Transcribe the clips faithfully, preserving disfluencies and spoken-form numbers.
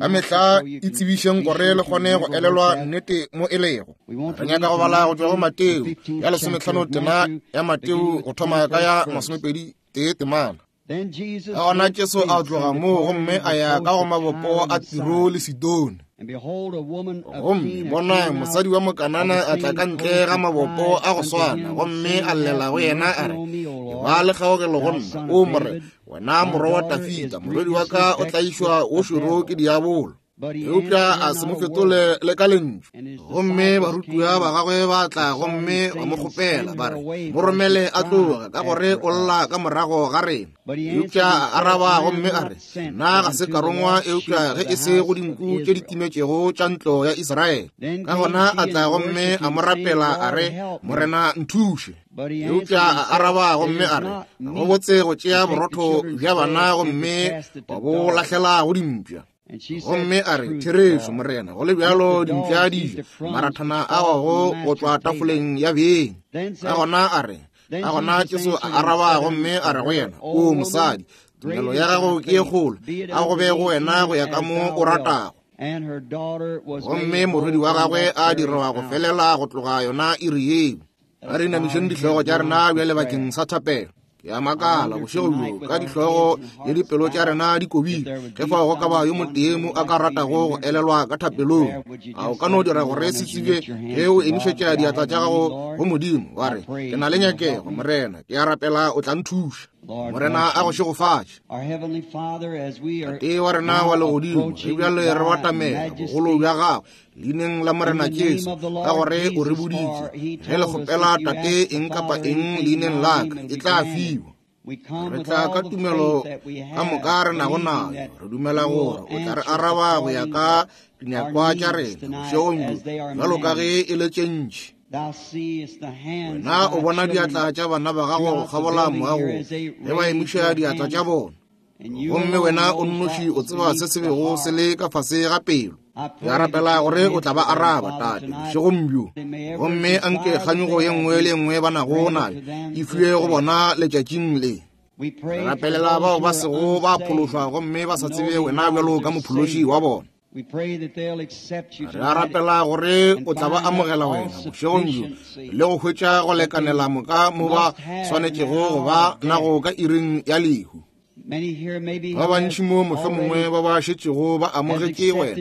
Ka mehla itsebišeng gore le kgone go elelwa nnete mo e lego. Re nyaka go bala go tšwa go Mateo ya lesomehlano tema ya Mateo go thoma ka ya masomepedi tee temana. Ka gona Jesu a tloga moo gomme a ya ka go mabopo a Tiro le Sidone. Gomme bona mosadi wa Mokanana a tla ka ntle ga mabopo a go swana, gomme a llela go yena a re, Eba le kgaogelo go nna, o Morena, wena morwa wa Dafida, morwedi wa ka o tlaišwa o šoro ke diabolo. Eupša a se mo fetole le ka lentšu. Gomme barutiwa ba gagwe ba tla gomme ba mo kgopela ba re, mo romele a tloge, ka gore o lla ka morago ga rena. Eupša a araba gomme a re, nna ga se ka rongwa eupša ge e se go dinku tše di timetšego tša ntlo ya Israele. Ka gona a tla gomme a mo rapela a re, Morena nthuše. Eupša a araba gomme a re, go botse go tšea borotho bja bana gomme wa bo lahlela go dimpša. Gomme a re, therešo Morena, go le bjalo dimpša di ja marathana a wago go tšwa tafoleng ya beng. Ka gona a re, ka gona Jesu a araba gomme a re go yena, o mosadi, tumelo ya gago ke ye kgolo, a go be go wena go ya ka mo o ratago. Gomme morwedi wa gagwe a dirwa go felela go tloga yona iri yeo. A re inamišeng dihlogo tša rena bjale bakeng sa thapelo. Ke a makala bošego bjo ka dihlogo le dipelo tša rena di kobile, ge fao go ka ba yo motee mo a ka ratago go elelwa ka thapelong. A o ka no dira gore se tsebe ge o emišetša diatla tša gago go Modimo, wa re, ke na le nyakego, Morena, ke a rapela o tla nthuša. Morena a go šegofatše. Tate wa rena wa legodimo, re bjale re batamela bogolo bja gago leineng la Morena Jesu, ka gore o re boditše, ge le kgopela Tate eng kapa eng leineng la ka, e tla fiwa. Re tla ka tumelo ka moka re nago nayo, re dumela gore o tla re araba go ya ka dinyakwa tša rena bošegong bjo, bjalo ka ge e le tše ntši. Wena o bona diatla tša bana ba gago go kgabola moagong ge ba emiša diatla tša bona, gomme wena o nnoši o tseba se se bego se le ka fase ga pelo. Ke a rapela gore o tla ba araba, Tate, bošegong bjo, gomme anke kganyogo ye nngwe le ye nngwe ba nago nayo e fiwe go bona letšatšing le. Re rapelela bao ba sego ba phološwa gomme ba sa tsebe wena bjalo ka mophološi wa bona. Re a rapela gore o tla ba amogela wena bošegong bjo le go hwetša go lekanela moka mo ba swanetšego go ba nago ka iring ya lehu. Ba bantši mo mohlomongwe ba ba šetšego ba amogetše wena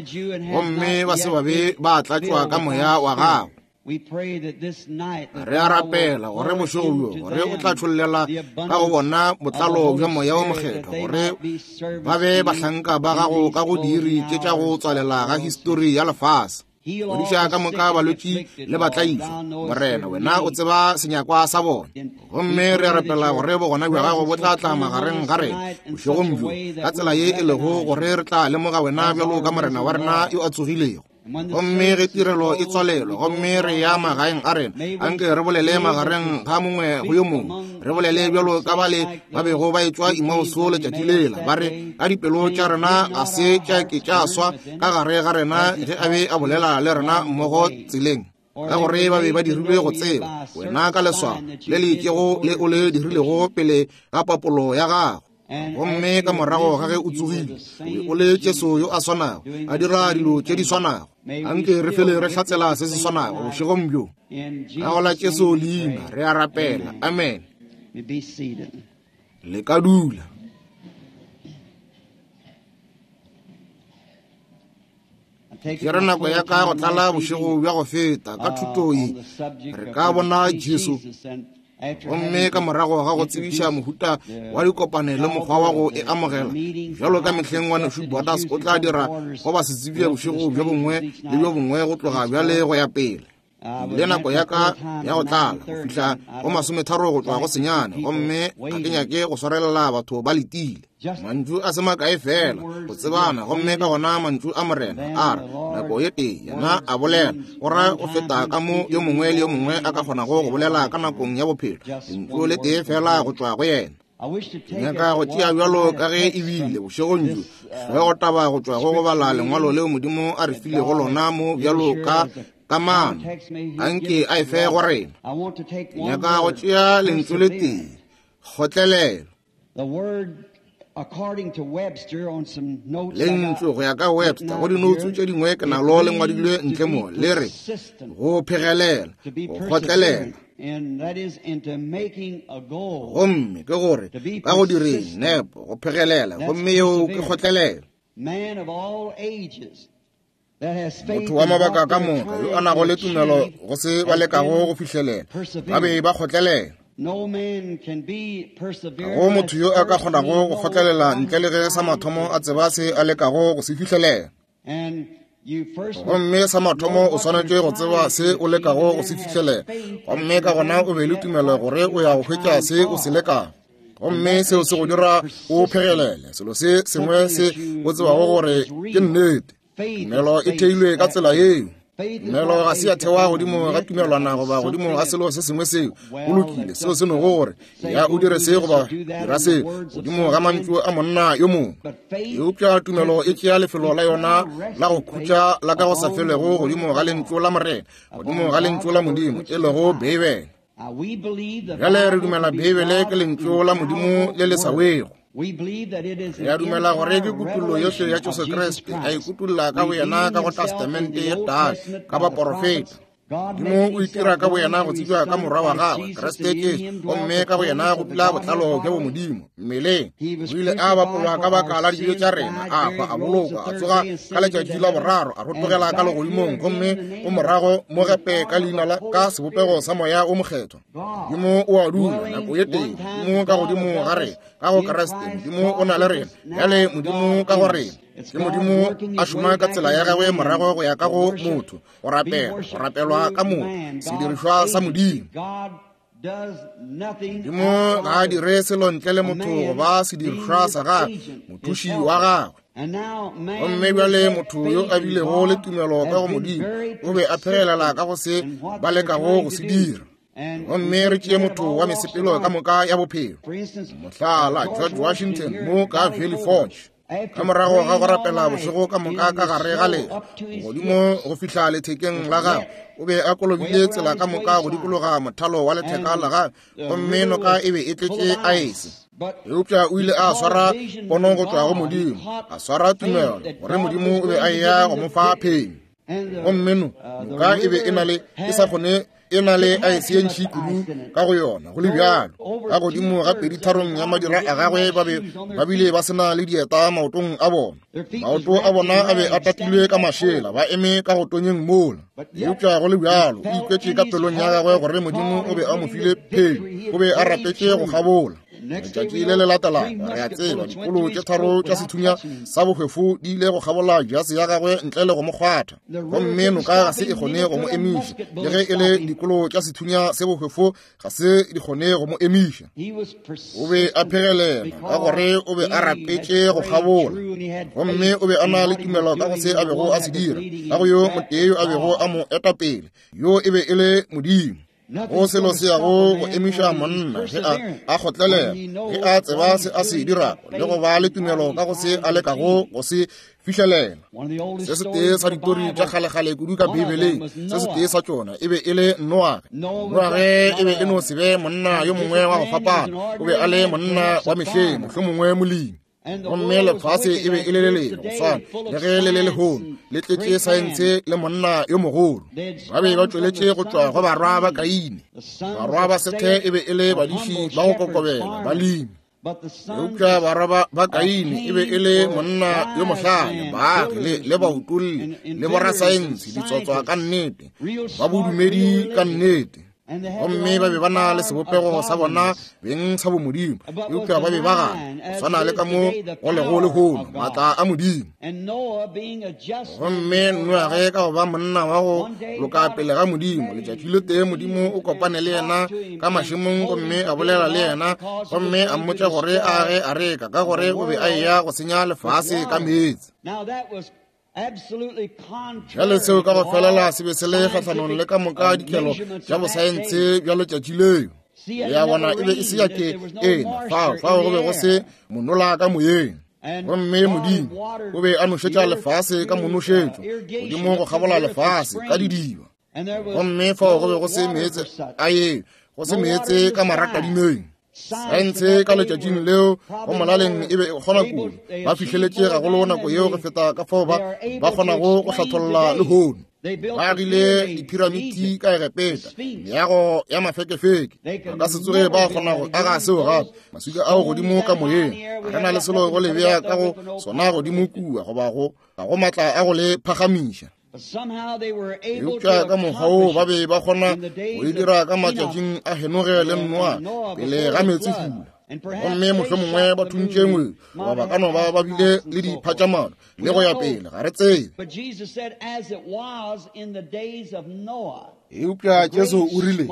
gomme ba se ba be ba tlatšwa ka moya wa gago. Re a rapela gore bošego bjo gore o tla tšhollela ka go bona botlalo bja moya wo mokgethwa, gore ba be bahlanka ba gago ka go diiri tše tša go tswalela ga histori ya lefase. Fodiša ka moka balwetši le batlaišwa, Morena, wena o tseba senyakwa sa bona. Gomme re a rapela gore bogona bja gago bo tla tla magareng ga rena bošegong bjo ka tsela ye e lego gore re tla lemoga wena bjalo ka Morena wa rena yo a tsogilego. Gomme ge tirelo e tswalelwa gomme re ya magaeng a rena, anke re bolele magareng ga mongwe go yo mongwe, re bolele bjalo ka bale ba bego ba etšwa Emauso letšatši lela, ba re, ka dipelo tša rena ga se tša ke tša swa ka gare ga rena ge a be a bolela le rena mmogo tseleng, ka gore ba be ba dirilwe go tseba wena ka leswao le le itšego le o le dirilego pele ga papolo ya gago. Gomme ka morago ga ge o tsogile, o le Jesu yo a swanago, a dira dilo tše di swanago. Anke re fele re hlatsela se se swanago bošegong bjo. Ka go la Jesu leina re a rapela. Amen. Le ka dula. Ke re nako ya ka go tlala bošego bja go feta ka thuto ye, re ka bona Jesu. Gomme ka morago ga go tsebiša mohuta wa dikopano le mokgwa wa go e amogela, bjalo ka mehleng ngwanešu Borders o tla dira go ba se tsebje bošego bjo bongwe le bjo bongwe go tloga bjale go ya pele. Le nako ya ka ya go tlala go fihla go masometharo go tšwa go senyane, gomme ga ke nyake go swarelela batho ba letile. Mantšu a se makae fela go tsebana, gomme ka gona mantšu a Morena a re nako ye tee yena a bolela, go ra go feta ka mo yo mongwe le yo mongwe a ka kgonago go bolela ka nakong ya bophelo, lentšu le tee fela go tšwa go yena. Ke nyaka go tšea bjalo ka ge e bile bošegong bjo hlogo taba go tšwa go go bala lengwalo leo Modimo a re filego lona mo bjalo ka kamano, anke a e fe go rena. Ke nyaka go tšea lentšu le tee, kgotlelelo. Lentšu go ya ka Webster go dinoutsu tše dingwe ke nalo le ngwadilwe ntle mo le re go phegelela, go kgotlelela. Gomme ke gore ka go direng nepo go phegelela, gomme yeo ke kgotlelela. Motho wa mabaka ka moka yo a nago le tumelo go se ba lekago go fihlelela, ba be ba kgotlelela. Ga go motho yo a ka kgonago go kgotlelela ntle le ge sa mathomo a tseba se a lekago go se fihlelela. Gomme sa mathomo o swanetše go tseba se o lekago go se fihlelela, gomme ka gona o be le tumelo gore o ya go hwetša se o se lekago. Gomme seo se go dira o phegelele selo se sengwe se o tsebago gore ke nnete. Tumelo e theilwe ka tsela yeo. Tumelo ga se ya thewa godimo ga tumelwana goba godimo ga selo se sengwe seo o lokile, seo se nogo gore ya o dire se goba dira se godimo ga mantšu a monna yo mongwe. Eupša tumelo e tšea lefelo la yona la go khutša la ka go sa felego godimo ga lentšu la Morena, godimo ga lentšu la Modimo e lego Beibele. Bjale re dumela Beibele ke lentšu la Modimo le le sa wego. Re a dumela gore ke kutullo yohle ya Jesu Kriste a ikutulla ka boyena ka go Testamente ye Tala ka baporofeta. Modimo o itira ka boyena go tsebja ka morwa wa gagwe Kriste Jesu, gomme ka boyena go dula botlalo bja bomodimo mmeleng. O ile a bapolwa ka baka la dibe tša rena, a hwa, a bolokwa, a tsoga ka letšatši la boraro, a rotogela ka legodimong, gomme o morago mo gape ka leina la ka sebopego sa Moya o Mokgethwa. Modimo o a dula nako ye tee, Modimo ka godimo ga rena, ka go Kriste. Modimo o na le rena bjale, Modimo ka go rena. Ke Modimo a šoma ka tsela ya gagwe morago go ya ka go motho, go rapela, go rapelwa ka motho, sedirišwa sa Modimo. Modimo ga a dire selo ntle le motho goba sedirišwa sa gagwe, mothuši wa gagwe. Gomme bjale motho yo a bilego le tumelo ka go Modimo o be a phegelela ka go se ba lekago go se dira. Gomme re tšee motho wa mesepelo ka moka ya bophelo, mohlala George Washington mo ka Valley Forge. Ka morago ga go rapela bošego ka moka ka gare ga leru godimo go fihla lethekeng la gagwe, o be a kolobile tsela ka moka go dikologa mothalo wa letheka la gagwe, gomme noka e be e tletše aese. Eupša o ile a swara pono go tšwa go Modimo, a swara tumelo gore Modimo o be a eya go mo fa phenyo. Gomme no noka e be e na le e sa kgone e na le aese ye ntši kudu ka go yona. Go le bjalo, ka godimo ga peditharong ya madira a gagwe ba be ba bile ba se na le dieta maotong a bona. Maoto a bona a be a tatilwe ka mašela, ba eme ka go tonyeng mola. Eupša go le bjalo, o ikwetše ka pelong ya gagwe gore Modimo o be a mo file phenyo, o be a rapetše go kgabola. Letšatši le le latelago, re a tseba, dikolo tše tharo tša sethunya sa bohwefo di ile go kgabola jase ya gagwe ntle le go mo kgwatha, gomme noka ga se e kgone go mo emiša. Le ge e le dikolo tša sethunya se bohwefo ga se di kgone go mo emiša. O be a phegelela ka gore o be a rapetše go kgabola, gomme o be a na le tumelo ka go se a bego a se dira, ka go yo motee yo a bego a mo eta pele, yo e be e le Modimo. Go selo se yago go emiša monna ge a a kgotlelela, ge a tseba se a se dirago le go ba le tumelo ka go se a lekago go se fihlelela. Se setee sa ditori tša kgalekgale kudu ka Beibeleng, se setee sa tšona e be e le Noage. Noage e be e no se be monna yo mongwe wa go fapana, o be a le monna wa mehleng, mohlomongwe molemi. Gomme lefase e be e le le lengwe go swana le ge le le lehono, le tletše saense le monna yo mogolo. Ba be ba tšweletše go tšwa go barwa ba Kaine. Barwa ba Sethe e be e le badiši ba go kokobela, balemi. Eupša barwa ba Kaine e be e le monna yo mohlale, baagi le, le bautolli le borasaense, ditsotswa ka nnete, ba bodumedi ka nnete. Gomme ba be ba na le sebopego sa bona beng sa bomodimo, eupša ba be ba gana go swana le ka mo go lego lehono maatla a Modimo. Gomme Noage ka go ba monna wa go loka pele ga Modimo, letšatši le tee Modimo o kopane le yena ka mašemong gomme a bolela le yena, gomme a mmotša gore a age areka ka gore o be a eya go senya lefase ka meetse. Bjale seo ka go felela se be se le kgahlanong le ka moka dikelo tša bosaense bja letšatši leo. Ya bona e be e se ya ke ena, fao fao go be go se monola ka moyeng. Gomme Modimo o be a nošetša lefase ka monošetšo godimo go kgabola lefase ka didiba. Gomme fao go be go se meetse a yeo, go se meetse ka maratadimeng. Saense ka letšatšing leo go molaleng e be e kgona kudu. Ba fihleletše gagolo nako yeo go feta ka fao ba ba kgonago go hlatholla lehono. Ba agile diphiramiti ka Egepeta, meago ya mafekefeke. Ba ka se tsoge ba kgona go aga seo gape. Maswika ao godimo ka moyeng, ga re na le selo go le bea ka go sona godimo kua goba go ga go maatla a go le phagamiša. Eupša ka mokgwa woo ba be ba kgona go e dira ka matšatšing a Henoge le Noa pele ga meetsefula. Gomme mohlomongwe ba thuntše ngwedi, goba ba ka no ba ba bile le diphatšamano le go ya pele, ga re tsebe. Eupša Jesu o rile,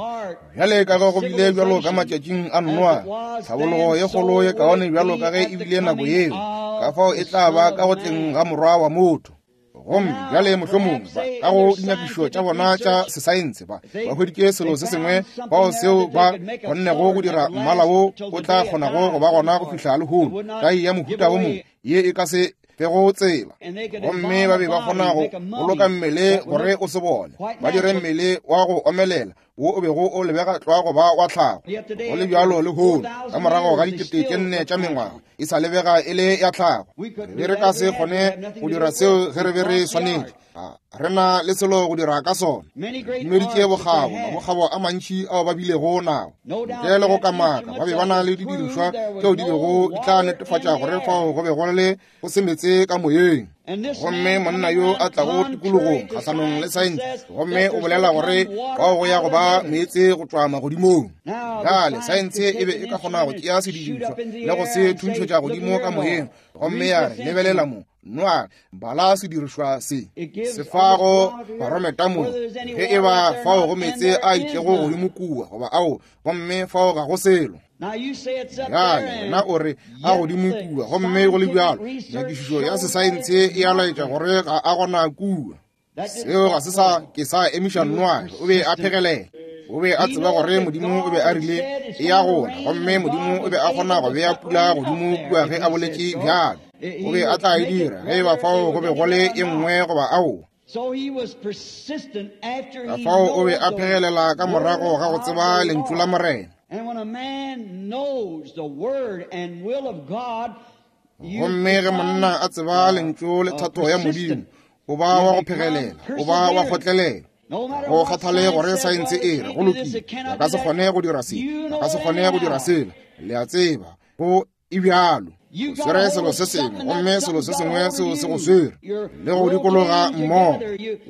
bjale ka ge go bile bjalo ka matšatšing a Noa, tlhabologo ye kgolo ye kaone bjalo ka ge e bile nako yeo, ka fao e tla ba ka go tleng ga Morwa wa motho. Gomme bjale mohlomongwe ba ka go dinyakišo tša bona tša sesaense ba ba hweditše selo se sengwe bao seo ba kgonnego go dira mmala wo o tla kgonago go ba gona go fihla lehono, tai ya mohuta wo mongwe ye e ka se fego tsela. Gomme ba be ba kgona go boloka mmele gore o se bone, ba dire mmele wa go omelela wo o bego o lebega tlwa go ba wa tlhago. Go le bjalo lehono, ka morago ga dikete tše nne tša mengwaga, e sa lebega e le ya tlhago. Re be re ka se kgone go dira seo ge re be re swanetše. Ga re na le selo go dira ka sona. Re dumeditše bokgabo, mabokgabo a mantši ao ba bilego nao. Ntle le go kamaka, ba be ba na le didirišwa tšeo di bego di tla netefatša gore fao go be go le go se meetse ka moyeng. Gomme monna yo a tlago tikologong kgahlanong le saense, gomme o bolela gore fao go ya go ba meetse go tšwa magodimong. Bjale saense e be e ka kgona go tšea sedirišwa le go se thuntšhetša godimo ka moyeng, gomme ya re, lebelela mo, Noa, bala sedirišwa se se fago barometa mo, ge e ba fao go meetse a itšego godimo kua goba ao, gomme fao ga go selo. Bjale wena o re a godimo kua, gomme go le bjalo nyakišišo ya sesaense e a laetša gore ga a gona kua. Seo ga se sa ke sa emiša Noa, o be a phegelela. O be a tseba gore Modimo o be a rile e ya gona, gomme Modimo o be a kgona go bea pula godimo kua ge a boletše bjalo. O be a tla e dira ge e ba fao go be go le e nngwe goba ao. Ka fao o be a phegelela ka morago ga go tseba lentšu la Morena. Gomme ge monna a tseba lentšu le thato ya Modimo, o ba wa go phegelela, o ba wa kgotlelela. Go kgathale gore saense e re go lokile, ba ka se kgone go dira se, ba ka se kgone go dira sela. Le a tseba, go e bjalo. O swere selo se sengwe, gomme selo se sengwe seo se go swere le go dikologa mmogo.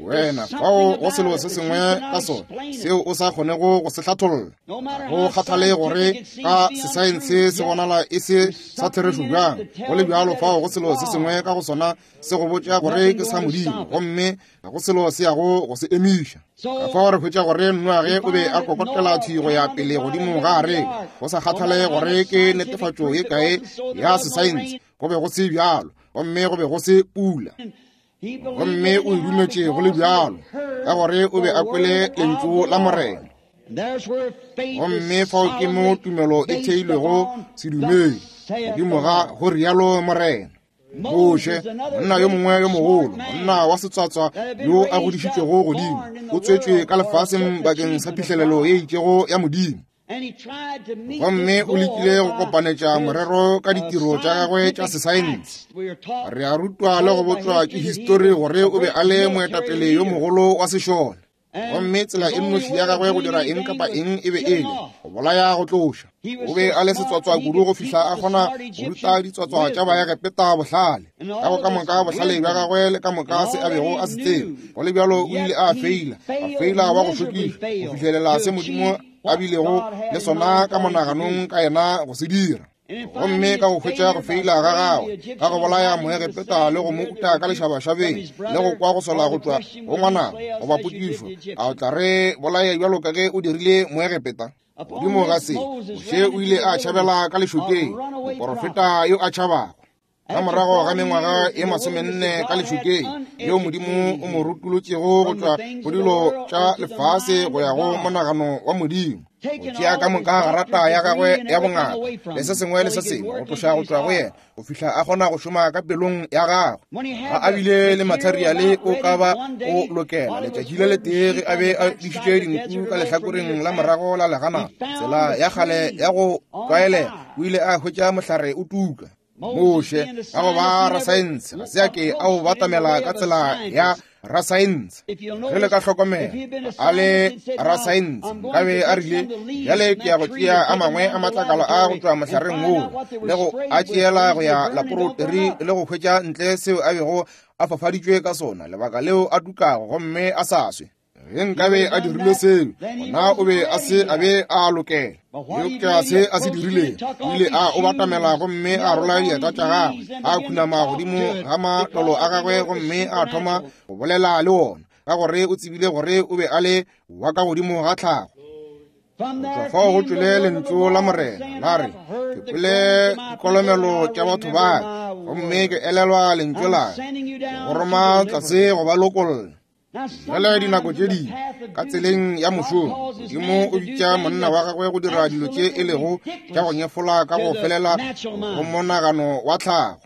Wena fao go selo se sengwe ka sona seo o sa kgonego go se hlatholla. Go kgathale gore ka sesaense se bonala e se sa therešo bjang, go le bjalo fao go selo se sengwe ka go sona se go botša gore ke sa Modimo, gomme ga go selo se yago go se emiša. Ka fao re hwetša gore Noage o be a kokotela thwi go ya pele godimo ga areka, go sa kgathale gore ke netefatšo ye kae ya sesaense, go be go se bjalo, gomme go be go se pula. Gomme o e dumetše go le bjalo, ka gore o be a kwele lentšu la Morena. Gomme fao ke mo tumelo e theilwego sedumedi, godimo ga go rialo Morena. Moshe, monna yo mongwe yo mogolo, monna wa setswatswa yo a godišitšwego godimo, o tswetšwe ka lefaseng bakeng sa phihlelelo ye itšego ya Modimo. Gomme o lekile go kopanetša morero ka ditiro tša gagwe tša sesaense. Re a rutwa le go botšwa ke histori gore o be a le moetapele yo mogolo wa sešole. Gomme tsela e nnoši ya gagwe go dira eng kapa eng e be e le go bolaya go tloša. O be a le setswatswa kudu go fihla a kgona go ruta ditswatswa tša Baegepeta bohlale. Ka go ka moka bohlale bja gagwe le ka moka se a bego a se tseba, go le bjalo o ile a feila, a feila wa go šokiša go fihlelela se Modimo a bilego le sona ka monaganong ka yena go se dira. Gomme ka go hwetša go feila ga gagwe ka go bolaya Moegepeta le go mo uta ka lešabašabeng le go kwa go sola go tšwa go ngwanabo goba potšišo, a o tla re bolaya bjalo ka ge o dirile Moegepeta? Godimo ga se, Moshe o ile a tšhabela ka lešokeng, moporofeta yo a tšhabago. Ka morago ga mengwaga e masomenne ka lešokeng, yeo Modimo o mo rutolotšego go tšwa go dilo tša lefase go ya go monagano wa Modimo. Go tšea ka moka garata ya gagwe ya bongaka le se sengwe le se sengwe go tloša go tšwa go yena go fihla a kgona go šoma ka pelong ya gagwe. Ga a bile le materiale o ka ba o lokela letšatši le letee ge a be a dišitše dinku ka lehlakoreng la morago la legana, tsela ya kgale ya go tlwaelega, o ile a hwetša mohlare o tuka. Moshe ka go ba rasaense ga se a ke a o batamela ka tsela ya rasaense. Ge le ka hlokomela a le rasaense nkabe a rile, bjale ke ya go tšea a mangwe a matlakala a go tšwa mohlareng woo le go a tšeela go ya laporoteri le go hwetša ntle seo a bego a fafaditšwe ka sona, lebaka leo a tukago gomme a sa swe. Ge nkabe a dirile seo, gona o be a se a be a lokela. Eupša se a se dirilego, o ile a o batamela gomme a rola dieta tša gagwe, a khunama godimo ga matolo a gagwe gomme a thoma go bolela le wona, ka gore o tsebile gore o be a le wa ka godimo ga tlhago. Go tšwa fao go tšwele lentšu la Morena la re, ke kwele dikolomelo tša batho ba ka, gomme ke elelwa lentšu la ka, ke go roma tlase go ba lokolla. Bjale dinako tše dingwe ka tseleng ya mošomo, Modimo o bitša monna wa gagwe go dira dilo tše e lego tša go nyefola ka go felela go monagano wa tlhago.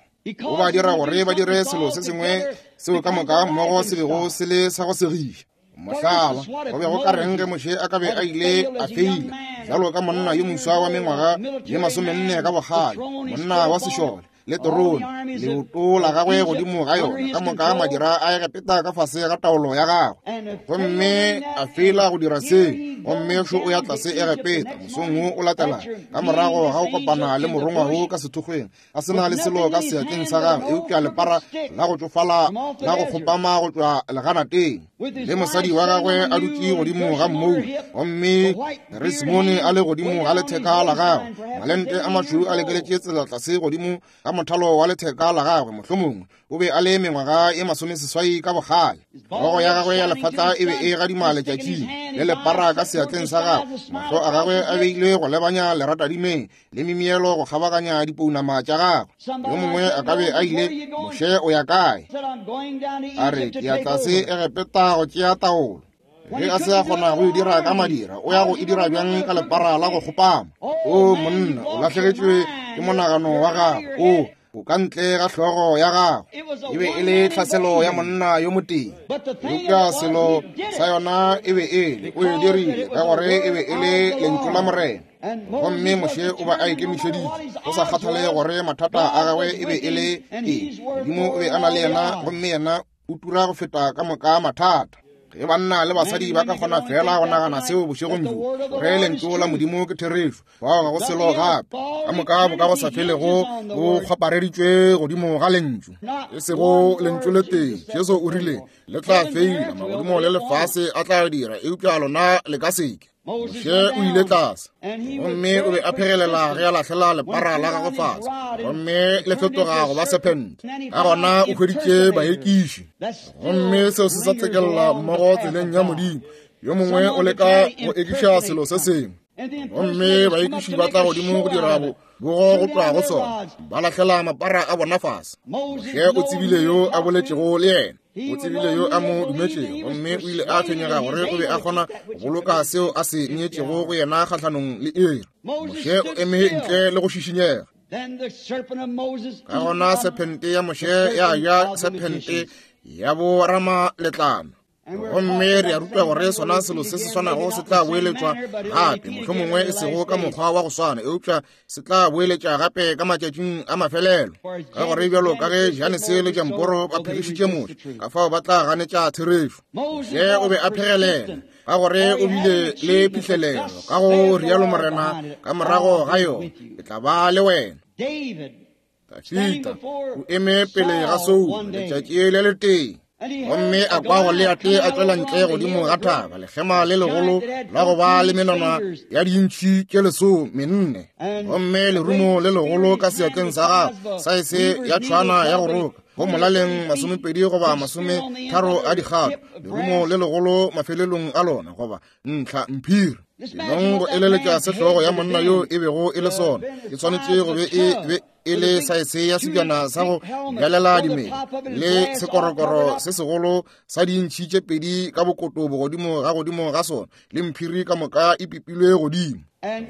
O ba dira gore ba dire selo se sengwe seo ka moka mmogo se bego se le sa go segiša. Mohlala, go be go ka reng ge Moshe a ka be a ile a feila bjalo ka monna yo moswa wa mengwaga ye masomenne ka bokgale, monna wa sešole le terone, leoto la gagwe godimo ga yona, ka moka madira a Egepeta ka fase ga taolo ya gagwe, gomme a feila go dira seo, gomme šo o ya tlase Egepeta mosong wo o latela ka morago ga go kopana le morongwa wo ka sethokgweng, a se na le selo ka seatleng sa gagwe eupša lepara la go tšofala la go kgopama go tšwa leganateng, le mosadi wa gagwe a dutše godimo ga mmou, gomme Resimone a le godimo ga letheka la gagwe, malente a mašweu a lekeletše tsela tlase godimo ga mothalo wa letheka la gagwe. Mohlomongwe o be a le mengwaga ye masomeseswai ka bokgale. Hlogo ya gagwe ya lefatla e be e gadima letšatšing, le lepara ka seatleng sa gagwe, mahlo a gagwe a beilwe go lebanya leratadimeng le mimielo go kgabaganya dipounama tša gagwe. Yo mongwe a ka be a ile, Moshe o ya kae? A re, ke ya tlase Egepeta go tšea taolo. Ge a se a kgona go e dira ka madira, o ya go e dira bjang ka lepara la go kgopama? O monna, o lahlegetšwe ke monagano wa gago, o o ka ntle ga hlogo ya gago. E be e le tlhaselo ya monna yo motee, eupša selo sa yona e be e le o e dirile ka gore e be e le lentšu la Morena. Gomme Moshe o ba a ikemišeditše, go sa kgathale gore mathata a gagwe e be e le eng, Modimo o be a na le yena, gomme yena o tura go feta ka moka mathata. Ge banna le basadi ba ka kgona fela go nagana seo bošegong bjo, gore lentšu la Modimo ke therešo, fao ga go selo gape, ka moka bo ka go sa felego bo kgwapareditšwe godimo ga lentšu, e sego lentšu le tee. Jesu o rile, le tla feila, magodimo le lefase a tla dira, eupša lona le ka seke. Moshe o ile tlase, gomme o be a phegelela ge a lahlela lepara la gagwe fase, gomme le fetoga go ba sephente. Ka gona o hweditše baekiši, gomme seo se sa tsekella mmogo tseleng ya Modimo. Yo mongwe o leka go ekiša selo se sengwe, gomme baekiši ba tla godimo go dira bogo go tloga go sona, ba lahlela mapara a bona fase. Moshe o tsebile yo a boletšego le yena, o tsebile yo a mo dumetšego, gomme o ile a tshwenyega gore o be a kgona go boloka seo a se neetšego go yena kgahlanong le iri. Moshe o eme ntle le go šišinyega. Ka gona sephente ya Moshe ya ja sephente ya bo ramaletlana. Gomme re a rutwa gore sona selo se se swanago se tla boeletšwa gape, mohlomongwe e sego ka mokgwa wa go swana, eupša se tla boeletša gape ka matšatšing a mafelelo. Ka gore bjalo ka ge Janese le Jamporo ba phegišitše Moshe, ka fao ba tla ganetša therešo. Moshe o be a phegelela, ka gore o bile le phihlelelo, ka go rialo Morena, ka morago ga yona ke tla ba le wena. Dafida o eme pele ga Saulo letšatši le letee, gomme a kwa Goliate a tšwela ntle godimo ga thaba, lekgema le legolo la go ba le menwana ya dintšhi tše lesomenne, gomme lerumo le legolo ka seatleng sa gagwe, saese ya tšhwana ya go roka. Go molaleng masomepedi goba masometharo a dikgato, lerumo le legolo mafelelong a lona, goba ntlha mphiri. Nong go eleletša sehlogo ya monna yo e bego e le sona, e swanetše go be e be e le saese ya sebjana sa go bjalela dimela le sekorokoro se segolo sa dintšhi tše pedi ka bokoto bogodimo ga godimo ga sona, le mphiri ka moka e pipilwe godimo.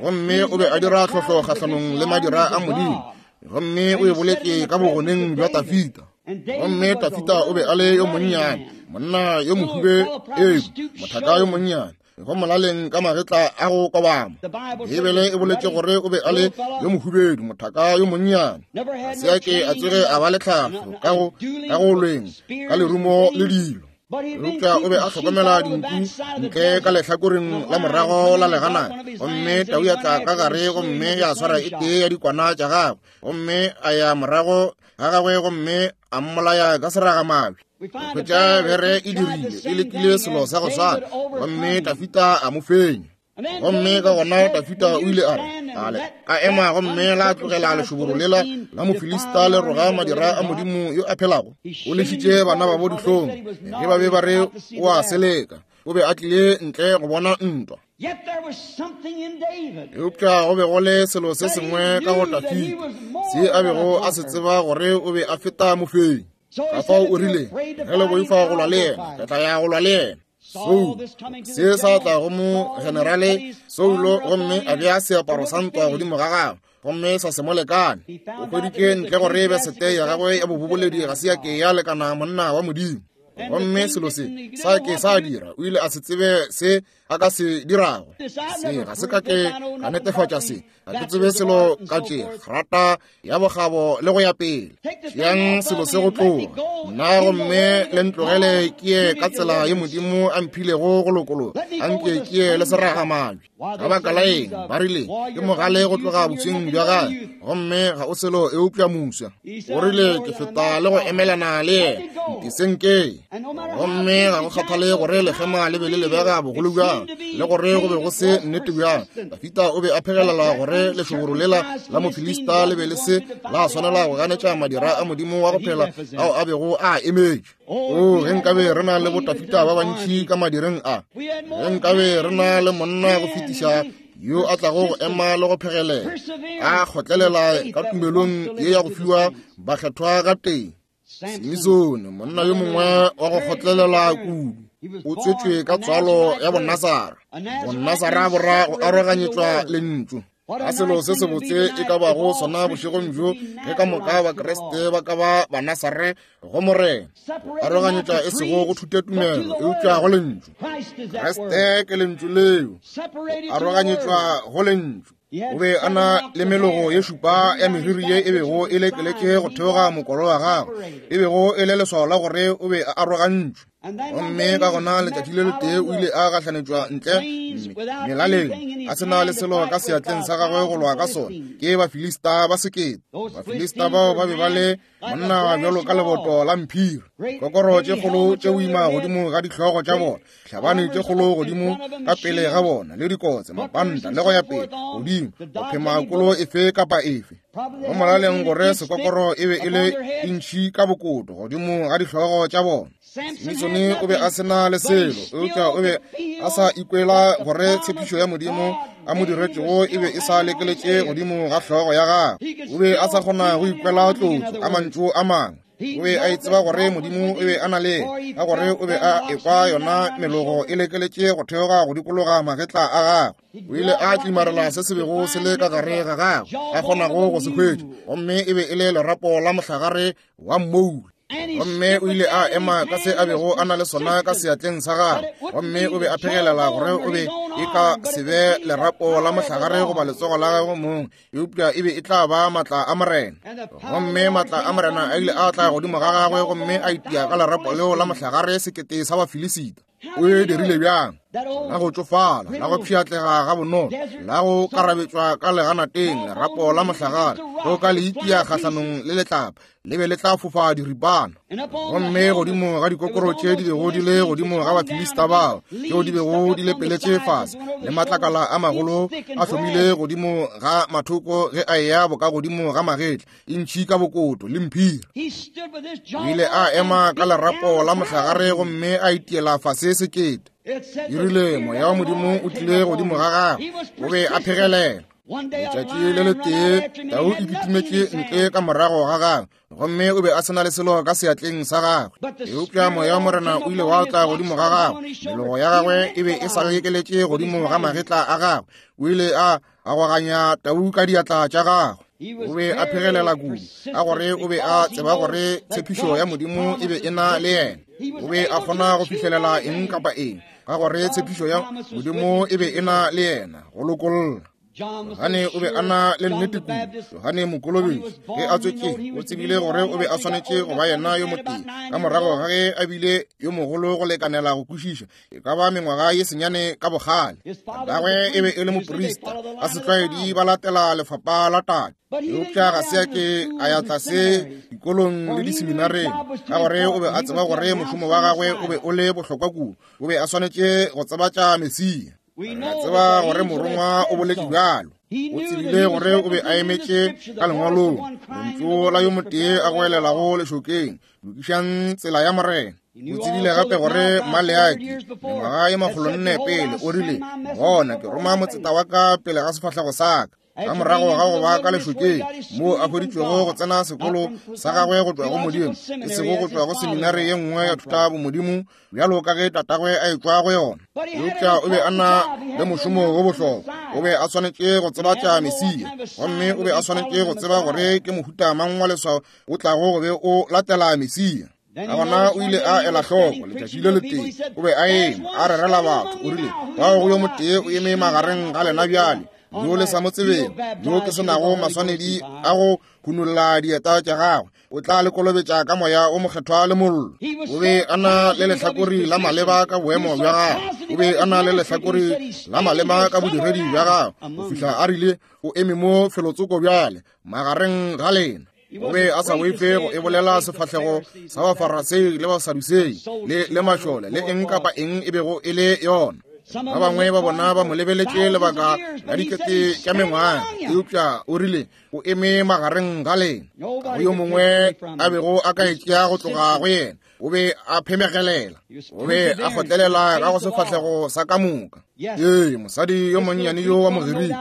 Gomme o be a dira tlhohlo kgahlanong le madira a Modimo, gomme o e boletše ka bogoneng bja Tafita. Gomme Tafita o be a le yo monnyane, monna yo mohube, ee, mothaka yo monnyane, go molaleng ka magetla a go kobama. Beibele e boletše gore o be a le yo mohubedu, mothaka yo monnyane, ga se a ke a tsoge a ba le tlhahlo ka go ka go lweng ka lerumo le dilo. Eupša o be a hlokomela dinku ntle ka lehlakoreng la morago la leganana, gomme tau ya tla ka gare gomme ya swara e tee ya dikwana tša gagwe, gomme a ya morago ga gagwe gomme a mmolaya ka seragamabje. Hwetša bere e dirile, e lekile selo sa go swana, gomme Tafita a mo fenya. Gomme ka gona Tafita o ile a re, ale ka ema gomme la tlogela lešoboro lela la Mofilista le roga madira a Modimo yo a phelago. O lešitše bana babo dihlong ge ba be ba re o a seleka. O be a tlile ntle go bona ntwa. Eupša go be go le selo se sengwe ka go Tafita se a bego a se tseba gore o be a feta mofenyi. Ka fao o rile, ge le boifa go lwa le yena, re tla ya go lwa le yena. Saulo se sa tla go mo generale Saulo, gomme a bea seaparo sa ntwa godimo ga gagwe, gomme sa se mo lekane. O hweditše ntle gore besete ya gagwe ya boboledi ga se ya ke ya lekana monna wa Modimo. Gomme selo se sa ke sa dira, o ile a se tsebe se a ka se dirago. Se ga se ka ke ka netefatša se, ga ke tsebe selo ka tše grata ya bokgabo le go ya pele. Tšeang selo se go tloga nna, gomme le ntlogele ke ye ka tsela ye Modimo a mphilego go lokologa, a nke ke ye le seragamabje. Ka baka la eng ba rile ke mogale go tloga bosweng bja gagwe, gomme ga o selo eupša moswa. O rile ke feta le go emelana le yena, nteseng ke. Gomme ga go kgathale gore lekgema le be le lebega bogolo bjang, le gore go be go se nnete bjang, Tafita o be a phegelela gore lešoboro lela la Mofilista le be le se la swanela go ganetša madira a Modimo wa go phela ao a bego a emetše. O, ge nkabe re na le botafita ba bantši ka madireng a, ge nkabe re na le monna go fetiša yo a tlago go ema le go phegelela, a kgotlelela ka tumelong ye ya go fiwa bakgethwa ga teng. Simisone, monna yo mongwe wa go kgotlelela kudu, o tswetšwe ka tswalo ya Bonasara. Bonasara bo ra go aroganyetšwa lentšu. Ka selo se sebotse e ka bago sona bošegong bjo, ge ka moka Bakriste ba ka ba Banasare go Morena, aroganyetša e sego go thutotumelo eupša go lentšu. Kriste ke lentšu leo, aroganyetšwa go lentšu. O be a na le melogo ye šupa ya meriri ye e bego e lekeletše go theoga mokolo wa gagwe, e bego e le leswao la gore o be a arogantšwe. Gomme ka gona letšatši le letee o ile a gahlanetšwa ntle melaleng, a se na le selo ka seatleng sa gagwe go lwa ka sona, ke Bafilista ba sekete. Bafilista bao ba be ba le monna bjalo ka leboto la mphiri, kokoro tše kgolo tše boima godimo ga dihlogo tša bona, hlabane tše kgolo godimo ka pele ga bona, le dikotse, mapanta le go ya pele godimo, go phema kolo efe kapa efe. Go molaleng gore sekokoro e be e le intšhi ka bokoto godimo ga dihlogo tša bona. Simisone o be a se na le selo, eupša o be a sa ikwela gore tshepišo ya Modimo a mo diretšego e be e sa lekeletše godimo ga hlogo ya gagwe. O be a sa kgona go ikwela tlotšo ka mantšu a mangwe. O be a itseba gore Modimo o be a na le ka gore o be a ekwa yona melogo e lekeletše go theoga go dikologa magetla a gagwe. O ile a tlimarela se se bego se le ka gare ga gagwe, a kgonago go se hwetša, gomme e be e le lerapo la mohlagare wa mmoula. Gomme o ile a ema ka se a bego a na le sona ka seatleng sa gagwe, gomme o be a phegelela gore o be e ka se be lerapo la mohlagare goba letsogo la gagwe mong, eupša e be e tla ba matla a Morena. Gomme matla a Morena a ile a tla godimo ga gagwe, gomme a itia ka lerapo leo la mohlagare sekete sa Bafilisita. O e dirile bjang? La go tšofala, la go pšhatlega ga bonolo, la go karabetšwa ka leganateng, lerapo la mohlagare, go ka le itia kgahlanong le letlapa, le be le tla fofa diripana. Gomme godimo ga dikokoro tše di bego di le godimo ga Bafilista bao, tšeo di bego di lepeletše fase, le matlakala a magolo a hlomile godimo ga mathoko ge a eya boka godimo ga magetla, e ntšhi ka bokoto le mphiri. O ile a ema ka lerapo la mohlagare gomme a itiela fase sekete. E rile moya wa Modimo o tlile godimo ga gagwe, o be a phegelela. Letšatši le letee tau e kitimetše ntle ka morago ga gagwe, gomme o be a se na le selo ka seatleng sa gagwe. Eupša moya wa Morena o ile wa tla godimo ga gagwe, melogo ya gagwe e be e sa lekeletše godimo ga magetla a gagwe. O ile a agoganya tau ka diatla tša gagwe. O be a phegelela kudu, ka gore o be a tseba gore tshepišo ya Modimo e be e na le yena. O be a kgona go fihlelela eng kapa eng, ka gore tshepišo ya Modimo e be e na le yena go lokolla. Johane o be a na le nnete kudu. Johane Mokolobetši ge a tswetše o tsebile gore o be a swanetše go ba yena yo motee, ka morago ga ge a bile yo mogolo go lekanela go kwešiša, e ka ba mengwaga ye senyane ka bogale. Tatagwe e be e le moprista, ka setlwaedi ba latela lefapa la tate. Eupša ga se a ke a ya tlase dikolong le diseminareng, ka gore o be a tseba gore mošomo wa gagwe o be o le bohlokwa kudu. O be a swanetše go tsebatša Mesia. Re tseba gore morongwa o boletše bjalo. O tsebile gore o be a emetše ka lengwalong, lentšu la yo motee a goelelago lešokeng, lokišang tsela ya Morena. O tsebile gape gore Maleaki mengwaga ye makgolonne pele o rile, bona ke roma motseta wa ka pele ga sefahlego sa ka. Ka morago ga go ba ka lešokeng, moo a hweditšwego go tsena sekolo sa gagwe go tšwa go Modimo, e sego go tšwa go seminare ye nngwe ya thuta bomodimo bjalo ka ge tatagwe a etšwa go yona. Eupša o be a na le mošomo wo bohlokwa. O be a swanetše go tsebatša Mesia, gomme o be a swanetše go tseba gore ke mohuta mang wa leswao o tlago go be o latela Mesia. Ka gona o ile a ela hloko letšatši le letee, o be a eme a rerela batho. O rile, bao go yo motee o eme magareng ga lena bjale, yo le sa mo tsebeng, yo ke se nago maswanedi a go hunolla dieta tša gagwe, o tla le kolobetša ka moya o mokgethwa le mollo. O be a na le lehlakori la maleba ka boemo bja gagwe, o be a na le lehlakori la maleba ka bodiredi bja gagwe, go fihla a rile o eme mo felotsoko bjale magareng ga lena. O be a sa boife go e bolela sefahlego sa Bafarasei le Basadusei le le mašole le eng kapa eng e bego e le yona. Ba bangwe ba bona ba mo lebeletše lebaka la dikete tša mengwaga, eupša o rile o eme magareng ga lena. Ga go yo mongwe a bego a ka e tšea go tloga go yena. O be a phemegelela, o be a kgotlelela ka go sefahlego sa ka moka. Ee, mosadi yo monnyane yo wa Mogiriki,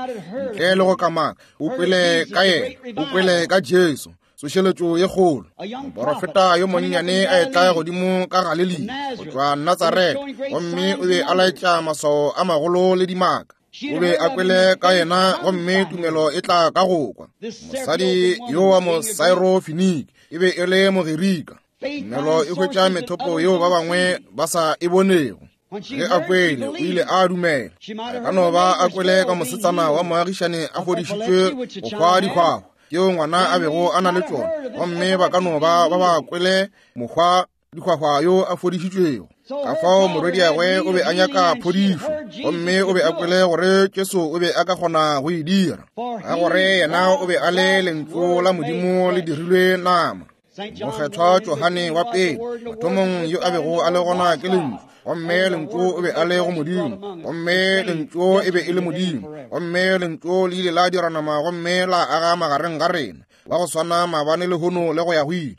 ntle le go kamaka, o kwele ka yena, o kwele ka Jesu, tsošeletšo ye kgolo. Moporofeta yo monnyane a etla godimo ka Galilea go tšwa Natsaretha, gomme o be a laetša maswao a magolo le dimaka. O be a kwele ka yena, gomme tumelo e tla ka go kwa. Mosadi yo wa Mosaerofenike e be e le Mogirika. Tumelo e hwetša methopo yeo ba bangwe ba sa e bonego. Ge a kwele, o ile a dumela. A ka no ba a kwele ka mosetsana wa moagišane a fodišitšwe go hwa dihwahwa tšeo ngwana a bego a na le tšona, gomme ba ka no ba ba ba kwele mokgwa dihwahwa yo a fodišitšwego. Ka fao morwediagwe o be a nyaka phodišo, gomme o be a kwele gore Jesu o be a ka kgona go e dira, ka gore yena o be a le lentšu la Modimo le dirilwe nama. Mokgethwa Johane wa pele, mathomong yo a bego a le gona ke lentšu, gomme lentšu o be a le go Modimo, gomme lentšu e be e le Modimo, gomme lentšu le ile la dira nama gomme la aga magareng ga rena, wa go swana maabane lehono le go ya go ile.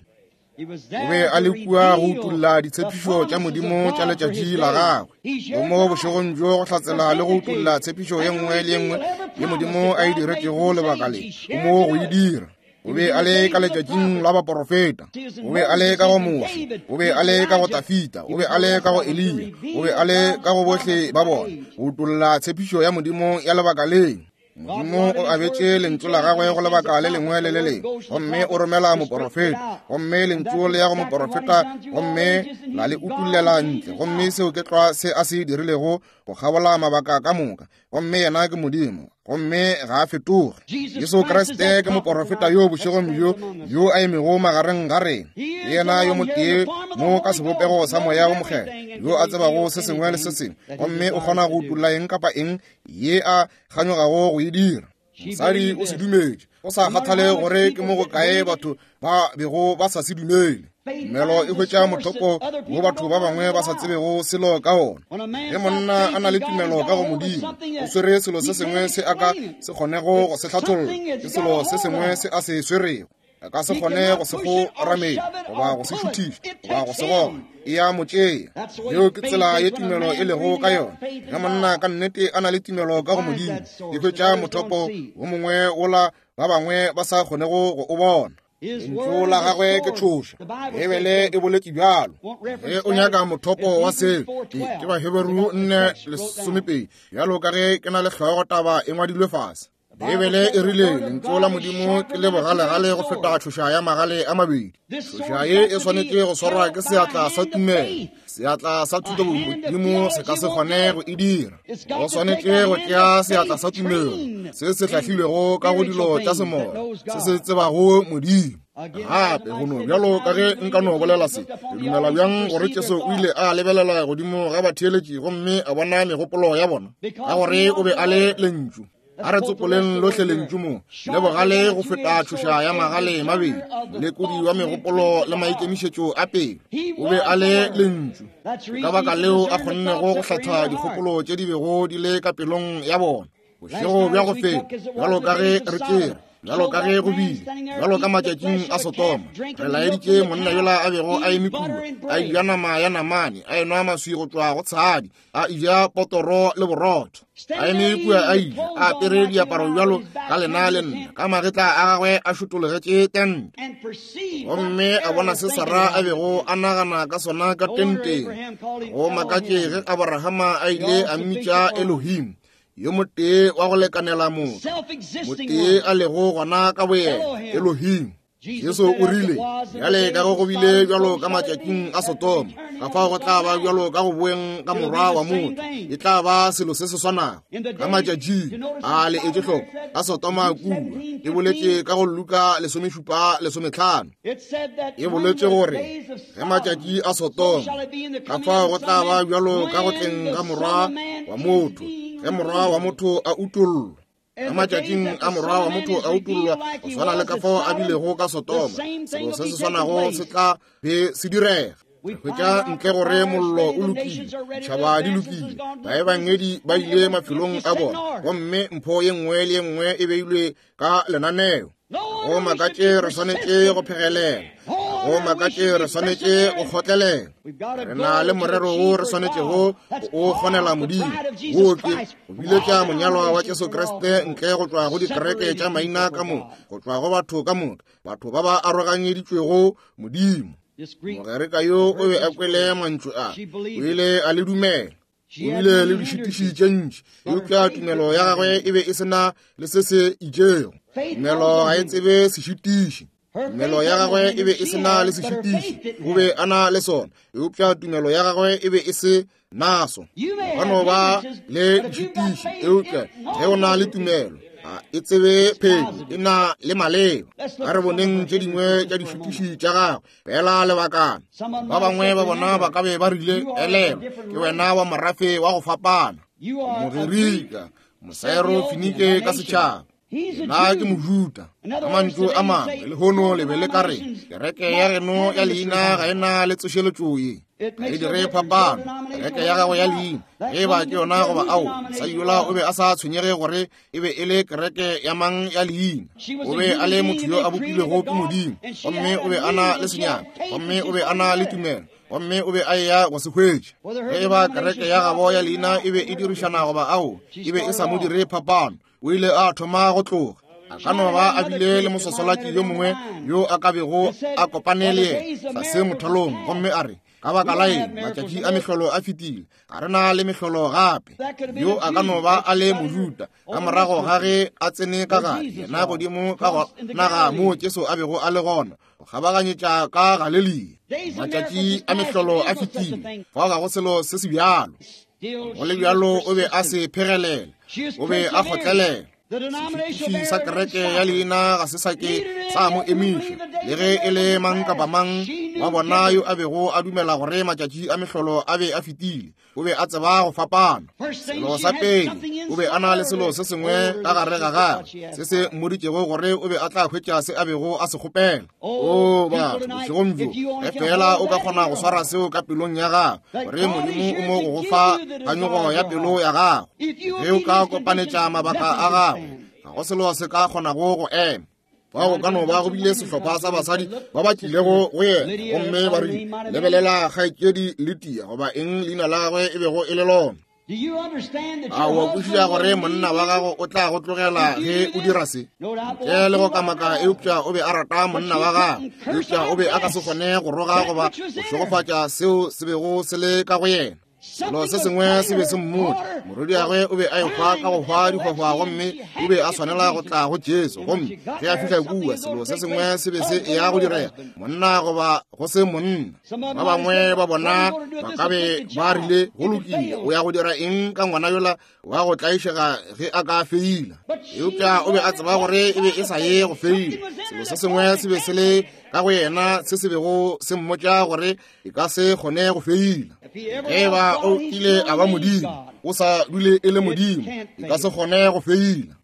O be a le kua go utolla ditshepišo tša Modimo tša letšatši la gagwe. O mo bošegong bjo go hlatsela le go utolla tshepišo ye nngwe le ye nngwe ye Modimo a e diretšego lebaka le, o mo go e dira. O be a le ka letšatšing la baporofeta, o be a le ka go Moshe, o be a le ka go Tafita, o be a le ka go Eliya, o be a le ka go bohle ba bona, go utolla tshepišo ya Modimo ya lebaka le. Modimo o abetše lentšu la gagwe go lebaka le lengwe le le lengwe, gomme o romela moporofeta, gomme lentšu le ya go moporofeta, gomme la le utullela ntle, gomme seo ke tlwa se a se dirilego go kgabola mabaka ka moka. Gomme yena ke Modimo, gomme ga a fetoge. Jesu Kriste ke moporofeta yo bošegong bjo yo a emego magareng ga rena. Ke yena yo motee mo ka sebopego sa Moya wo Mokgethwa, yo a tsebago se sengwe le se sengwe, gomme o kgona go utolla eng kapa eng ye a kganyogago go e dira. Mosadi o se dumetše, go sa kgathale gore ke mo go kae batho ba bego ba sa se dumele. Tumelo e hwetša mothopo wo batho ba bangwe ba sa tsebego selo ka ona. Ge monna a na le tumelo ka go Modimo, o swere selo se sengwe se a ka se kgonego go se hlatholla, ke selo se sengwe se a se swerego. A ka se kgone go se go ramela goba go se šuthiša goba go se goga, e a mo tšea. Yeo ke tsela ye tumelo e lego ka yona. Ge monna ka nnete a na le tumelo ka go Modimo, e hwetša mothopo wo mongwe wola ba bangwe ba sa kgonego go o bona. Lentšu la gagwe ke tšhoša, Bibele e boletše bjalo. Ge o nyaka mothopo wa seo, ke Baheberu nne lesomepedi, bjalo ka ge ke na le hlogo taba e ngwadilwe fase. Bibele e rile lentšu la Modimo ke le bogalegale go feta tšhoša ya magale a mabedi. Tšhoša ye e swanetše go swarwa ke seatla sa tumelo. Seatla sa thuto Modimo se ka se kgone go e dira. Go swanetše go tšea seatla sa tumelo se se hlahlilwego ka go dilo tša semoya, se se tsebago Modimo. Gape go no bjalo ka ge nka no bolela se, ke dumela bjang gore Jesu o ile a lebelela godimo ga batheeletši gomme a bona megopolo ya bona, ka gore o be a le lentšu. A re tsopoleng lohle lentšu mo, le bogale go feta tšhoša ya magale mabedi, molekodi wa megopolo le maikemišetšo a pelo. O be a le lentšu. Ka baka leo a kgonnego go hlatha dikgopolo tše di bego di le ka pelong ya bona. Bošego bja go feta, bjalo ka ge re tšere, bjalo ka ge go bile, bjalo ka matšatšing a Sotoma, re laeditše monna yola a bego a eme kua, a eja nama ya namane, a enwa maswi go tšwa go tshadi, a eja potoro le borotho. A eme kua a ile, a apere diaparo bjalo ka lena le nna, ka magetla a gagwe a šotologetše tente. Gomme a bona se Sara a bego a nagana ka sona ka tenteng. Go makatše ge Abrahama a ile a mmitša Elohim, yo motee wa go lekanela motho, motee a lego gona ka boyena, Elohim. Jesu o rile, bjale ka go go bile bjalo ka matšatšing a Sotoma, ka fao go tla ba bjalo ka go boeng ka morwa wa motho, e tla ba selo se se swanago. Ka matšatšing a le etše hloko a Sotoma kua, e boletše ka go Luka lesomešupa lesometlhano, e boletše gore ge matšatši a Sotoma, ka fao go tla ba bjalo ka go tleng ga morwa wa motho, ge morwa wa motho a utollwa. Ka matšatšing a morwa wa motho a utollwa, go swana le ka fao a bilego ka Sotoma, selo se se swanago se tla be se direga. Re hwetša ntle gore mollo o lokile, ditšhaba di lokile, baebangedi ba ile mafelong a bona, gomme mpho ye nngwe le ye nngwe e beilwe ka lenaneo. Go makatše re swanetše go phegelela, go makatše re swanetše go kgotlelela. Re na le morero wo re swanetšego o kgonela Modimo, wo ke go biletša monyalwa wa Jesu Kriste ntle go tšwa go dikereke tša maina ka moka, go tšwa go batho ka moka, batho ba ba aroganyeditšwego Modimo. Mogerika yo o be a kwele mantšu a, o ile a le dumela. O bile le dišitiši tše ntši, eupša tumelo ya gagwe e be e se na le se se itšego. Tumelo ga e tsebe sešitiši. Tumelo ya gagwe e be e se na le sešitiši, o be a na le sona, eupša tumelo ya gagwe e be e se naso. O ka no ba le dišitiši, eupša ge o na le tumelo, a e tsebe phedi, e na le maleba. A re boneng tše dingwe tša dišitiši tša gagwe fela lebakana. Ba bangwe ba bona ba ka be ba rile, elelwa, ke wena wa morafe wa go fapana, Mogerika, Mosaero-Finike ka setšhaba. Nna ke Mojuta. Ka mantšu a mangwe, lehono le be le ka re kereke ya geno ya leina ga e na le tsošeletšo ye, ga e dire phapano. Kereke ya gago ya leina, ge e ba ke yona goba ao, mosadi yola o be a sa tshwenyege gore e be e le kereke ya mang ya leina. O be a le motho yo a bopilwego ke Modimo, gomme o be a na le senyaka, gomme o be a na le tumelo, gomme o be a eya go se hwetša. Ge e ba kereke ya gabo ya leina e be e dirišana goba ao, e be e sa mo dire phapano. O ile a thoma go tloga. A ka no ba a bile le mososolaki yo mongwe yo a ka bego a kopane le yena tlase mothalong, gomme a re, ka baka la eng matšatši a mehlolo a fetile, ga re na le mehlolo gape. Yo a ka no ba a le Mojuta ka morago ga ge a tsene ka gare, yena godimo ka go naga moo Jesu a bego a le gona, go kgabaganyetša ka Galelia. Matšatši a mehlolo a fetile, fao ga go selo se se bjalo. Go le bjalo o be a se phegelela, o be a kgotlelela. Sešitiši sa kereke ya leina ga se sa ke sa mo emiša, le ge e le mang kapa mang wa bona yo a bego a dumela gore matšatši a mehlolo a be a fetile. O be a tseba go fapana. Selo sa pele, o be a na le selo se sengwe ka gare ga gagwe se se mmoditšego gore o be a tla hwetša se a bego a se kgopela. O batho, bošegong bjo, ge fela o ka kgona go swara seo ka pelong ya gago, gore Modimo o mo go go fa kganyogo ya pelo ya gago, ge o ka kopanetša mabaka a gago, ga go selo se ka kgonago go ema. Bao ka no ba go bile sehlopha sa basadi ba ba tlilego go yena gomme ba rile, lebelela kgaetšedi Lydia, goba eng leina la gagwe e bego e le lona. A o kwešiša gore monna wa gago o tla go tlogela ge o dira se? Ntle le go kamaka, eupša o be a rata monna wa gagwe, eupša o be a ka se kgone go roga goba go šegofatša seo se bego se le ka go yena. Selo se sengwe se be se mmotša, morwediagwe o be a ehwa ka go hwa dihwahwa, gomme o be a swanela go tla go Jesu. Gomme ge a fihla kua, selo se sengwe se be se eya go direga, monna goba go se monna. Ba bangwe ba bona ba ka be ba rile, go lokile, o ya go dira eng ka ngwana yola wa go tlaišega ge a ka feila? Eupša o be a tseba gore e be e sa ye go feila. Selo se sengwe se be se le ka go yena se se bego se mmotša gore e ka se kgone go feila. Ge ba o kile a ba Modimo, o sa dule e le Modimo, e ka se kgone go feila.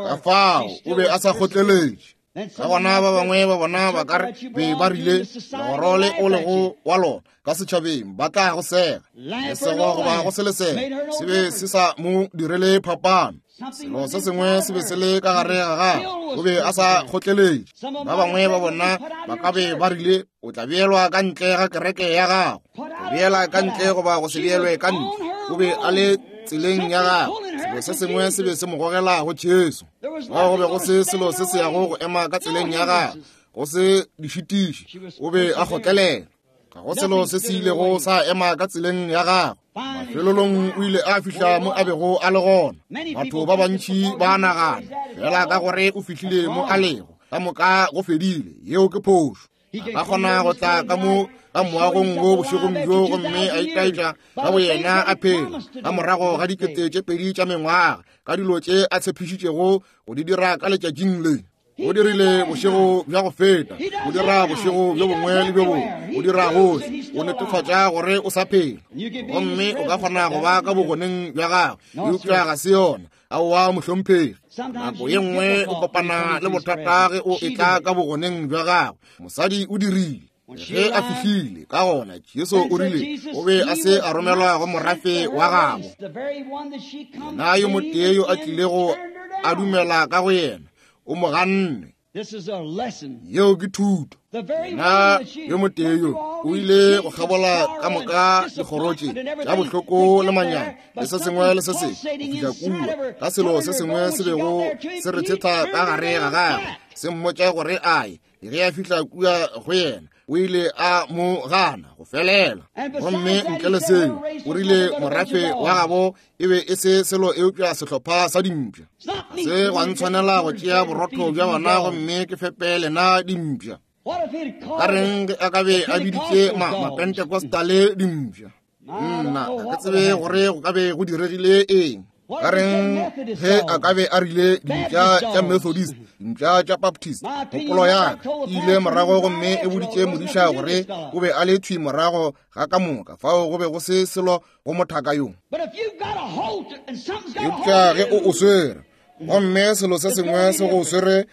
Ka fao o be a sa kgotleletše. Ka gona ba bangwe ba bona ba ka re be ba rile, legoro le o lego wa lona ka setšhabeng ba tla go sega, lesego goba go se lesego, se be se sa mo direle phapano. Selo se sengwe se be se le ka gare ga gagwe, o be a sa kgotleletše. Ba bangwe ba bona ba ka be ba rile, o tla beelwa ka ntle ga kereke ya gago, go beela ka ntle goba go se beelwe ka ntle. O be a le tseleng ya gagwe, selo se sengwe se be se mo gogela go Jesu. Bao go be go se selo se se yago go ema ka tseleng ya gagwe, go se dišitiši, o be a kgotlelela. Ga go selo se se ilego sa ema ka tseleng ya gagwe. Mafelelong o ile a fihla mo a bego a le gona. Batho ba bantši ba nagana fela ka gore o fihlile mo a lego, ka moka go fedile. Yeo ke phošo. A ka kgona go tla ka mo ka moagong wo bošegong bjo gomme a itaetša ka boyena a phela ka morago ga dikete tše pedi tša mengwaga ka dilo tše a tshepišitšego go di dira ka letšatšing le. O dirile bošego bja go feta, o dira bošego bjo bongwe le bjo bongwe, o dira gohle, o netefatša gore o sa phela. Gomme o ka kgona go ba ka bogoneng bja gagwe, eupša ga se yona. Aowa mohlomphegi, nako ye nngwe o kopana le bothata ge o etla ka bogoneng bja gagwe. Mosadi o dirile ge a fihlile ka gona, Jesu o rile o be a se a romelwa go morafe wa gabo. Yena yo motee yo a tlilego a dumela ka go yena, o mo ganne. Yeo ke thuto. Yena yo motee yo o ile go kgabola ka moka dikgoro tše tša bohloko le manyami le se sengwe le se sengwe go fihla kua ka selo se sengwe se bego se rethetha ka gare ga gagwe, se mmotša gore a ye. Ge a fihla kua go yena, o ile a mo gana go felela. Gomme ntle le seo, o rile morafe wa gabo e be e se selo eupša sehlopha sa dimpša. Se gwa ntshwanela go tšea borotho bja bona gomme ke fepe lena dimpša. Ka reng ge a ka be a biditše ma Mapentecostale dimpša? Nna ga ke tsebe gore go ka be go diregile eng. Ka reng ge a ka be a rile dimpša tša Methodist, dimpša tša Baptist? Kgopolo ya ka e ile morago gomme e boditše modiša gore o be a le thwi morago ga ka moka, fao go be go se selo go mothaka yo. Eupša ge o o swere, gomme selo se sengwe se go swere,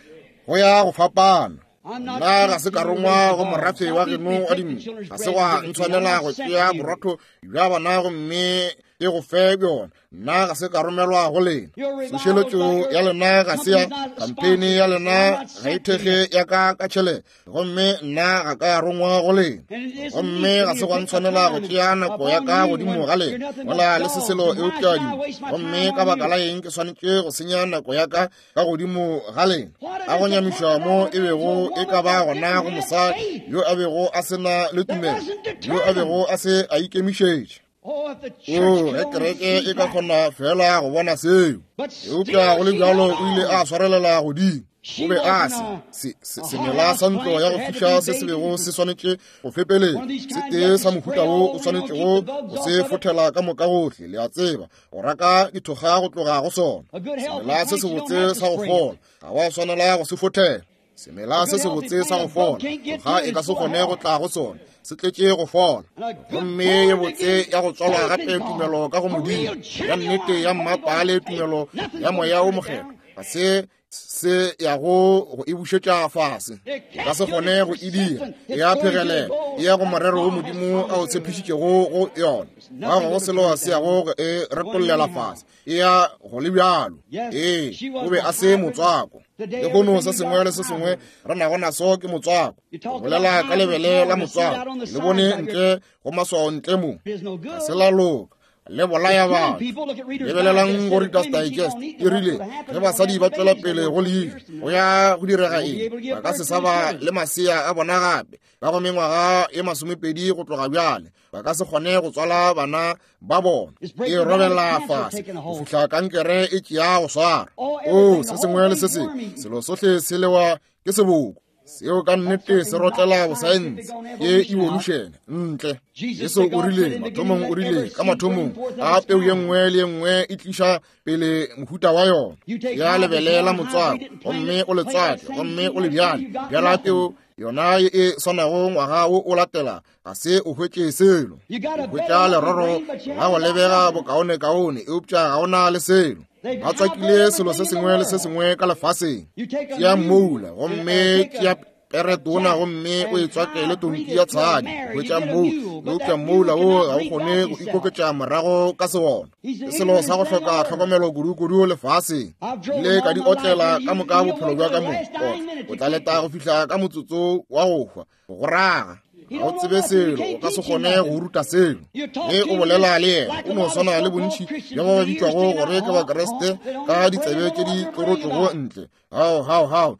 go ya go fapana. Nna ga se ka rongwa go morafe wa geno wa dimpša, ga se gwa ntshwanela go tšea borotho bja bona gomme e go fe bjona. Nna ga se ka romelwa go lena. Tsošeletšo ya lena ga se ya kampheine ya lena ga e thekge ya ka ka tšhelete, gomme nna ga ka ya rongwa go lena. Gomme ga se gwa ntshwanela go tšea nako ya ka godimo ga lena mola le se selo eupša dimo. Gomme ka baka la eng ke swanetše go senya nako ya ka ka godimo ga lena? A go nyamišwa mo e bego e ka ba gona go mosadi yo a bego a se na le tumelo, yo a bego a se a ikemišetše. O ge kereke e ka kgona fela go bona seo. Eupša go le bjalo o ile a swarelela godimo. O be a se semela sa ntlo ya go fiša se se bego se swanetše go fepeletša, se tee sa mohuta wo o swanetšego go se fothela ka moka gohle, le a tseba, go raka dithokga go tloga go sona. Semela se sebotse sa go fola, ga wa swanela go se fothela. Semela se sebotse sa go fola, ga e ka se kgone go tla go sona, se tletše go fola. Gomme ye botse ya go tswalwa gape tumelo ka go Modimo, ya nnete ya mmapale tumelo ya moya o mokgethwa, ga se se ya go go e bušetša fase, ka se kgone go e dira, e ya phegelela, e ya go morero wo Modimo a o tshepišitšego go yona. Ga go selo se ya go e retollela fase, e ya go le bjalo. Ee, o be a se motswako. Lehono se sengwe le se sengwe re nago naso ke motswako. O bolela ka lebele la motswako, le bone ntle go maswao ntle mo, ga se la loka, le bolaya batho. Lebelelang go Reader's Digest, e rile ge basadi ba tswela pele go leile, go ya go direga eng? Ba ka se sa ba le masea a bona gape ka go mengwaga e masomepedi go tloga bjale, ba ka se kgone go tswala bana ba bona. E robela fase go fihla kankere e tšea go swara. O se sengwe le se sengwe, selo sohle se lewa ke seboko. Seo ka nnete se rotlela bosaense ke evolution ntle. Jesu o rile mathomong, o rile ka mathomong a peu ye nngwe le ye nngwe e tliša pele mohuta wa yona. Ya lebele la motswako, gomme o le tswake, gomme o le bjale. Bjala peu yona ye e swanago ngwaga wo o latela, ga se o hwetše selo. O hwetša leroro la go lebega bokaonekaone, eupša ga ona le selo. Ba tswakile selo se sengwe le se sengwe ka lefaseng. Tšea mmoula, gomme tšea peretona, gomme o e tswakele tonki ya tshadi, hwetša mmoula, eupša mmoula wo ga o kgone go ikoketša morago ka sewona. Ke selo sa go hloka tlhokomelo kudu-kudu lefaseng. Ile ka di otlela ka moka bophelo bja ka mo. O tla leta go fihla ka motsotso wa go hwa, go raga. Ga o tsebe selo, o ka se kgone go ruta selo. Ge o bolela le yena, o no swana le bontši bja ba ba bitšwago gore ke Bakriste ka ditsebe tše di tlorotšwego ntle. Hao, hao, hao,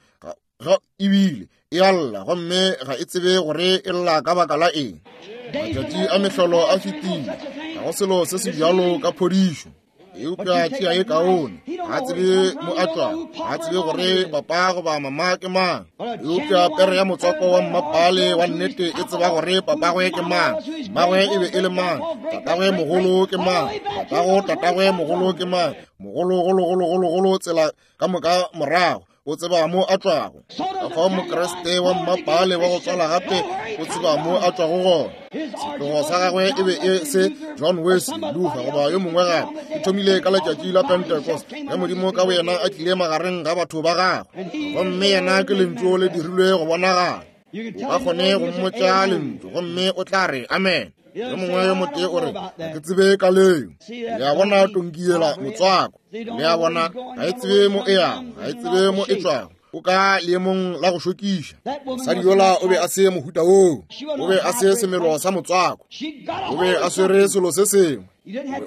ga ebile e a lla, gomme ga e tsebe gore e lla ka baka la eng. Matšatši a mehlolo a fetile, ga go selo se se bjalo ka phodišo. Eupša tšea e kaone, ga tsebe mo a tšwago, ga tsebe gore papa goba mama ke mang. Eupša pere ya motswako wa mmapale wa nnete e tseba gore papagwe ke mang, mmagwe e be e le mang, tatagwe mogolo ke mang, tatago tatagwe mogolo ke mang, mogolo golo golo golo golo tsela ka moka morago, o tseba mo a tšwago. Ka fao Mokriste wa mmapale wa go tswala gape o tseba mo a tšwago gona. Setlogo sa gagwe e be e se John Wesley, Luther goba yo mongwe gape. E thomile ka letšatši la Pentecost, ge Modimo ka boyena a tlile magareng ga batho ba gagwe, gomme yena ke lentšu le dirilwe go bonagala. O ka kgone go mmotša lentšu, gomme o tla re amen. Yo mongwe yo motee o re, ga ke tsebe ka leo. Le a bona tonki yela motswako, le a bona ga e tsebe mo e yago, ga e tsebe mo e tšwago. O ka leemong la go šokiša. Mosadi yola o be a se mohuta woo, o be a se semelo sa motswako, o be a swere selo se sengwe.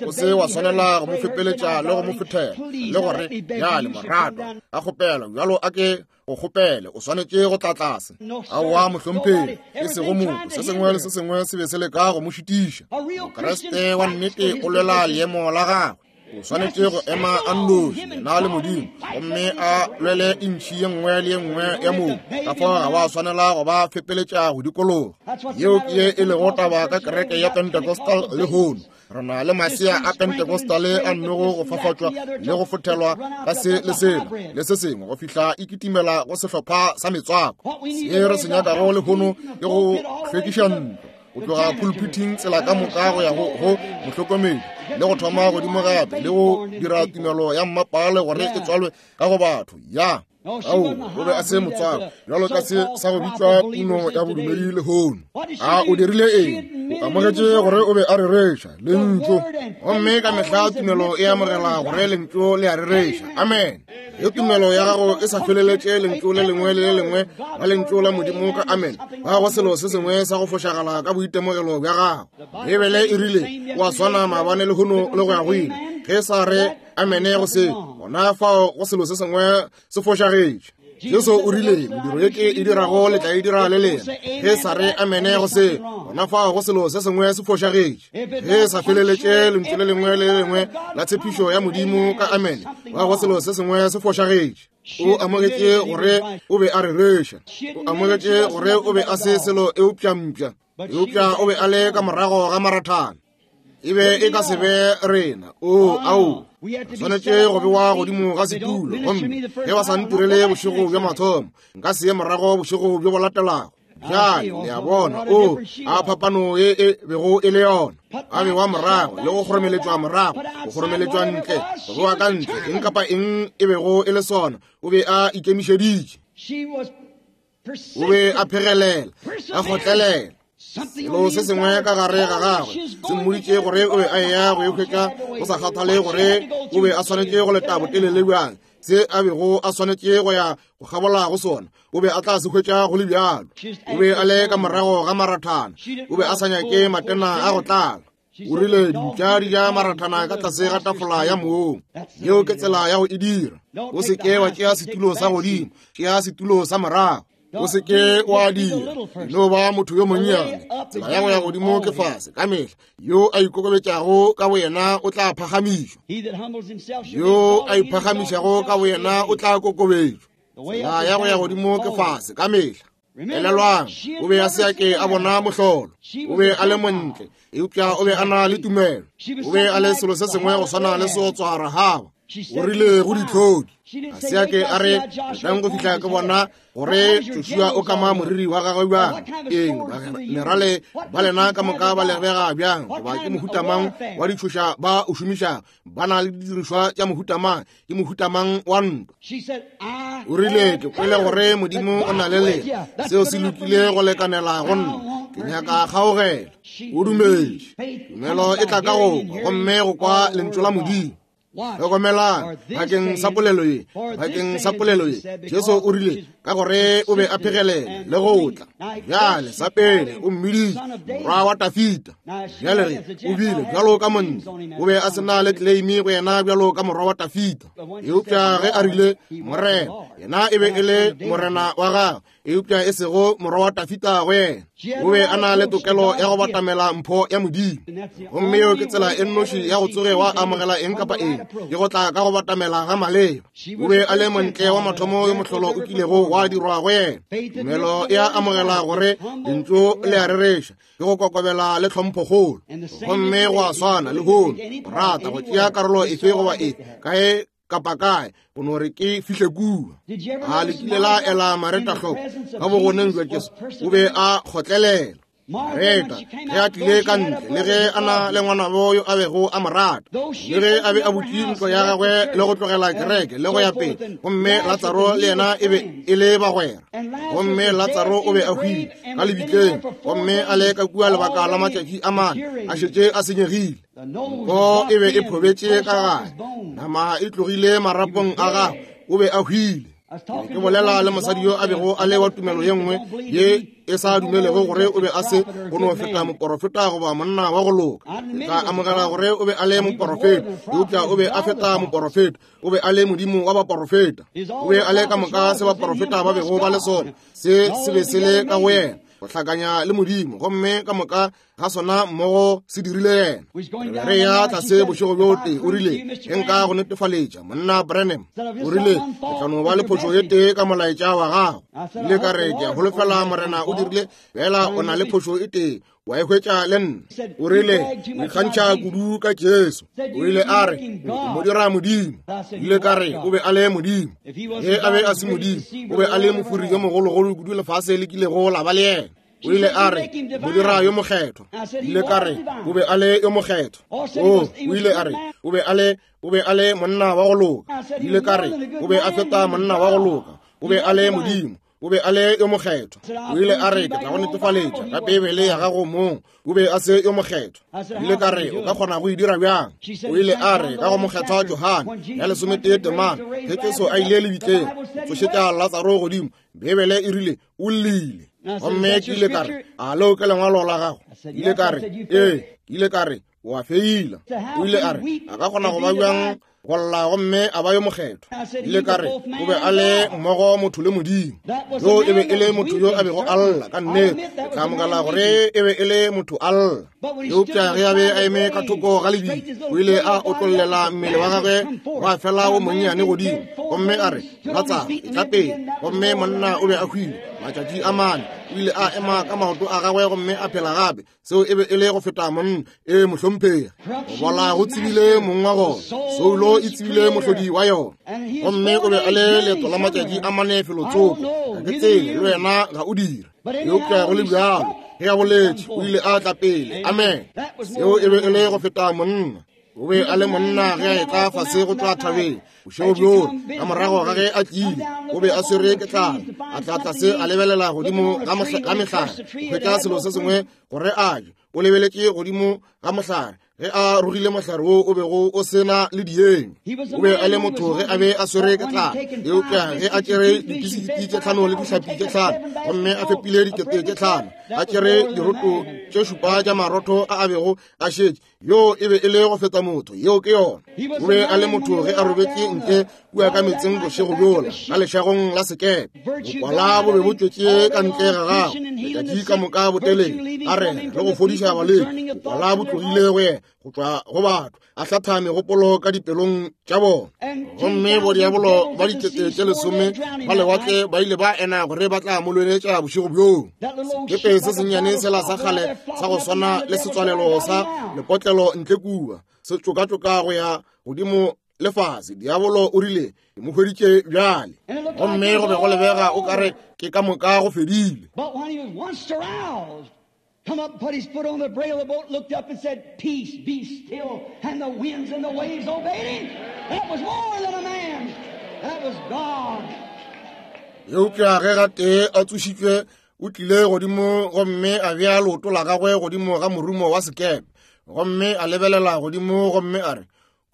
O se wa swanela go mo fepeletša le go mo fethela le gore bjale moratwa a kgopela bjalo a ke go kgopele, o swanetše go tla tlase. Aowa mohlomphegi, e sego motho, se sengwe le se sengwe se be se leka go mo šitiša. Mokriste wa nnete o lwela leemo la gagwe. O swanetše go ema a nnoši, yena le Modimo, gomme a lwele intšhi ye nngwe le ye nngwe ya mobu. Ka fao ga wa swanela go ba fepeletša go dikologa. Yeo ke ye e lego taba ka kereke ya Pentecostal lehono. Re na le masea a Pentecostale a nnogo go fafatšwa le go fothelwa ka se le sela le se sengwe go fihla e kitimela go sehlopha sa metswako. Se re se nyakago lehono ke go hlwekiša ntlo, go tloga pulpiting tsela ka moka go ya go go mohlokomedi, le go thoma godimo gape le go dira tumelo ya mmapale gore e tswalwe ka go batho. Ya ao, o be a se motswako bjalo ka se sa go bitšwa puno ya bodumedi lehono. A o dirile eng? O amogetše gore o be a rereša lentšu, gomme ka mehla tumelo e amogela gore lentšu le a rereša. Amen. Ge tumelo ya gago e sa feleletše lentšu le lengwe le le lengwe la lentšu la Modimo ka amen, ga go selo se sengwe sa go fošagala ka boitemogelo bja gago. Bibele e rile wa swana maabane lehono le go ya go ile. Ge sa re amene go se, gona fao go selo se sengwe se fošagetše. Jesu o rile mediro ye ke e dirago le tla e dira le lena. Ge sa re amene go se, gona fao go selo se sengwe se fošagetše. Ge sa feleletše lentšu le lengwe le le lengwe la tshepišo ya Modimo ka amene, ga go selo se sengwe se fošagetše. O amogetše gore o be a rereša. O amogetše gore o be a se selo eupša mpša, eupša o be a le ka morago ga marathana. E be e ka se be rena. O, ao, swanetše go bewa godimo ga setulo, gomme ge ba sa ntirele bošego bja mathomo, nka se ye morago bošego bjo bo latelago. Bjale le a bona, o, a phapano e e bego e le yona. A bewa morago le go kgoromeletšwa morago, go kgoromeletšwa ntle, go bewa ka ntle, eng kapa eng e bego e le sona, o be a ikemišeditše. O be a phegelela, a kgotlelela. Selo se sengwe ka gare ga gagwe se mmoditše gore o be a eya go e hwetša, go sa kgathale gore o be a swanetše go leta botelele bjang. Se a bego a swanetše go ya go kgabola go sona, o be a tla se hwetša go le bjalo. O be a le ka morago ga marathana, o be a sa nyake matena a go tlala. O rile dimpša di ja marathana ka tlase ga tafola ya mong. Yeo ke tsela ya go e dira. O se ke wa tšea setulo sa godimo, tšea setulo sa morago. O se ke wa dira, no ba motho yo monnyane. Tsela ya go ya godimo ke fase ka mehla. Yo a ikokobetšago ka boyena o tla phagamišwa, yo a iphagamišago ka boyena o tla kokobetšwa. Tsela ya go ya godimo ke fase ka mehla. Elelwang, o be a se a ke a bona mohlolo. O be a le montle, eupša o be a na le tumelo. O be a le selo se sengwe go swana le seotswa Rahaba. O rile go ditlhodi, a se a ke a re tlang go fihla ke bona gore Joshua o kama moriri wa gagwe bjang, eng merale ba lena ka moka ba lebega bjang, goba ke mohuta mang wa ditšhoša ba o šomišago, ba na le didirišwa tša mohuta mang, ke mohuta mang wa ntwa. O rile, ke kwele gore Modimo o na le lena, seo se lokile go lekanela go nna, ke nyaka kgaogelo. O dumetše. Tumelo e tla ka go kwa, gomme go kwa lentšu la Modimo. Hlokomelang, bakeng sa polelo ye, bakeng sa polelo ye, Jesu o rile ka gore o be a phegelela le go tla. Bjale sa pele o mmiditše morwa wa Dafita. Bjale re o bile bjalo ka monna, o be a se na le claim go yena bjalo ka morwa wa Dafita. Eupša ge a rile Morena, yena e be e le morena wa gagwe, eupša e sego morwa wa Dafita go yena. O be a na le tokelo ya go batamela mpho ya Modimo, gomme yeo ke tsela e nnoši ya go tsoge wa amogela eng kapa eng, ke go tla ka go batamela ga maleba. O be a le montle wa mathomo yo mohlolo o kilego wa dirwa go yena. Tumelo e a amogela gore lentšu le a rereša, ke go kokobela le tlhomphokgolo, gomme go a swana le hono. O rata go tšea karolo efe goba efe kae kapa kae, go no re ke fihle kua. A le kile la ela Mareta hloko ka bogoneng jwa Jesu, o be a kgotlelela. Mareta ge a tlile ka ntle, le ge a na le ngwanabo yo a bego a mo rata, le ge a be a butše ntlo ya gagwe le go tlogela kereke le go ya pele, gomme Latsaro le yena e be e le bagwera, gomme Latsaro o be a hwile ka lebitleng, gomme a le ka kua lebaka la matšatši a mane, a šetše a senyegile. Nko e be e phobetše ka gare, nama e tlogile marapong a gagwe, o be a hwile. Ke bolela le mosadi yo a bego a le wa tumelo ye nngwe ye e sa dumelego gore o be a se go no feta moporofeta goba monna wa go loka. Ke tla amogela gore o be a le moporofeta, eupša o be a feta moporofeta, o be a le modimo wa baporofeta. O be a le ka moka se baporofeta ba bego ba le sona, se se be se le ka go yena, go hlakanya le modimo, gomme ka moka ga sona mmogo se dirile yena. Re ya tlase bošego bjo tee, o rile, ge nka go netefaletša monna Branham, o rile, ke tla no ba le phošo ye tee ka molaetša wa gago. Ile ka re, ke a holofela Morena o dirile, fela o na le phošo e tee, wa e hwetša le nna. O rile, o ikgantšha kudu ka Jesu. O ile a re, o mo dira modimo. Ile ka re, o be a le modimo. Ge a be a se modimo, o be a le mofuri yo mogologolo kudu lefase le kilego la ba le yena. O ile a re, mo dira yo mokgethwa. Ile ka re, o be a le yo mokgethwa. O, o ile a re, o be a le, o be a le monna wa go loka. Ile ka re, o be a feta monna wa go loka. O be a le modimo. O be a le yo mokgethwa. O ile a re, ke tla go netefaletša ka Beibele ya gago mong, o be a se yo mokgethwa. Ile ka re, o ka kgona go e dira bjang? O ile a re, ka go mokgethwa Johane ya lesometee temana, ge Jesu a ile lebitleng tsošetša Latsaro godimo, Beibele e rile o llile. Gomme ke ile ka re, a leo ke lengwalo la gago? Ile ka re, ee. Ke ile ka re, o a feila. O ile a re, a ka kgona go ba bjang Go lla gomme a ba yo mokgethwa. Ile ka re o be a le mmogo motho le Modimo. Yo e be e le motho yo a bego a lla ka nnete. Ke tla amogela gore e be e le motho a lla. Eupša ge a be a eme ka thoko ga lebitla, o ile a otlollela mmele wa gagwe wa fela wo monnyane godimo, gomme a re, Latsaro, etla pele. Gomme monna o be a hwile matšatši a mane. O ile a ema ka maoto a gagwe gomme a phela gape. Seo e be e le go feta monna. E mohlomphegi. Go bola go tsebile mong wa gona, soulo e tsebile mohlodi wa yona. Gomme o be a le leeto la matšatši a mane felotsoko. Ga ke tsebe le wena ga o dire, eupša go le bjalo ge a boletše o ile a tla pele. Amen. Seo e be e le go feta monna. O be a le monna ge a etla fase go tšwa thabeng bošego bjoo. Ka morago ga ge a tlile, o be a swere ke tlala. A tla tlase a lebelela godimo ga mehlare go hwetša selo se sengwe gore a je. O lebeletše godimo ga mohlare ge a rogile mohlare wo o bego o sena le dienywa. O be a le motho ge a be a swere ke tlala, eupša ge a tšere dipisikiti tše tlhano le dihlapi tše tlhano gomme a fepile dikete tše tlhano, a tšere diroto tše šupa tša marotho a a bego a šetše, yo e be e le go feta motho. Yeo ke yona. O be a le motho ge a robetše ntle kua ka metseng bošego bjola ka lešagong la sekepe. Bokwala bo be bo tšwetše ka ntle ga gagwe letšatši ka moka botelele, a rera le go fodiša balwetši. Bokwala bo tlogile go yena go tšwa go batho, a hlatha megopolo ka dipelong tša bona. Gomme bodiabolo ba dikete tše lesome ba lewatle ba ile ba ena gore ba tla mo lweletša bošego bjoo. Sekepe se sennyane sela sa kgale sa go swana le setswalelo sa lepotlelo ntle kua, se tšokatšoka go ya godimo le fase. Diabolo o rile, ke mo hweditše bjale. Gomme go be go lebega o kare ke ka moka go fedile. Come up and put his foot on the brail of the boat, looked up and said, Peace, be still. And the winds and the waves obeyed him. That was more than a man. That was God. Eupša ge gatee a tsošitšwe, o tlile godimo gomme a bea leoto la gagwe godimo ga morumo wa sekepe, gomme a lebelela godimo gomme a re,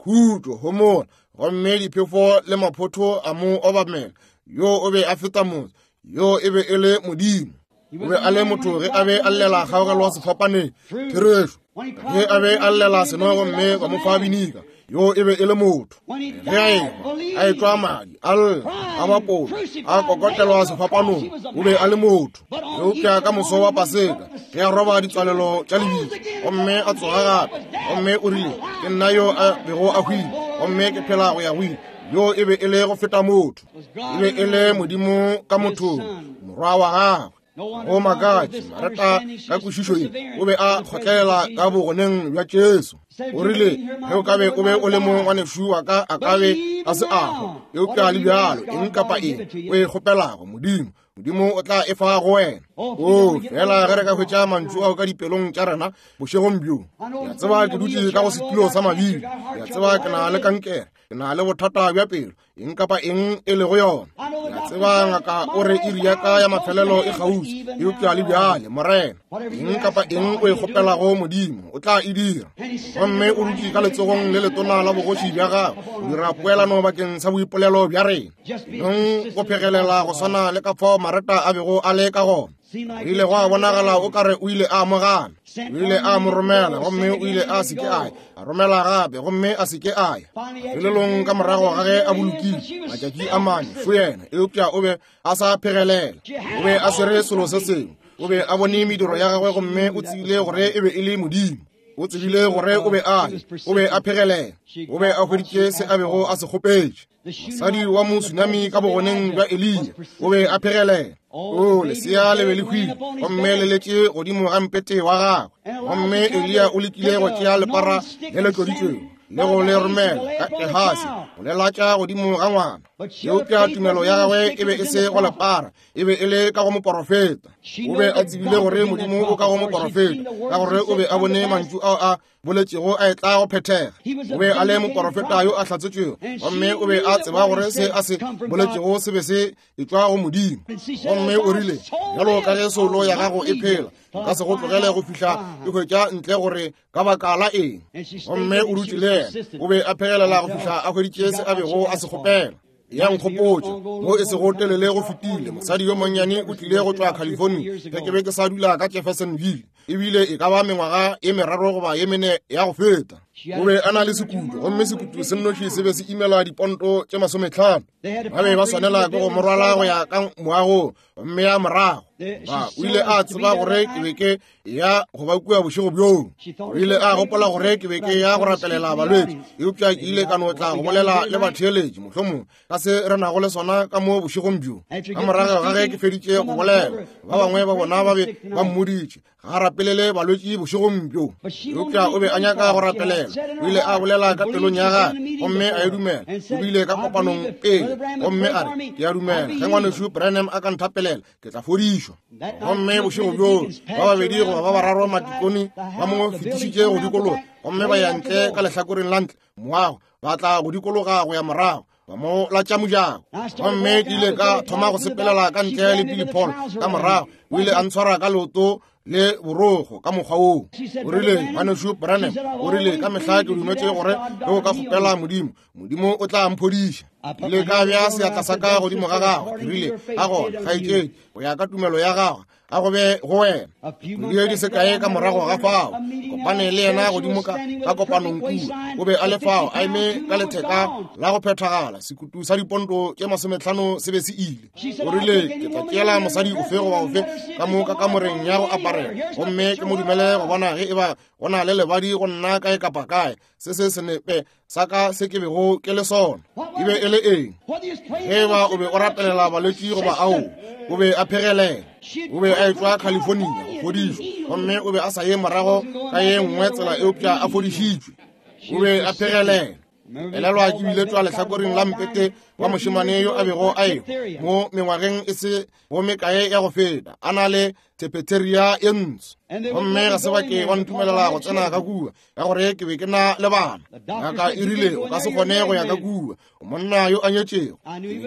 Khutšo, homola. Gomme diphefo le maphotho a mo obamela. Yo o be a feta motho. Yo e be e le Modimo. O be a le motho ge a be a llela kgaogelo sefapaneng. Therešo. Ge a be a llela seno gomme ba mo fa binika. Yo e be e le motho. Ge a ehwa, a etšwa madi, a lla, a bapolwa, a kokotelwa sefapanong, o be a le motho. Eupša ka moso wa Paseka, ge a roba ditswalelo tša lebitla, gomme a tsoga gape, gomme o rile, ke nna yo a bego a hwile, gomme ke phela go ya go ile. Yo e be e le go feta motho. E be e le Modimo ka mothong, morwa wa gagwe. Go makatše, Mareta ka kwešišo ye o be a kgotlelela ka bogoneng bja Jesu. O rile, ge o ka be o be o le mo ngwanešu wa ka, a ka be a se a hwa. Eupša le bjalo, eng kapa eng o e kgopelago Modimo, Modimo o tla e fa go wena. O fela ge re ka hwetša mantšu ao ka dipelong tša rena bošegong bjo. Ke a tseba ke dutše ka go setulo sa mabili. Ke a tseba ke na le kankere, ke na le bothata bja pelo, eng kapa eng e lego yona. Ke a tseba ngaka o re iri ya ka ya mafelelo e kgauswi, eupša le bjale, Morena, eng kapa eng o e kgopelago Modimo, o tla e dira. Gomme o dutše ka letsogong le letona la bogoši bja gagwe, go dira poelano bakeng sa boipolelo bja rena. Nong go phegelela go swana le ka fao Mareta a bego a le ka gona. O ile go a bonagala o kare o ile a amogana. O ile a mo romela gomme o ile a se ke a ya. A romela gape gomme a se ke a ya. Felelong ka morago ga ge a bolokile matšatši a mane, fo yena, eupša o be a sa phegelela. O be a swere selo se sengwe. O be a bone mediro ya gagwe gomme o tsebile gore e be e le Modimo. O tsebile gore o be a le, o be a phegelela. O be a hweditše se a bego a se kgopetše. Mosadi wa mosunami ka bogoneng bja Eliya o be a phegelela. O lesea le be le hwile gomme le letše godimo ga mpete wa gagwe. Gomme Eliya o lekile go tšea lepara le le tloditšwego le go le romela ka Gehasi go le latša godimo ga ngwana. Eupša tumelo ya gagwe e be e se go lepara, e be e le ka go moporofeta. O be a tsebile gore Modimo o ka go moporofeta, ka gore o be a bone mantšu ao a boletšego a etla go phethega. O be a le moporofeta yo a hlatsetšwego, gomme o be a tseba gore se a se boletšego se be se etšwa go Modimo. Gomme o rile, bjalo ka ge soulo ya gago e phela, nka se go tlogele go fihla ke hwetša ntle gore ka baka la eng. Gomme o dutše le yena, o be a phegelela go fihla a hweditše se a bego a se kgopela. Ya nkgopotša mo e sego telele go fetile, mosadi yo monnyane o tlile go tšwa California ge ke be ke sa dula ka Jeffersonville, ebile e ka ba mengwaga ye meraro goba ye mene ya go feta. O be a na le sekutu, gomme sekutu se nnoši se be se imela diponto tše masometlhano. Ba be ba swanela ke go mo rwala go ya ka moagong, gomme ya morago. Ba o ile a tseba gore ke be ke ya go ba kua bošego bjoo. O ile a gopola gore ke be ke ya go rapelela balwetši, eupša ke ile ka no tla go bolela le batheeletši mohlomong ka se re nago le sona ka mo bošegong bjo. Ka morago ga ge ke feditše go bolela, ba bangwe ba bona ba be ba mmoditše ga rapelele balwetši bošegong bjo, eupša o be a nyaka go rapelela. O ile a bolela ka pelong ya gagwe gomme a e dumela. O bile ka kopanong pele gomme a re, ke a dumela ge ngwanešu Branham a ka nthapelela ke tla fodišwa. Gomme bošego bjoo ba babedi goba ba bararo matikone ba mo fetišitše go dikologa, gomme ba ya ntle ka lehlakoreng la ntle moago, ba tla go dikologa go ya morago, ba mo latša mojako. Gomme ke ile ka thoma go sepelela ka ntle le Billy Paul ka morago. O ile a ntshwara ka leoto le borogo ka mokgwa woo. O rile, ngwanešu Branham, o rile, ka mehla ke dumetše gore ge o ka kgopela Modimo, Modimo o tla mphodiša. Ile ka bea seatla sa ka godimo ga gagwe, ke rile, ka gona kgaetšedi, go ya ka tumelo ya gagwe, a go be go wena. Kgwedi di se kae ka morago ga fao, kopane le yena godimo ka ka kopanong kua. O be a le fao a eme ka letheka la go phethagala, sekutu sa diponto tše masometlhano se be se ile. O rile, ke tla tšeela mosadi ofe goba ofe ka mo ka kamoreng ya go aparela, gomme ke mo dumele go bona ge eba go na le lebadi go nna kae kapa kae se se senepe sa ka se ke bego ke le sona. E be e le eng? Ge eba o be o rapelela balwetši goba ao, o be a phegelela. O be a etšwa California go fodišwa, gomme o be a sa ye morago ka ye nngwe tsela eupša a fodišitšwe. O be a phegelela. Elelwa ke bile tšwa lehlakoreng la mpete wa mošemane yo a bego a ehwa mo mengwageng e se go mekae ya go feta, a na le tepeteria ye ntsho, gomme ga se ba ke ba ntumelela go tsena ka kua ka gore ke be ke na le bana. Ngaka e rile, o ka se kgone go ya ka kua, o monna yo a nyetšego.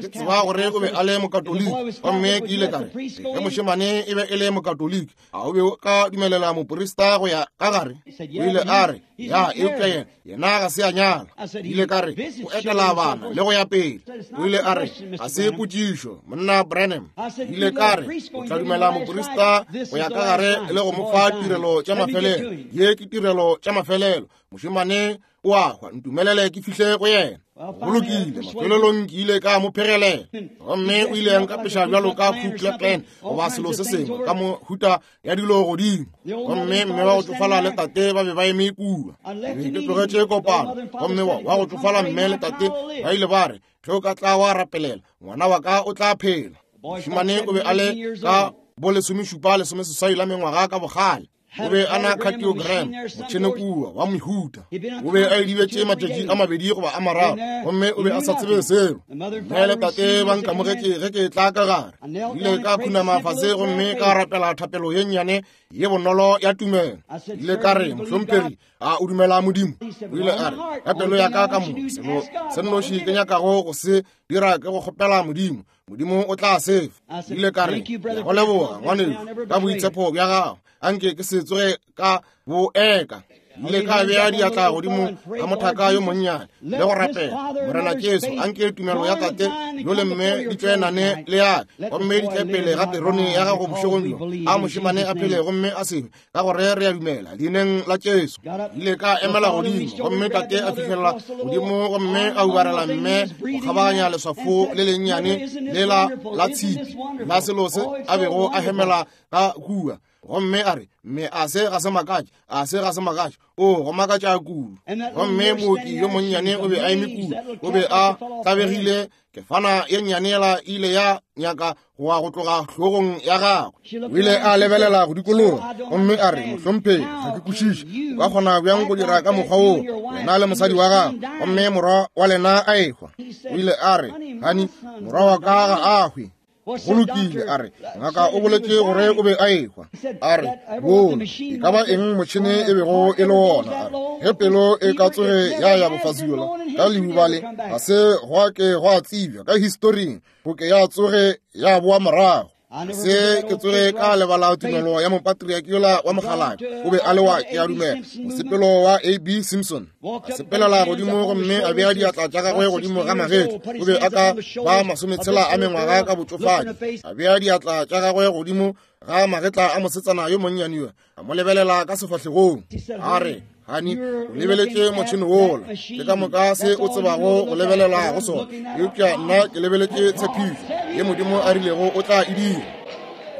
Ke tseba gore o be a le mokatoliki, gomme ke ile ka re, ge mošemane e be e le mokatoliki, a o be o ka dumelela moporista go ya ka gare? O ile a re, ya, eupša yena yena ga se a nyala. Ile ka re, o etela bana le go ya pele. O ile a re, ga se potšišo, monna Branham. Ile ka re, o tla dumela moporista go ya ka gare le go mo fa tirelo tša mafelelo. Ye ke tirelo tša mafelelo. Mošemane o a hwa, ntumelele ke fihle go yena. Go lokile, mafelelong ke ile ka mo phegelela, gomme o ile a nkapeša bjalo ka Ku Klux Klan goba selo se sengwe ka mohuta ya dilo godimo. Gomme mme wa go tšofala le tate ba be ba eme kua. Ke be ke tlogetše kopano, gomme wa go tšofala mme le tate ba ile ba re, ge o ka tla wa rapelela ngwana wa ka o tla phela. Mošemane o be a le ka bo lesomešupa lesomeseswai la mengwaga ka bogale. O be a na cardiogram motšhene kua wa mehuta. O be a idibetše matšatši a mabedi goba a mararo, gomme o be a sa tsebe selo. Mme le tate ba nkamogetše ge ke tla ka gare. Ile ka khunama fase gomme ka rapela thapelo ye nnyane ye bonolo ya tumelo. Ile ka re, mohlomphegi, a o dumela Modimo? O ile a re, ka pelo ya ka ka moka, selo se nnoši ke nyakago go se dira ke go kgopela Modimo. Modimo o tla sefa. Ile ka re, go leboga ngwanešu ka boitshepo bja gago, anke ke se tsoge ka bo eka. Ile ka bea diatla godimo ga mothaka yo monnyane le go rapela, Morena Jesu, anke tumelo ya tate yo le mme di tšwenane le yaka, gomme di tle pele ga terone ya gago bošegong bjo. A mošemane a phele gomme a sebe, ka gore re a dumela leineng la Jesu. Ile ka emela godimo, gomme tate a fihlelela godimo gomme a ubarela mme go kgabaganya leswafo le lennyane lela la tshipi la selo se a bego a hemela ka kua. Gomme a re, mme a se ga se makatše, a se ga se makatše, o go makatša kudu. Gomme mooki yo monnyane o be a eme kua, o be a tlabegile. Kefana ye nnyane yela ile ya nyaka go wa go tloga hlogong ya gagwe. O ile a lebelela go dikologa gomme a re, mohlomphegi, ga ke kwešiše, o ka kgona bjang go dira ka mokgwa woo, wena le mosadi wa gago, gomme morwa wa lena a ehwa? O ile a re, hani, morwa wa ka ga a hwe. Go lokile, a re, ngaka o boletše gore o be a ehwa. A re, bona, e ka ba eng motšhene e bego e le wona? A re, ge pelo e ka tsoge ya ya bofasula ka leuba le, ga se gwa ke gwa tsebja ka historing go ke ya tsoge ya boa morago. Se ke tsoge ka lebala tumelo ya mopatriaki yola wa mokgalabje. O be a le wa, ke a dumela, mosepelo wa A B Simpson. A sepelela godimo gomme a bea diatla tša gagwe godimo ga magetla. O be a ka ba masometshela a mengwaga ka botšofadi. A bea diatla tša gagwe godimo ga magetla a mosetsana yo monnyane yo, a mo lebelela ka sefahlegong. A re, Hani, o lebeletše motšhene wola, ke ka moka se o tsebago go lebelela go sona. Eupša nna ke lebeletše tshepišo ye Modimo a rilego o tla e dira.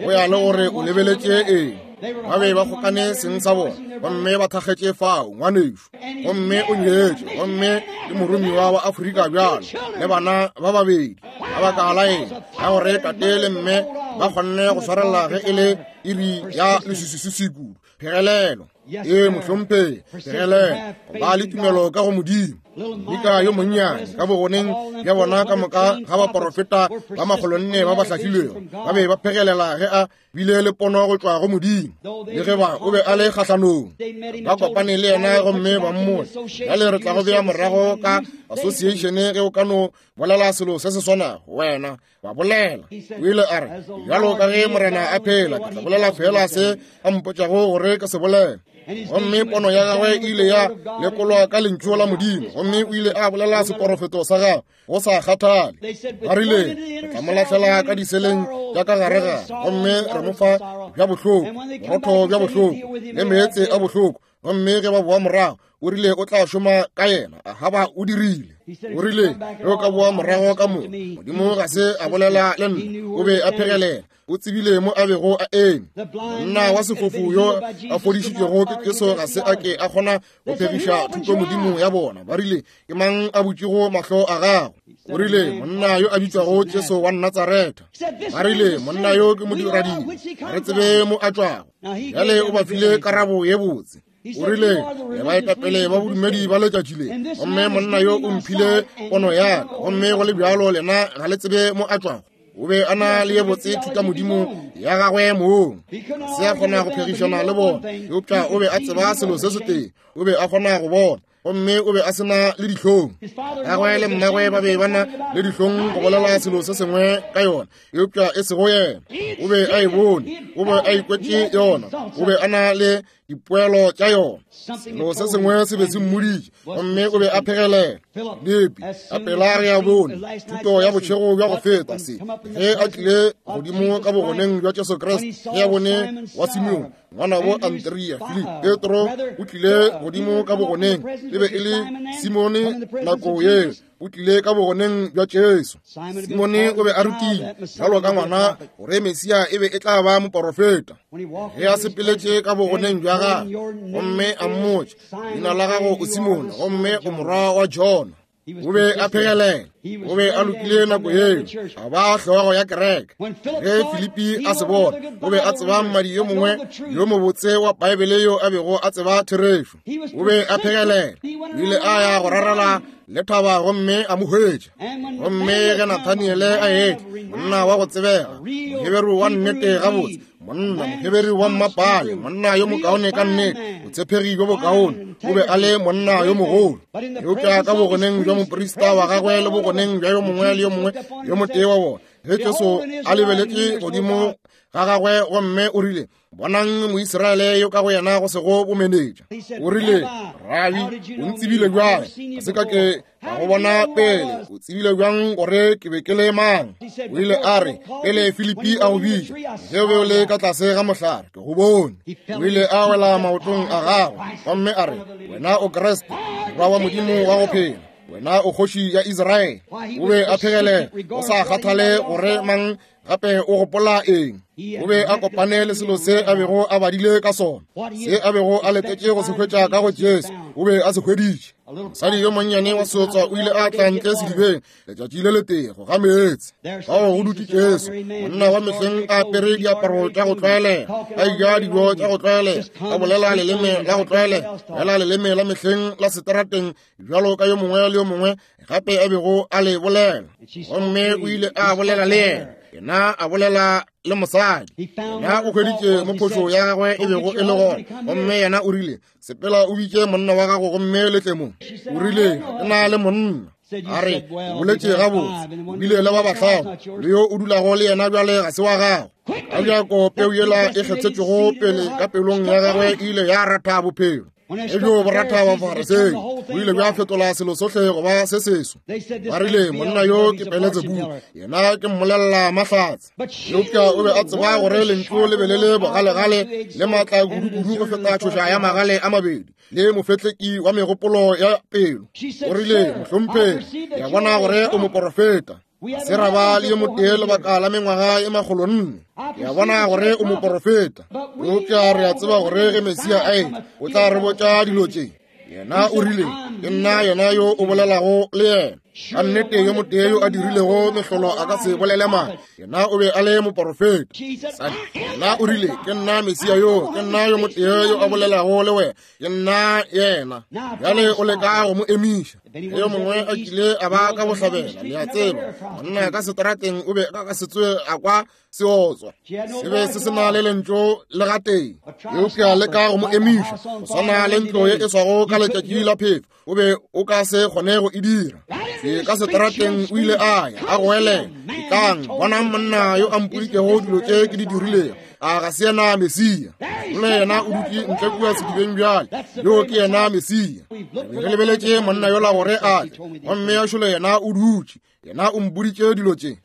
Go ya le gore o lebeletše eng. Ba be ba kgokane seng sa bona, gomme ba thakgetše fao, ngwanešu. Gomme o nyetše, gomme ke moromiwa wa Afrika bjalo, le bana ba babedi. Ka baka la eng? Ka gore tate le mme ba kgonne go swarela ge e le iri ya leswiswiswi kudu. Phegelelo. Ee, mohlomphegi, phegelelo. Ba le tumelo ka go Modimo. Mika yo monnyane ka bogoneng bja bona ka moka ga baporofeta ba makgolonne ba ba hlahlilwego ba be ba phegelela ge a bile le pono go tšwa go Modimo. Le ge ba o be a le kgahlanong, ba kopane le yena gomme ba mmotša, bjale re tla go bea morago ka association ge o ka no bolela selo se se swanago wena. Ba bolela. O ile a re, bjalo ka ge Morena a phela, ke tla bolela fela se a mpotšago gore ke se bolele. Gomme pono ya gagwe e ile ya lekolwa ka lentšu la Modimo, gomme o ile a bolela seporofeto sa gagwe go sa kgathale. Ba rile, re tla mo lahlela ka diseleng tša ka gare gare, gomme re mo fa bja bohloko, borotho bja bohloko le meetse a bohloko. Gomme ge ba boa morago, o rile o tla šoma ka yena. Ahaba o dirile. O rile ge o ka boa morago ka mo, Modimo ga se a bolela le nna. O be a phegelela. O tsebile mo a bego a eme. Monna wa sefofu yo a fodišitšwego ke Jesu ga se a ke a kgona go phegiša thuto Modimo ya bona. Ba rile, ke mang a butšego mahlo a gago? O rile, monna yo a bitšwago Jesu wa Natsaretha. Ba rile, monna yo ke modiradibe, ga re tsebe mo a tšwago. Bjale o ba file karabo ye botse. O rile, le baetapele ba bodumedi ba letšatši le, gomme monna yo o mphile pono ya ka, gomme go le bjalo lena ga le tsebe mo a tšwago. O be a na le ye botse thuta Modimo ya gagwe mong. Se a kgona go phegišana le bona, eupša o be a tseba selo se setee. O be a kgona go bona, gomme o be a sena le dihlong. Gagwe le mmagwe ba be ba na le dihlong go bolela selo se sengwe ka yona, eupša e sego yena. O be a e bone, o be a ikwetše yona, o be a na le dipoelo tša yona. Selo se sengwe se be se mmoditše, gomme o be a phegelela. Filipi, a pela re a bone thuto ya bošego bja go feta se, ge a tlile godimo ka bogoneng bja Jesu Kriste, ge a bone wa Simeone ngwanabo Andrea, Filipi, Petro o tlile godimo ka bogoneng, e be e le Simone nako yeo, o tlile ka bogoneng bja Jesu. Simone o be a rutile bjalo ka ngwana gore Mesia e be e tla ba moporofeta. Ge a sepeletše ka bogoneng bja gagwe, gomme a mmotša, leina la gago o Simone, gomme o morwa wa Jona. O be a phegelela, o be a lokile nako yeo, a ba hlogo ya kereke. Ge Filipi a se bona, o be a tseba mmadi yo mongwe yo mobotse wa Baebele yo a bego a tseba therešo. O be a phegelela, o ile a ya go rarela le thaba gomme a mo hwetša. Gomme ge Nathaniele a etla, monna wa go tsebega, Moheberu wa nnete gabotse, monna Moheberu wa mmapale, monna yo mokaone ka nnete, botshepegi bjo bokaone, o be a le monna yo mogolo. Eupša ka bogoneng bja moprista wa gagwe le bogoneng bja yo mongwe le yo mongwe yo motee wa bona, ge Jesu a lebeletše godimo ga gagwe gomme o rile, bonang Moisraele yo ka go yena go sego bomenetša. O rile, Rabi, o ntsebile bjang? Ga se ka ke ka go bona pele. O tsebile bjang gore ke be ke le mang? O ile a re, pele Filipi a go bitša, ge o be o le ka tlase ga mohlare, ke go bone. O ile a wela maotong a gagwe gomme a re, wena o Kriste, morwa wa Modimo wa go phela, wena o kgoši ya Israele. O be a phegelela, o sa kgathale gore mang gape o gopola eng. O be a kopane le selo se a bego a badile ka sona, se a bego a letetše go se hwetša ka go Jesu, o be a se hweditše. Mosadi yo monnyane wa seotswa o ile a tla ntle sedibeng letšatši le letee go ga meetse. Fao go dutše Jesu, monna wa mehleng a apere diaparo tša go tlwaelega, a eja dijo tša go tlwaelega, a bolela leleme la go tlwaelega, fela leleme la mehleng la seterateng bjalo ka yo mongwe le yo mongwe gape a bego a le bolela. Gomme o ile a bolela le yena, yena a bolela le mosadi. Yena o hweditše mo phošo ya gagwe e bego e le gona, gomme yena o rile, sepela o bitše monna wa gago gomme le tle mo. O rile, ke na le monna. A re, o boletše gabotse, o bile le ba bahlano, le yo o dulago le yena bjale ga se wa gago. Ka bjako peu yela e kgethetšwego pele ka pelong ya gagwe e ile ya ratha bophelo. E bjo boratha ba Farisei o ile bja fetola selo sohle go ba se seso. Ba rile monna yo ke Beletsebubu, yena ke mmolelela mahlatse. Eupša o be a tseba gore lentšu le be le le bogalegale le maatla kudu-kudu go feta tšhoša ya magale a mabedi le mofetleki wa megopolo ya pelo. O rile, mohlomphegi, ke a bona gore o moporofeta. Se ra ba le yo motee lebaka la mengwaga e makgolo nne. Ke a bona gore o moporofeta. Eupša re a tseba gore ge Mesia a etla, o tla re botša dilo tše. Yena o rile, ke nna yena yo o bolelago le yena. Ka nnete yo motee yo a dirilego mehlolo a ka se bolele maaka. Yena o be a le moporofeta. Yena o rile, ke nna Mesia yo, ke nna yo motee yo a bolelago le wena, ke nna yena. Bjale o leka go mo emiša. Yo mongwe a kile a ba ka bohlabela, le a tseba, monna ka seterateng o be a ka se tsoge a kwa seotswa. Se be se se na le lentšu le gatee. Eupša leka go mo emiša, go swana le ntlo ye e swago ka letšatši la phefo, o be o ka se kgone go e dira. Se ka seterateng o ile a ya a goelela, etlang bonang monna yo a mpoditšego dilo tše ke di dirilego. A ga se yena Mesia? Ole yena o dutše ntle kua sedibeng bjale. Yo ke yena Mesia. Re lebeletše monna yola gore a tle, gomme a šole yena o dutše. Yena o mpoditše dilo tše.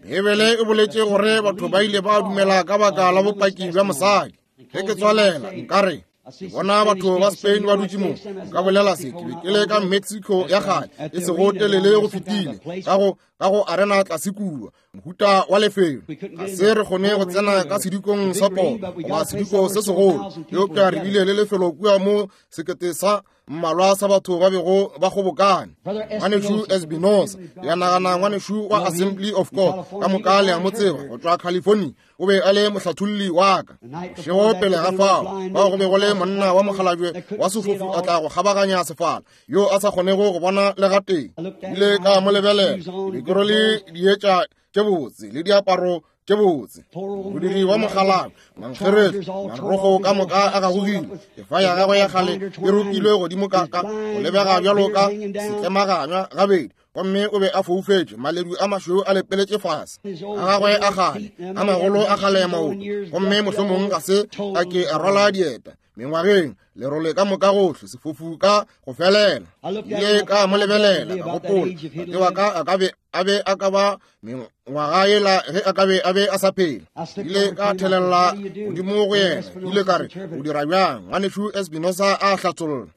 Bibele e boletše gore batho ba ile ba dumela ka baka la bopaki bja mosadi. Ge ke tswalela nkare ke bona batho ba Spain ba dutše mo, nka bolela se, ke be ke le ka Mexico ya kgale e sego telele go fetile, ka go ka go arena tlase kua, mohuta wa lefelo. Ga se re kgone go tsena ka sedikong sa polo goba sediko se segolo, eupša re bile le lefelo kua mo sekete sa mmalwa sa batho ba bego ba kgobokane. Ngwanešu Espinosa, ya nagana ngwanešu wa Assembly of God, ka moka le a mo tseba, go tšwa California, o be a le mohlatholli wa ka. Bošego pele ga fao, fao go be go le monna wa mokgalabje wa sefofu a tla go kgabaganya sefala, yo a sa kgonego go bona le gatee. Ile ka mo lebelela, ke be ke rwele dietša tše botse le diaparo tše botse. Modiri wa mokgalabje, mankgeretlo, marogo ka moka a gagogile, kefa ya gagwe ya kgale e rokilwe godimo ka ka go lebega bjalo ka setlemaganywa gabedi, gomme o be a foufetše, maledu a mašweu a lepeletše fase a gagwe a kgale a magolo a kgale maoto, gomme mohlomong ga se a ke a rwala dieta mengwageng, lerole ka moka gohle, sefofu ka go felela. Ile ka mo lebelela, ka gopola, tate wa ka a ka be a be a ka ba mengwaga yela ge a ka be a be a sa phela. Ile ka thelela godimo go yena, ile ka re, o dira bjang? Ngwanešu Espinosa a hlatholla.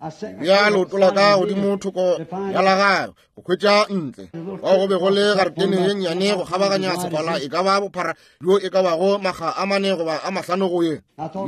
Bea leoto la ka godimo thoko ya la gagwe go hwetša ntle. Fao go be go le garetene ye nnyane go kgabaganya sefala, e ka ba bophara bjo e ka bago makga a mane goba a mahlano go ye.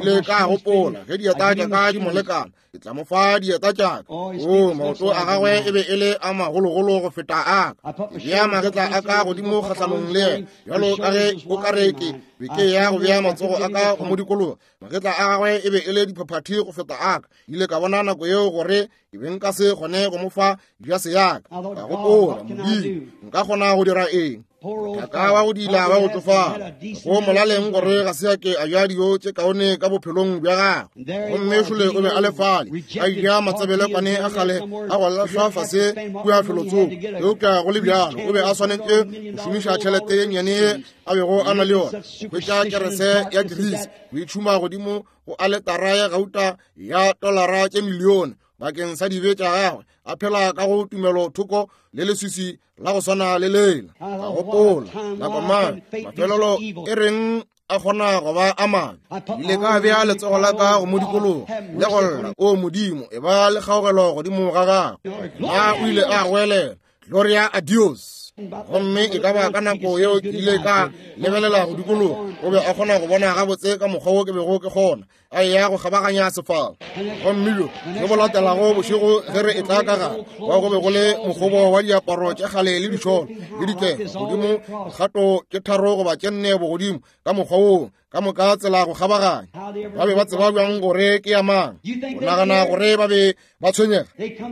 Ile ka gopola, ge dieta tša ka di mo lekana, ke tla mo fa dieta tša ka. O, maoto a gagwe e be e le a magologolo go feta a ka. Ke bea magetla a ka godimo kgahlanong le yena, bjalo ka ge o ka re ke be ke ya go bea matsogo a ka go mo dikologa. Magetla a gagwe e be e le diphaphathi go feta a ka. Ile ka bona nako yeo gore ke be nka se kgone go mo fa jase ya ka. Ka gopola, Modimo, nka kgona go dira eng? Thaka wa go dila ba go tsofala, go molaleng gore ga se a ke a ja dijo tše kaone ka bophelong bja gagwe. Gomme šole o be a le fale, a ja matsebelekwane a kgale a go lahlwa fase kua felotsoko. Eupša go le bjalo, o be a swanetše go šomiša tšhelete ye nnyane ye a bego a na le yona go hwetša kerese ya grease, go itšhuma godimo go aletara ya gauta ya tolara tše milione bakeng sa dibe tša gagwe, a phela ka go tumelo thoko le leswiswi la go swana le lela. Ka gopola, nako mang mafelelo e reng a kgona go ba a mabe. Ile ka bea letsogo la ka go mo dikologa le go lla, o Modimo, e ba le kgaogelo godimo ga gagwe. Na o ile a goelela, Gloria a Dios. Gomme e ka ba ka nako yeo ke ile ka lebelela go dikologa, o be a kgona go bona gabotse ka mokgwa wo ke bego ke kgona, a eya go kgabaganya sefala. Gomme bjo jo bo latelago bošego ge re etla ka gare, wa go be go le mokgobo wa diaparo tše kgale le dišolo le dikefa godimo, dikgato tše tharo goba tše nne bogodimo ka mokgwa woo, ka moka tsela go kgabaganya. Ba be ba tseba bjang gore ke ya mang? O nagana gore ba be ba tshwenyega?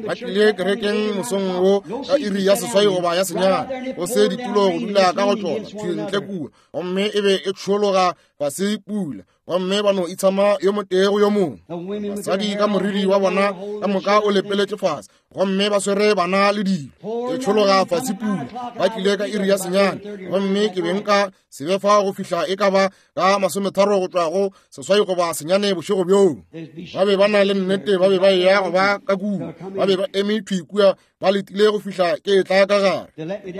Ba tlile kerekeng mosong wo ka iri ya seswai goba ya senyane, go se ditulo go dula ka go tšona thwi ntle kua, gomme e be e tšhologa fase pula, gomme ba no itshama yo motee go yo mongwe. Basadi ka moriri wa bona ka moka o lepeletše fase, gomme ba swere bana le dilo. Ke tšhologa fase pula, ba tlile ka iri ya senyane, gomme ke be nka se be fa go fihla e ka ba ka masometharo go tšwa go seswai goba senyane bošego bjoo. Ba be ba na le nnete, ba be ba eya go ba ka kua, ba be ba eme thwi kua, ba letile go fihla ke tla ka gare.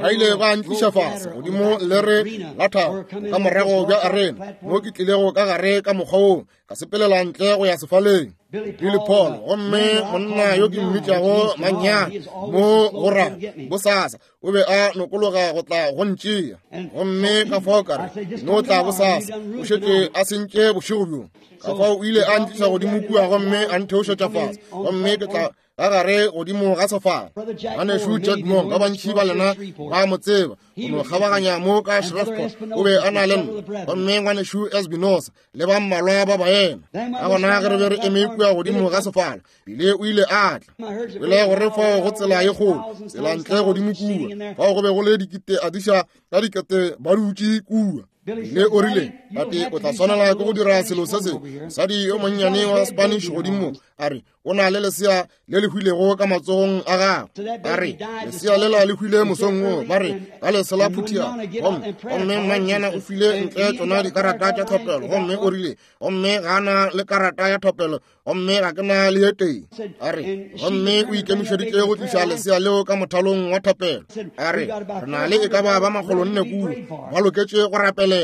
Ba ile ba ntliša fase godimo lere la thaba ka morago bja arena, mo ke tlilego ka gare ka mokgwa woo, ka sepelela ntle go ya sefaleng. Billy Paul, gomme monna yo ke mmitšago Manyana mo go ra bosasa, o be a nokologa go tla go ntšea, gomme ka fao ka re no tla bosasa, o šetše a sentše bošego bjo. Ka fao o ile a ntliša godimo kua gomme a ntheošetša fase, gomme ke tla ka gare godimo ga sefala. Ngwanešu Jack Moore, ba bantši ba lena ba mo tseba, o no kgabaganya mo ka Shreveport, o be a na le nna, gomme ngwanešu Espinosa le ba mmalwa ba baena. Ka gona ge re be re eme kua godimo ga sefala, bile o ile a tla. Pele gore fao go tsela ye kgolo, tsela ntle godimo kua, fao go be go le dikete adiša ka dikete ba dutše kua. Le o rile, tate, o tla swanela ke go dira selo se sengwe. Mosadi yo monnyane wa Spanish godimo a re, o na le lesea le le hwilego ka matsogong a gagwe. A re, lesea lela le hwile mosong wo, ba re, ka lese la phuthia. Gomme gomme mmannyana o file ntle tšona dikarata tša thapelo, gomme o rile, gomme ga na le karata ya thapelo, gomme ga ke na le ye tee. A re, gomme o ikemišeditše go tliša lesea leo ka mothalong wa thapelo. A re, re na le e ka ba ba makgolo nne kua, ba loketše go rapelela.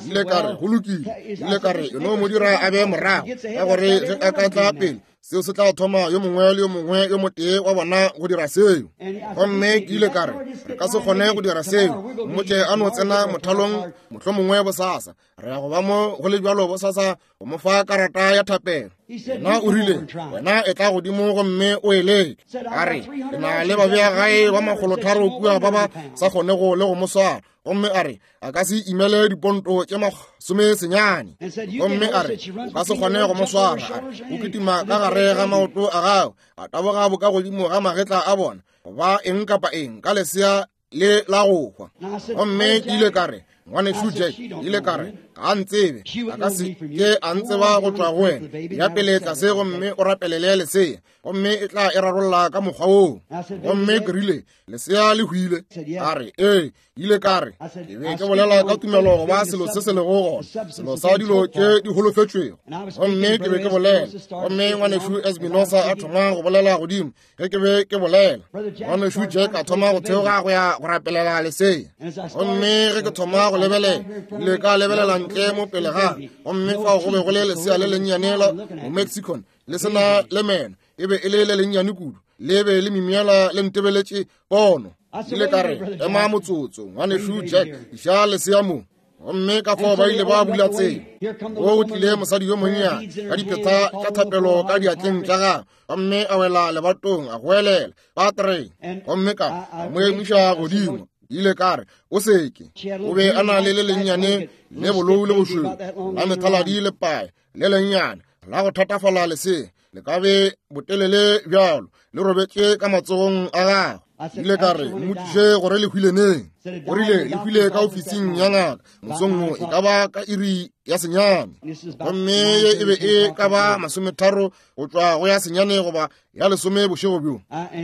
Ile ka re, go lokile. Ile ka re, e no mo dira a be morago, ka gore ge a ka tla pele, seo se tla thoma yo mongwe le yo mongwe yo motee wa bona go dira seo. Gomme ke ile ka re, re ka se kgone go dira seo, mmotše a no tsena mothalong mohlomongwe bosasa. Re ya go ba mo go le bjalo bosasa go mo fa karata ya thapelo. Yena o rile, wena e tla godimo gomme o e leke. A re, ke na le babeagae ba makgolotharo kua ba ba sa kgonego le go mo swara. Gomme a re, a ka se imele diponto tše masome senyane. Gomme a re, o ka se kgone go mo swara. A re, o kitima ka gare ga maoto a gago, a taboga boka godimo ga magetla a bona, goba eng kapa eng ka lesea le la go hwa. Gomme ke ile ka re, ngwanešu Jack, ile ka re, ga a ntsebe, a ka se ke a ntseba go tšwa go wena. Ya pele tlase gomme o rapelele lesea, gomme e tla e rarolla ka mokgwa woo. Gomme ke rile, lesea le hwile. A re, ee. Ile ka re, ke be ke bolela ka tumelo goba selo se se lego gona, selo sa dilo tše di holofetšwego. Gomme ke be ke bolela, gomme ngwanešu Espinosa a thoma go bolela godimo ge ke be ke bolela. Ngwanešu Jack a thoma go theoga go ya go rapelela lesea. Gomme ge ke thoma go lebelela, ile ka lebelela ntle mo pele ga, gomme fao go be go le lesea le lennyane la Momexican le sena le meno, e be e le le lennyane kudu, le be le mimiela le ntebeletše pono. Ile ka re, ema motsotso, ngwanešu Jack, iša lesea mo. Gomme ka fao ba ile ba bula tsela. Go tlile mosadi yo monnyane ka dipheta tša thapelo ka diatleng tša gagwe, gomme a wela lebatong a goelela Patre. Gomme ka mo emiša godimo. Ile ka re, o seke. O be a na le le lennyane le bolou le bošweu la methaladi le pae le lennyane la go thatafala lesea, le ka be botelele bjalo, le robetše ka matsogong a gagwe. Ile ka re, mmotšiše gore le hwile neng. O rile le hwile ka ofising ya ngaka mosong wo, e ka ba ka iri ya senyane. Gomme ye e be e ka ba masometharo go tšwa go ya senyane goba ya lesome bošego bjo.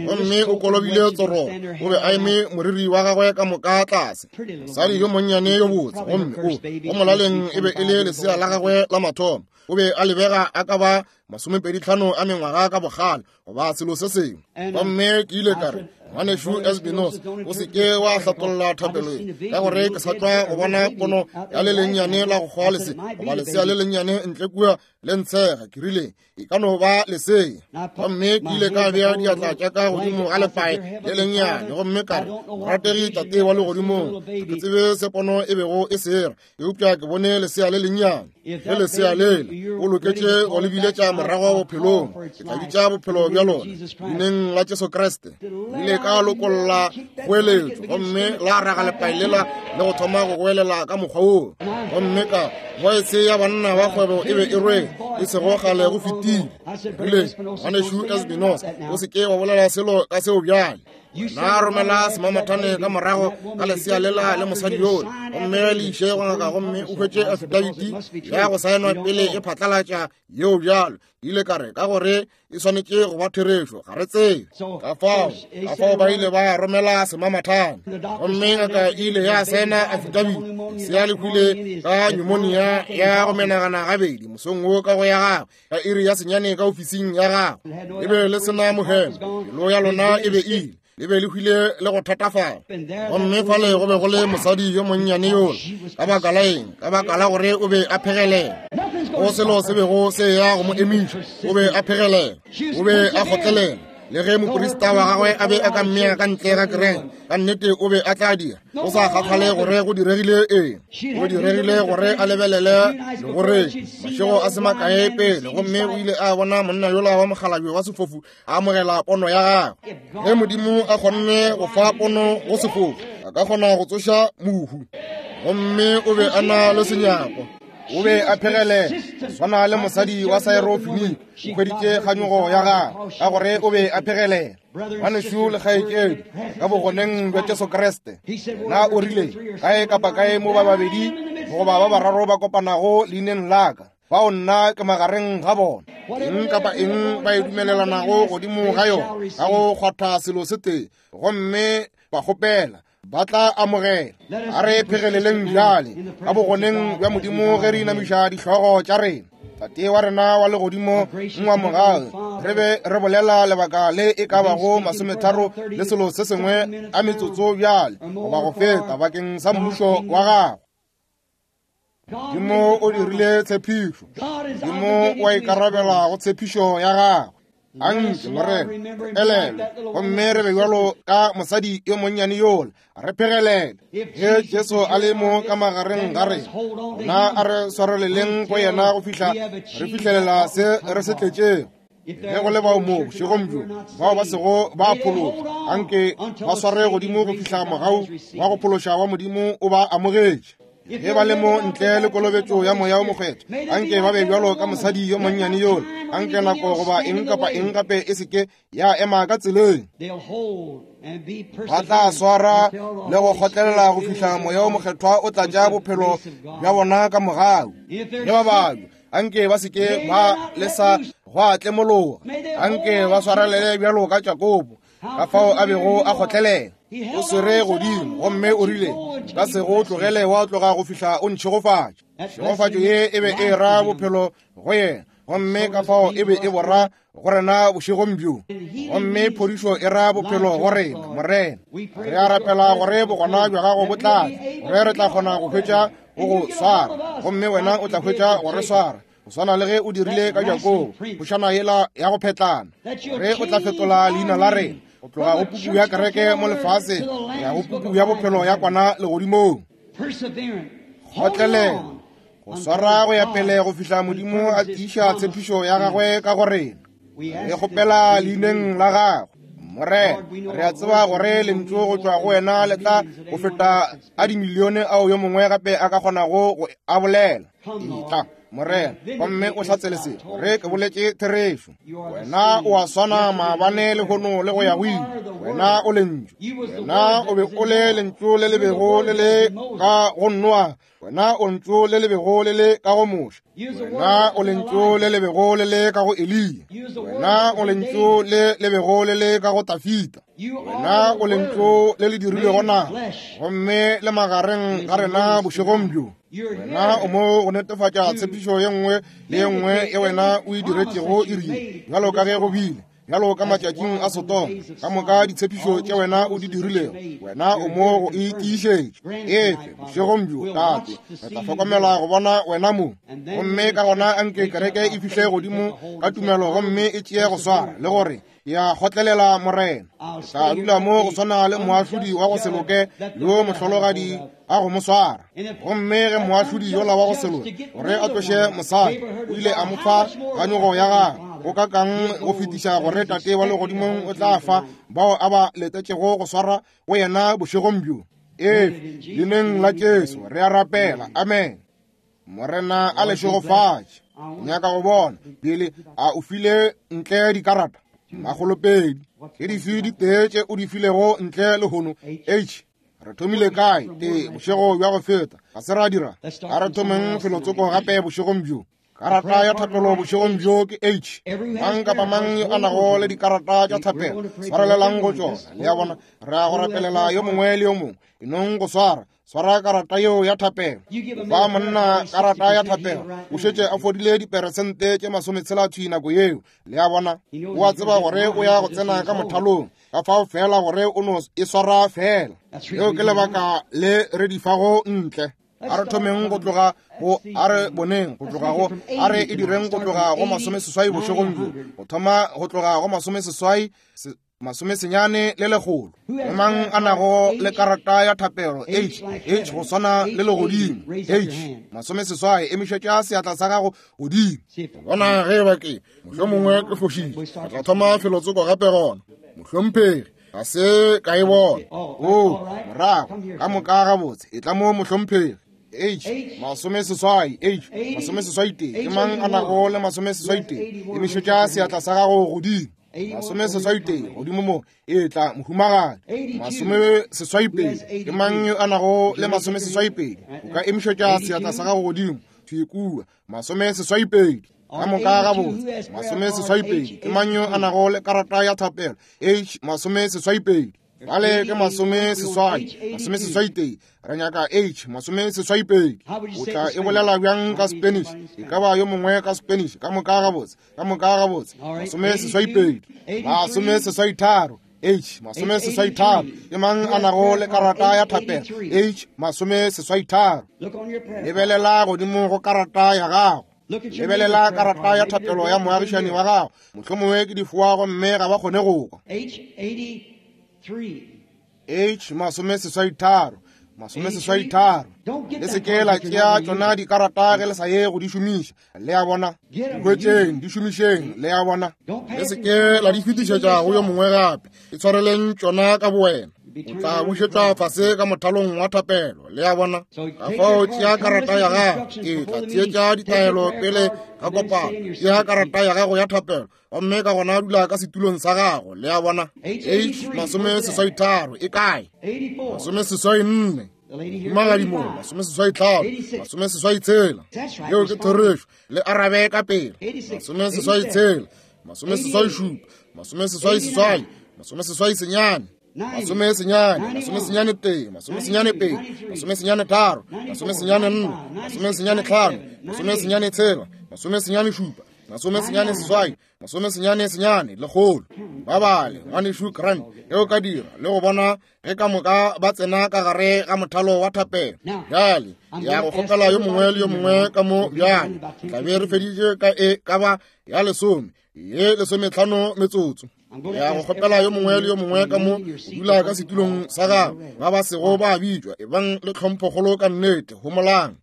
Gomme o kolobile tsoro, o be a eme moriri wa gagwe ka moka tlase. Mosadi yo monnyane yo botse, gomme o go molaleng e be e le lesea la gagwe la mathomo. O be a lebega a ka ba masomepedi tlhano a mengwaga ka bogale goba selo se sengwe. Gomme ke ile ka re, ngwanešu Espinosa, o se ke wa hlatolla thapelo ye, ka gore ke sa tšwa go bona pono ya le lennyane la go hwa lese goba lesea le lennyane ntle kua le ntshega. Ke rile, e ka no ba lesea. Gomme ke ile ka bea diatla tša ka godimo ga lepae le lennyane, gomme ka re, morategi tate wa legodimong, ke tsebe se pono e bego e sera, eupša ke bone lesea le lennyane. Ge lesea lela o loketše go le biletša morago bophelong, ke tla bitša bophelo bja lona leineng la Jesu Kriste. Ile ka lokolla kgoeletšo, gomme la raga lepae lela le go thoma go goelela ka mokgwa woo. Gomme ka voice ya banna ba kgwebo e be e rwele e sego kgale go fetile. Rile, ngwanešu Espinosa, o se ke wa bolela selo ka seo bjale. Na romela semamathane ka morago ka lesea lela le mosadi yola, gomme le iše go ngaka gomme o hwetše afidabiti ya go saenwa pele e phatlalatša yeo bjalo. Ile ka re ka gore e swanetše go ba therešo, ga re tsebe. Ka fao ka fao ba ile ba romela semamathane, gomme ngaka e ile ya saena afidabiti. Lesea le hwile ka pneumonia ya go menagana gabedi mosong wo ka go ya gagwe ka iri ya senyane ka ofising ya gagwe. E be le sena mohemo, pelo ya lona e be ile, le be le hwile le go thatafala. Gomme fale go be go le mosadi yo monnyane yola. Ka baka la eng? Ka baka la gore o be a phegelela. Go selo se bego se ya go mo emiša, o be a phegelela, o be a kgotlelela. Le ge moprista wa gagwe a be a ka mmea ka ntle ga kereke, ka nnete o be a tla dira, go sa kgathale gore go diregile eng. Go diregile gore a lebelele le gore mašego a se makae pele, gomme o ile a bona monna yola wa mokgalabje wa sefofu a amogela pono ya gagwe. Ge Modimo a kgonne go fa pono go sefofu, a ka kgona go tsoša mohu. Gomme o be a na le senyako, o be a phegelela, swana le mosadi wa Syrophoenike, o hweditše kganyogo ya gagwe ka gore o be a phegelela. Ngwanešu le kgaetšedi, ka bogoneng bja Jesu Kriste, na o rile kae kapa kae mo ba babedi goba ba bararo ba kopanago leineng la ka, bao nna ke magareng ga bona. Eng kapa eng ba e dumelelanago godimo ga yona ka go kgwatha selo se tee, gomme ba kgopela, ba tla amogela. A re phegeleleng bjale ka bogoneng bja Modimo ge re inamiša dihlogo tša rena. Tate wa rena wa legodimo, ngwa mogau, re be re bolela lebaka le e ka bago masometharo le selo se sengwe a metsotso bjale goba go feta bakeng sa mmušo wa gago. Modimo o dirile tshepišo, Modimo wa ikarabela go tshepišo ya gagwe. Anke Morena elelwe, gomme re be bjalo ka mosadi yo monnyane yola, re phegelele. Ge Jesu a le mo ka magareng ga rena, gona a re swareleleng go yena go fihla re fihlelela se re se tletšego. Ge go le bao mo bošegong bjo bao ba sego ba phološwa, anke ba sware godimo go fihla mogau wa go phološa wa Modimo o ba amogetše. Ge ba le mo ntle le kolobetšo ya moya o mokgethwa, anke ba be bjalo ka mosadi yo monnyane yola. Anke nako goba eng kapa eng gape e seke ya ema ka tseleng. Ba tla swara le go kgotlelela go fihla moya o mokgethwa o tlatša bophelo bja bona ka mogau. Ge ba babja, anke ba seke ba lesa go a tlemologa. Anke ba swarelele bjalo ka Jakobo, ka fao a bego a kgotlelela. O swere godimo gomme o rile, ka se go tlogele wa tloga go fihla o ntšhegofatša. Tšhegofatšo ye e be e ra bophelo go yena, gomme ka fao e be e bora go rena bošegong bjo. Gomme phodišo e ra bophelo go rena, Morena. Re a rapela gore bogona bja gago bo tla tla, gore re tla kgona go hwetša go go swara, gomme wena o tla hwetša go re swara, go swana le ge o dirile ka Jakobo, phošana yela ya go phetlana, gore o tla fetola leina la rena go tloga go puku ya kereke mo lefaseng ya go puku ya bophelo ya kwana legodimong. Kgotlelela, go swara go ya pele go fihla Modimo a tiiša tshepišo ya gagwe ka go rena. Re kgopela leineng la gagwe. Morena, re a tseba gore lentšu go tšwa go wena le tla go feta a dimilione ao yo mongwe gape a ka kgonago go a bolela. Etla, Morena, gomme o hlatsele se, gore ke boletše therešo. Wena o a swana maabane lehono le go ya go ile. Wena o lentšu. Wena o be o le lentšu le le bego le le ka go Noa. Wena o lentšu le le bego le le ka go Moshe. Wena o lentšu le le bego le le ka go Eliya. Wena o lentšu le le bego le le ka go Tafita. Wena o lentšu le le dirilwego nama, gomme le magareng ga rena bošegong bjo. Wena o mo go netefatša tshepišo ye nngwe le ye nngwe ye wena o e diretšego iri ye, bjalo ka ge go bile bjalo ka matšatšing a Sodoma. Ka moka ditshepišo tše wena o di dirilego, wena o mo go e tiišetša. Efe bošegong bjo, Tate, re tla hlokomela go bona wena mo. Gomme ka gona anke kereke e fihle godimo ka tumelo gomme e tšee go swara le gore ya kgotlelela Morena. Ke tla dula mo go swana le moahlodi wa go se loke yo mohlologadi a go mo swara. Gomme ge moahlodi yola wa go se loke gore a tloše mosadi, o ile a mo fa kganyogo ya gagwe. Go ka kang go fetiša gore Tate wa legodimong o tla fa bao a ba letetšego go swara go yena bošegong bjo. Efe, leineng la Jesu re a rapela. Amen. Morena a le šegofatše. Nyaka go bona pele a o file ntle dikarata. Makgolopedi. Ke dife ditee tše o di filego ntle lehono? H. Re thomile kae? Tee, bošego bja go feta. Ga se ra dira. A re thomeng felotsoko gape bošegong bjo. Karata ya thapelo bošegong bjo ke H. Mang kapa mang yo a nago le dikarata tša thapelo, swarelelang go tšona. Le a bona, re a go rapelela yo mongwe le yo mongwe. E nong go swara, swara karata yeo ya thapelo. Ba monna karata ya thapelo, o šetše a fodile diperesente tše masometshela thwi nako yeo. Le a bona, o a tseba gore o ya go tsena ka mothalong, ka fao fela gore o no e swara fela. Leo ke lebaka le re di fago ntle. A re thomeng go tloga go, a re boneng go tloga go, a re e direng go tloga go masomeseswai bošegong bjo, go thoma go tloga go masomeseswai, masomesenyane le lekgolo. Ke mang a nago le karata ya thapelo? H, H go swana le legodimo. H, masomeseswai, emišetša seatla sa gago godimo. Bona ge ba ke, mohlomongwe ke fošitše. Re tla thoma felotsoko gape gona. Mohlomphegi, ga se ka e bona. O, morago, ka moka gabotse, e tla mo mohlomphegi. H, masomeseswai, H, masomeseswai tee. Ke mang a nago le masomeseswai tee? Emišetša seatla sa gago godimo. Masomeseswai tee, godimo mo, e tla mohumagadi. Masomeseswai pedi. Ke mang yo a nago le masomeseswai pedi? O ka emišetša seatla sa gago godimo. Thwi kua, masomeseswai pedi. Ka moka gabotse, masomeseswai pedi. Ke mang yo a nago le karata ya thapelo? H, masomeseswai pedi. Bale ke masomeseswai, masomeseswai tee. Re nyaka H, masomeseswai pedi. O tla e bolela bjang ka Spanish? E ka ba yo mongwe ka Spanish. Ka moka gabotse, ka moka gabotse. Masomeseswai pedi, masomeseswai tharo. H, masomeseswai tharo. Ke mang a nago le karata ya thapelo? H, masomeseswai tharo. Lebelela godimo go karata ya gago. Lebelela karata ya thapelo ya moagišani wa gago. Mohlomongwe ke difoa gomme ga ba kgone go kwa. H, masomeseswai tharo, masomeseswai tharo. Le se ke la tšea tšona dikarata ge le sa ye go di šomiša. Le a bona, di hwetšeng, di šomišeng. Le a bona, le se ke la di fetišetša go yo mongwe gape. E tshwareleng tšona ka bowena. O tla bušetšwa fase ka mothalong wa thapelo. Le a bona, ka fao tšea karata ya gago. E tla theetša ditaelo pele ga kopano. Tšea karata ya gago ya thapelo gomme ka gona dula ka setulong sa gago. Le a bona, H, masomeseswai tharo, e kae? Masomeseswai nne, mohumagadi mo, masomeseswai tlhano, masomeseswai tshela. Yeo ke therešo. Le arabe ka pele. Masomeseswai tshela, masomeseswai šupa, masomeseswai seswai, masomeseswai senyane, masomesenyane, masomesenyane tee, masomesenyane pedi, masomesenyane tharo, masomesenyane nne, masomesenyane tlhano, masomesenyane tshela, masomesenyane šupa, masomesenyane seswai, masomesenyane senyane, lekgolo. Ba bale, ngwanešu Grant, ge o ka dira le go bona ge ka moka ba tsena ka gare ga mothalo wa thapelo. Bjale ya go kgopela yo mongwe le yo mongwe ka mo bjale. Tla be re feditše ka e ka ba ya lesome, ye lesometlhano metsotso. Ya go kgopela yo mongwe le yo mongwe ka mo go dula ka setulong sa gagwe. Ba ba sego ba bitšwa, e bang le tlhomphokgolo ka nnete. Homolang,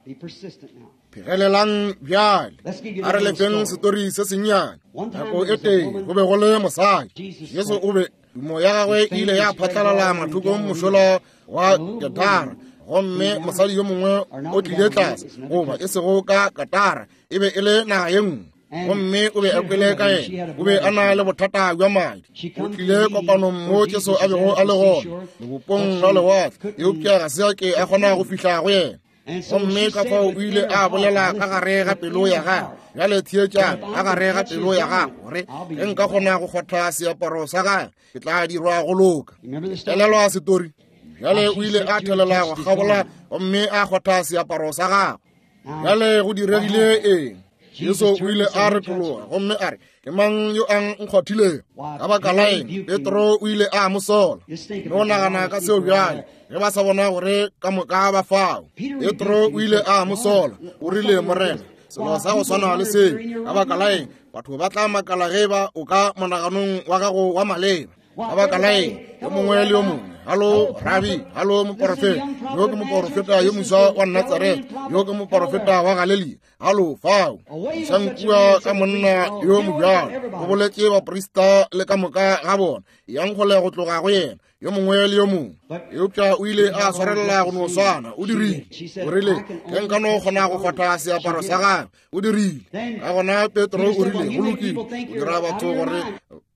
phegelelang bjale. A re lefeng setori se sennyane. Nako e tee go be go le mosadi. Jesu o be tumo ya gagwe e ile ya phatlalala mathokong mošola wa Gadara, gomme mosadi yo mongwe o tlile tlase, goba e sego ka Gadara, e be e le naga ye nngwe. Gomme o be a kwele ka yena, o be a na le bothata bja madi. O tlile kopanong mo Jesu a bego a le gona, lebopong la lewatle, eupša ga se a ke a kgona go fihla go yena. Gomme ka fao o ile a bolela ka gare ga pelo ya gagwe. Bjale theetšang, ka gare ga pelo ya gagwe, gore ge nka kgona go kgotha seaparo sa gagwe, ke tla dirwa go loka. Elelwa setori. Bjale o ile a thelela go kgabola gomme a kgotha seaparo sa gagwe. Bjale go diregile eng? Jesu o ile a retologa gomme a re, ke mang yo a nkgwathilego? Ka baka la eng? Petro o ile a mo sola. No nagana ka seo bjale, ge ba sa bona gore ka moka ba fao. Petro o ile a mo sola. O rile, Morena, selo sa go swana le seo. Ka baka la eng? Batho ba tla makala ge ba o ka monaganong wa gago wa maleba. Ka baka la eng? Yo mongwe le yo mongwe, halo rabi, halo moporofeta, yo ke moporofeta yo moswa wa Natsaretha, yo ke moporofeta wa Galelia, halo fao. Sankua ka monna yo mobjalo, o boletše baprista le ka moka ga bona, yang kgole go tloga go yena, yo mongwe le yo mongwe. Eupša o ile a swarelela go no swana. O dirile, o rile, ge nka no kgona go kgwatha seaparo sa gagwe. O dirile. Ka gona Petro o rile, go lokile, o dira batho gore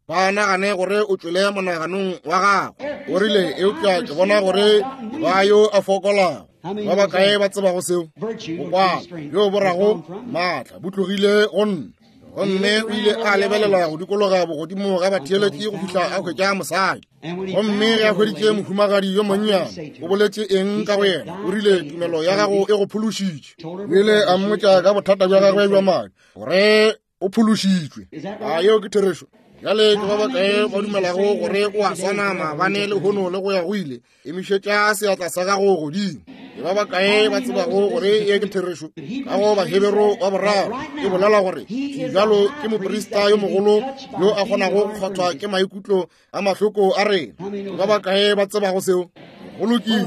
Ba nagane gore o tšwele monaganong wa gagwe. O rile, eupša ke bona gore ba yo a fokolago. Ba bakae ba tsebago seo? Bokwala bjo bo rago maatla bo tlogile go nna. Gomme o ile a lebelela go dikologa bogodimo ga batheeletši go fihla a hwetša mosadi. Gomme ge a hweditše mohumagadi yo monnyane, o boletše eng ka go yena? O rile, tumelo ya gago e go phološitše. O ile a mmotša ka bothata bja gagwe bja madi gore o phološitšwe. A yeo ke therešo? Bjale ke ba bakae ba dumelago gore o a swana maabane lehono le go ya go ile? Emišetša seatla sa gago godimo. Ke ba bakae ba tsebago gore ye ke therešo? Ka go Bahebero wa boraro e bolela gore bjalo ke moprista yo mogolo yo a kgonago go kgwathwa ke maikutlo a mahloko a rena. Ke ba bakae ba tsebago seo? Go lokile.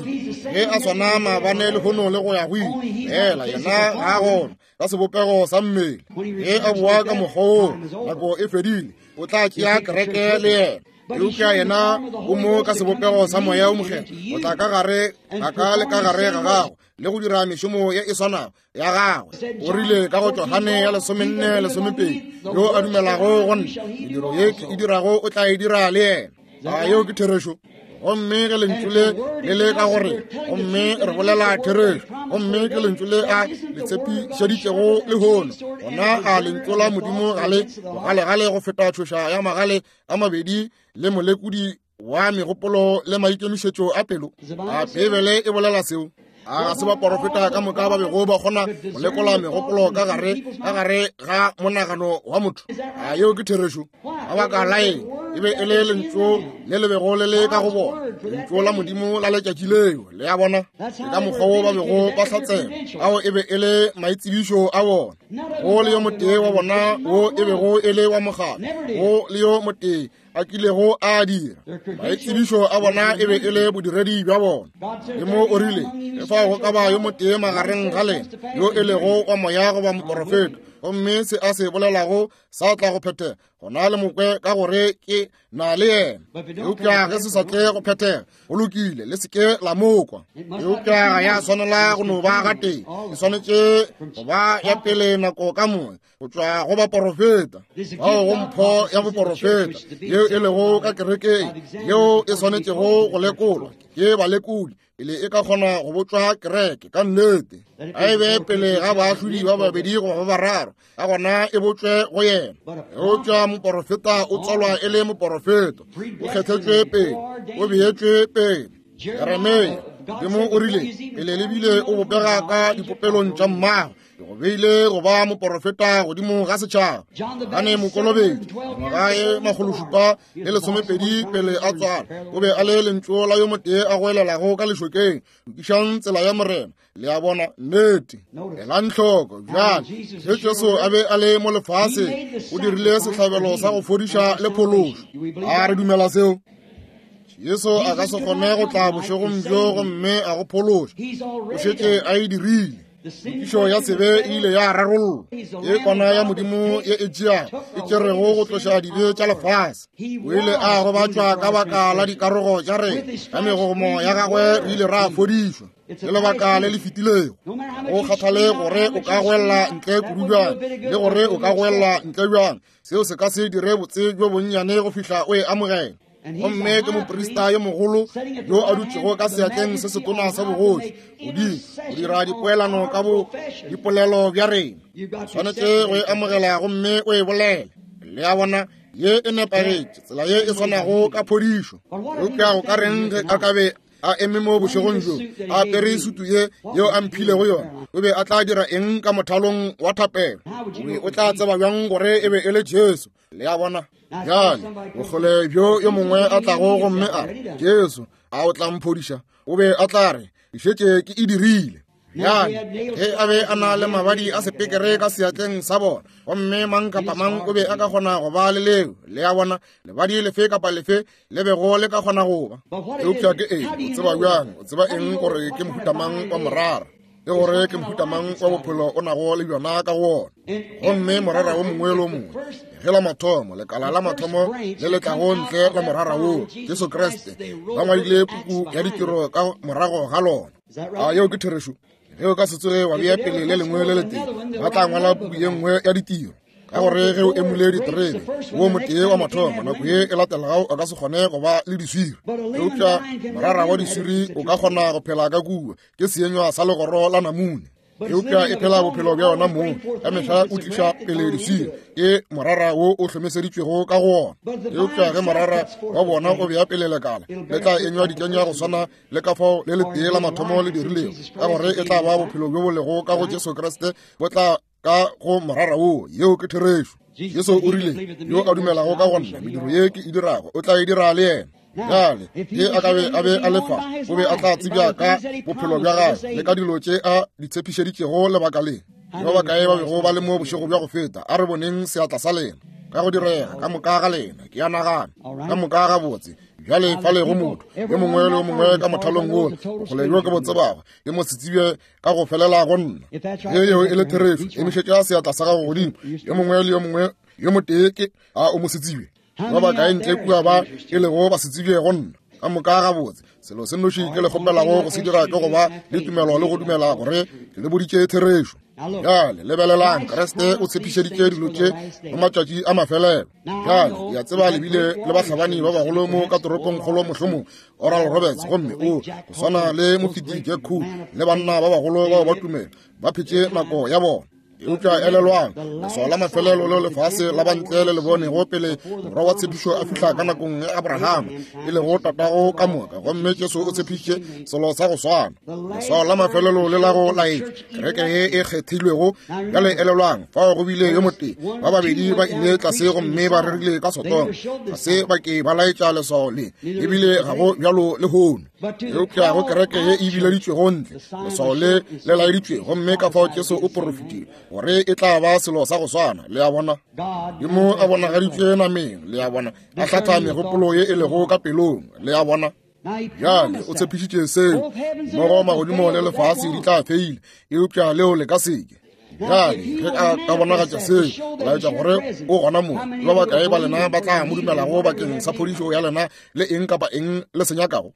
Ge a swana maabane lehono le go ya go ile, fela yena ga a gona ka sebopego sa mmele. Ge a boa ka mokgwa woo, nako e fedile, o tla tšea kereke le yena. Eupša yena o mo ka sebopego sa moya o mokgethwa, o tla ka gare ga ka le ka gare ga gago le go dira mešomo ye e swanago ya gagwe. O rile ka go Johane ya lesomenne lesomepedi, yo a dumelago go nna, mediro ye ke e dirago o tla e dira le yena. A yeo ke therešo? Gomme ge lentšu le le le ka gore, gomme re bolela therešo, gomme ke lentšu le a le tshepišeditšego lehono, gona a lentšu la Modimo ga le bogalegale go feta tšhoša ya magale a mabedi le molekodi wa megopolo le maikemišetšo a pelo? A Beibele e bolela seo? A ga se baporofeta ka moka ba bego ba kgona go lekola megopolo ka gare ka gare ga monagano wa motho? A yeo ke therešo? Ka baka la eng? E be e le lentšu le le bego le le ka go bona, lentšu la Modimo la letšatši leo. Le a bona? Ke ka mokgwa wo ba bego ba hlatsela. Ao e be e le maitsebišo a bona. Go le yo motee wa bona wo e bego e le wa mokgatlo, go le yo motee a kilego a dira. Maitsebišo a bona e be e le bodiredi bja bona. Modimo o rile, ge fao go ka ba yo motee magareng ga lena yo e lego wa moya goba moporofeta, gomme se a se bolelago sa tla go phethega, gona le mokwe ka gore ke na le yena. Eupša ge se sa tle go phethega, go lokile, le se ke la mokwa. Eupša ga ya swanela go no ba gatee, e swanetše go ba ya pele nako ka moka, go tšwa go baporofeta bao go mpho ya boporofeta yeo e lego ka kerekeng, yeo e swanetšego go lekolwa ke balekodi pele e ka kgona go botšwa kereke ka nnete. A e be pele ga baahlodi ba babedi goba ba bararo, ka gona e botšwe go yena. Eupša moporofeta o tswalwa e le moporofeta, o kgethetšwe pele, o beetšwe pele. Jeremia, Modimo o rile, pele le bile o bopega ka dipopelong tša mmago, ke go beile go ba moporofeta godimo ga setšhaba. Johane Mokolobetši, ngwaga e makgološupa le lesomepedi pele a tswalwa, o be a le lentšu la yo motee a goelelago ka lešokeng, lokišang tsela ya Morena. Le a bona? Nnete. Elang hloko bjale, ge Jesu a be a le mo lefaseng, o dirile sehlabelo sa go fodiša le phološo. A re dumela seo? Jesu a ka se kgone go tla bošegong bjo gomme a go phološa. O šetše a e dirile. Tokišo ya sebe e ile ya rarollwa. Ke kwana ya Modimo ye e tšeago, e tšerego go tloša dibe tša lefase. O ile a gobatšwa ka baka la dikarogo tša rena, ka megomo ya gagwe re ile ra fodišwa. Ke lebaka le le fetilego. Go kgathale gore o ka goella ntle kudu bjang, le gore o ka goella ntle bjang, seo se ka se dire botse bjo bonnyane go fihla o e amogela. Gomme ke moprista yo mogolo yo a dutšego ka seatleng se setona sa bogoši godimo go dira dipoelano ka bo dipolelo bja rena. Swanetše go e amogela gomme o e bolele. Le a bona? Ye e nepagetše, tsela ye e swanago ka phodišo. Eupša go ka reng ge a ka be a eme mo bošegong bjo, a apere sutu ye yeo a mphilego yona? O be a tla dira eng ka mothalong wa thapelo? O be o tla tseba bjang gore e be e le Jesu? Le a bona? Bjale bokgole bjo yo mongwe a tlago gomme a re, Jesu, a o tla mphodiša? O be a tla re, ke šetše ke e dirile. Bjale ge a be a na le mabadi a sepekere ka seatleng sa bona, gomme mang kapa mang o be a ka kgona go ba le leo. Le a bona? Lebadi lefe kapa lefe le bego le ka kgona go ba. Eupša ke eng? O tseba bjang? O tseba eng gore ke mohuta mang wa morara, le gore ke mohuta mang wa bophelo o nago le bjona ka go wona? Gomme morara wo mongwe le wo mongwe, ge la mathomo, lekala la mathomo le le tlago ntle la morara woo, Jesu Kriste, ba ngwadile puku ya ditiro ka morago ga lona. A yeo ke therešo? Ge o ka se tsoge wa bea pele le lengwe le letee, ba tla ngwala puku ye nngwe ya ditiro. Ka gore ge o emule diterebe wo motee wa mathomo, nako ye e latelago o ka se kgone go ba le diswiri. Eupša morara wa diswiri o ka kgona go phela ka kua, ke seenywa sa legoro la namune. Eupša e phela bophelo bja yona mong, ka mehla o tliša pele diswiri, ke morara wo o hlomeseditšwego ka go ona. Eupša ge morara wa bona o bea pele lekala, le tla enywa dikenywa go swana le ka fao le letee la mathomo le dirilego, ka gore e tla ba bophelo bjo bo lego ka go Jesu Kriste bo tla ka go morara wo. Yeo ke therešo. Jesu o rile, yo a dumelago ka go nna, mediro ye ke e dirago o tla e dira le yena. Bjale ge a ka be a be a lefa, o be a tla tsebja ka bophelo bja gagwe le ka dilo tše a di tshepišeditšego lebaka le. Ba bakae ba bego ba le mo bošego bja go feta? A re boneng seatla sa lena. Ka go direga ka moka ga lena, ke a nagana ka moka gabotse. Bjale fale go motho yo mongwe le yo mongwe ka mothalong wola, bokgole bjo ke bo tsebago, ke mo se tsebje ka go felela go nna. Ge yeo e le therešo, emišetša seatla sa gago godimo. Yo mongwe le yo mongwe yo motee ke a o mo se tsebje. Ba bakae ntle kua ba e lego ba se tsebje go nna? Ka moka gabotse. Selo se nnoši ke le kgopelago go se dira ke go ba le tumelo le go dumela gore ke le boditše therešo. Bjale lebelelang, Kriste o tshepišeditše dilo tše mo matšatši a mafelelo. Bjale ke a tseba le bile le bahlabani ba bagolo mo ka toropongkgolo, mohlomong Oral Roberts, gomme o go swana le mofeti Jack Coe le banna ba bagolo bao ba tumelo ba phetše nako ya bona. Eupša elelwang, leswao la mafelelo leo lefase la bantle le le bonego pele morwa wa tshepišo a fihla ka nakong ya Abrahama, e lego tatago ka moka, gomme Jesu o tshepišitše selo sa go swana. Leswao la mafelelo le la go laetša kereke ye e kgethilwego. Bjale elelwang, fao go bile yo motee, ba babedi ba ile tlase gomme ba rerile ka Sodoma, ga se ba ke ba laetša leswao le, ebile ga go bjalo lehono. Eupša go kereke ye e bileditšwego ntle, leswao le le laeditšwe, gomme ka fao Jesu o porofetile gore e tla ba selo sa go swana. Le a bona, Modimo a bonagaditšwe nameng, le a bona, a hlatha megopolo ye e lego ka pelong, le a bona. Bjale o tshepišitše seo, mmogo magodimo le lefase di tla feila, eupša leo le ka seke. Bjale ge a ka bonagatša seo, go laetša gore o gona mo, ba bakae ba lena ba tla mo dumelago bakeng sa phodišo ya lena le eng kapa eng le se nyakago?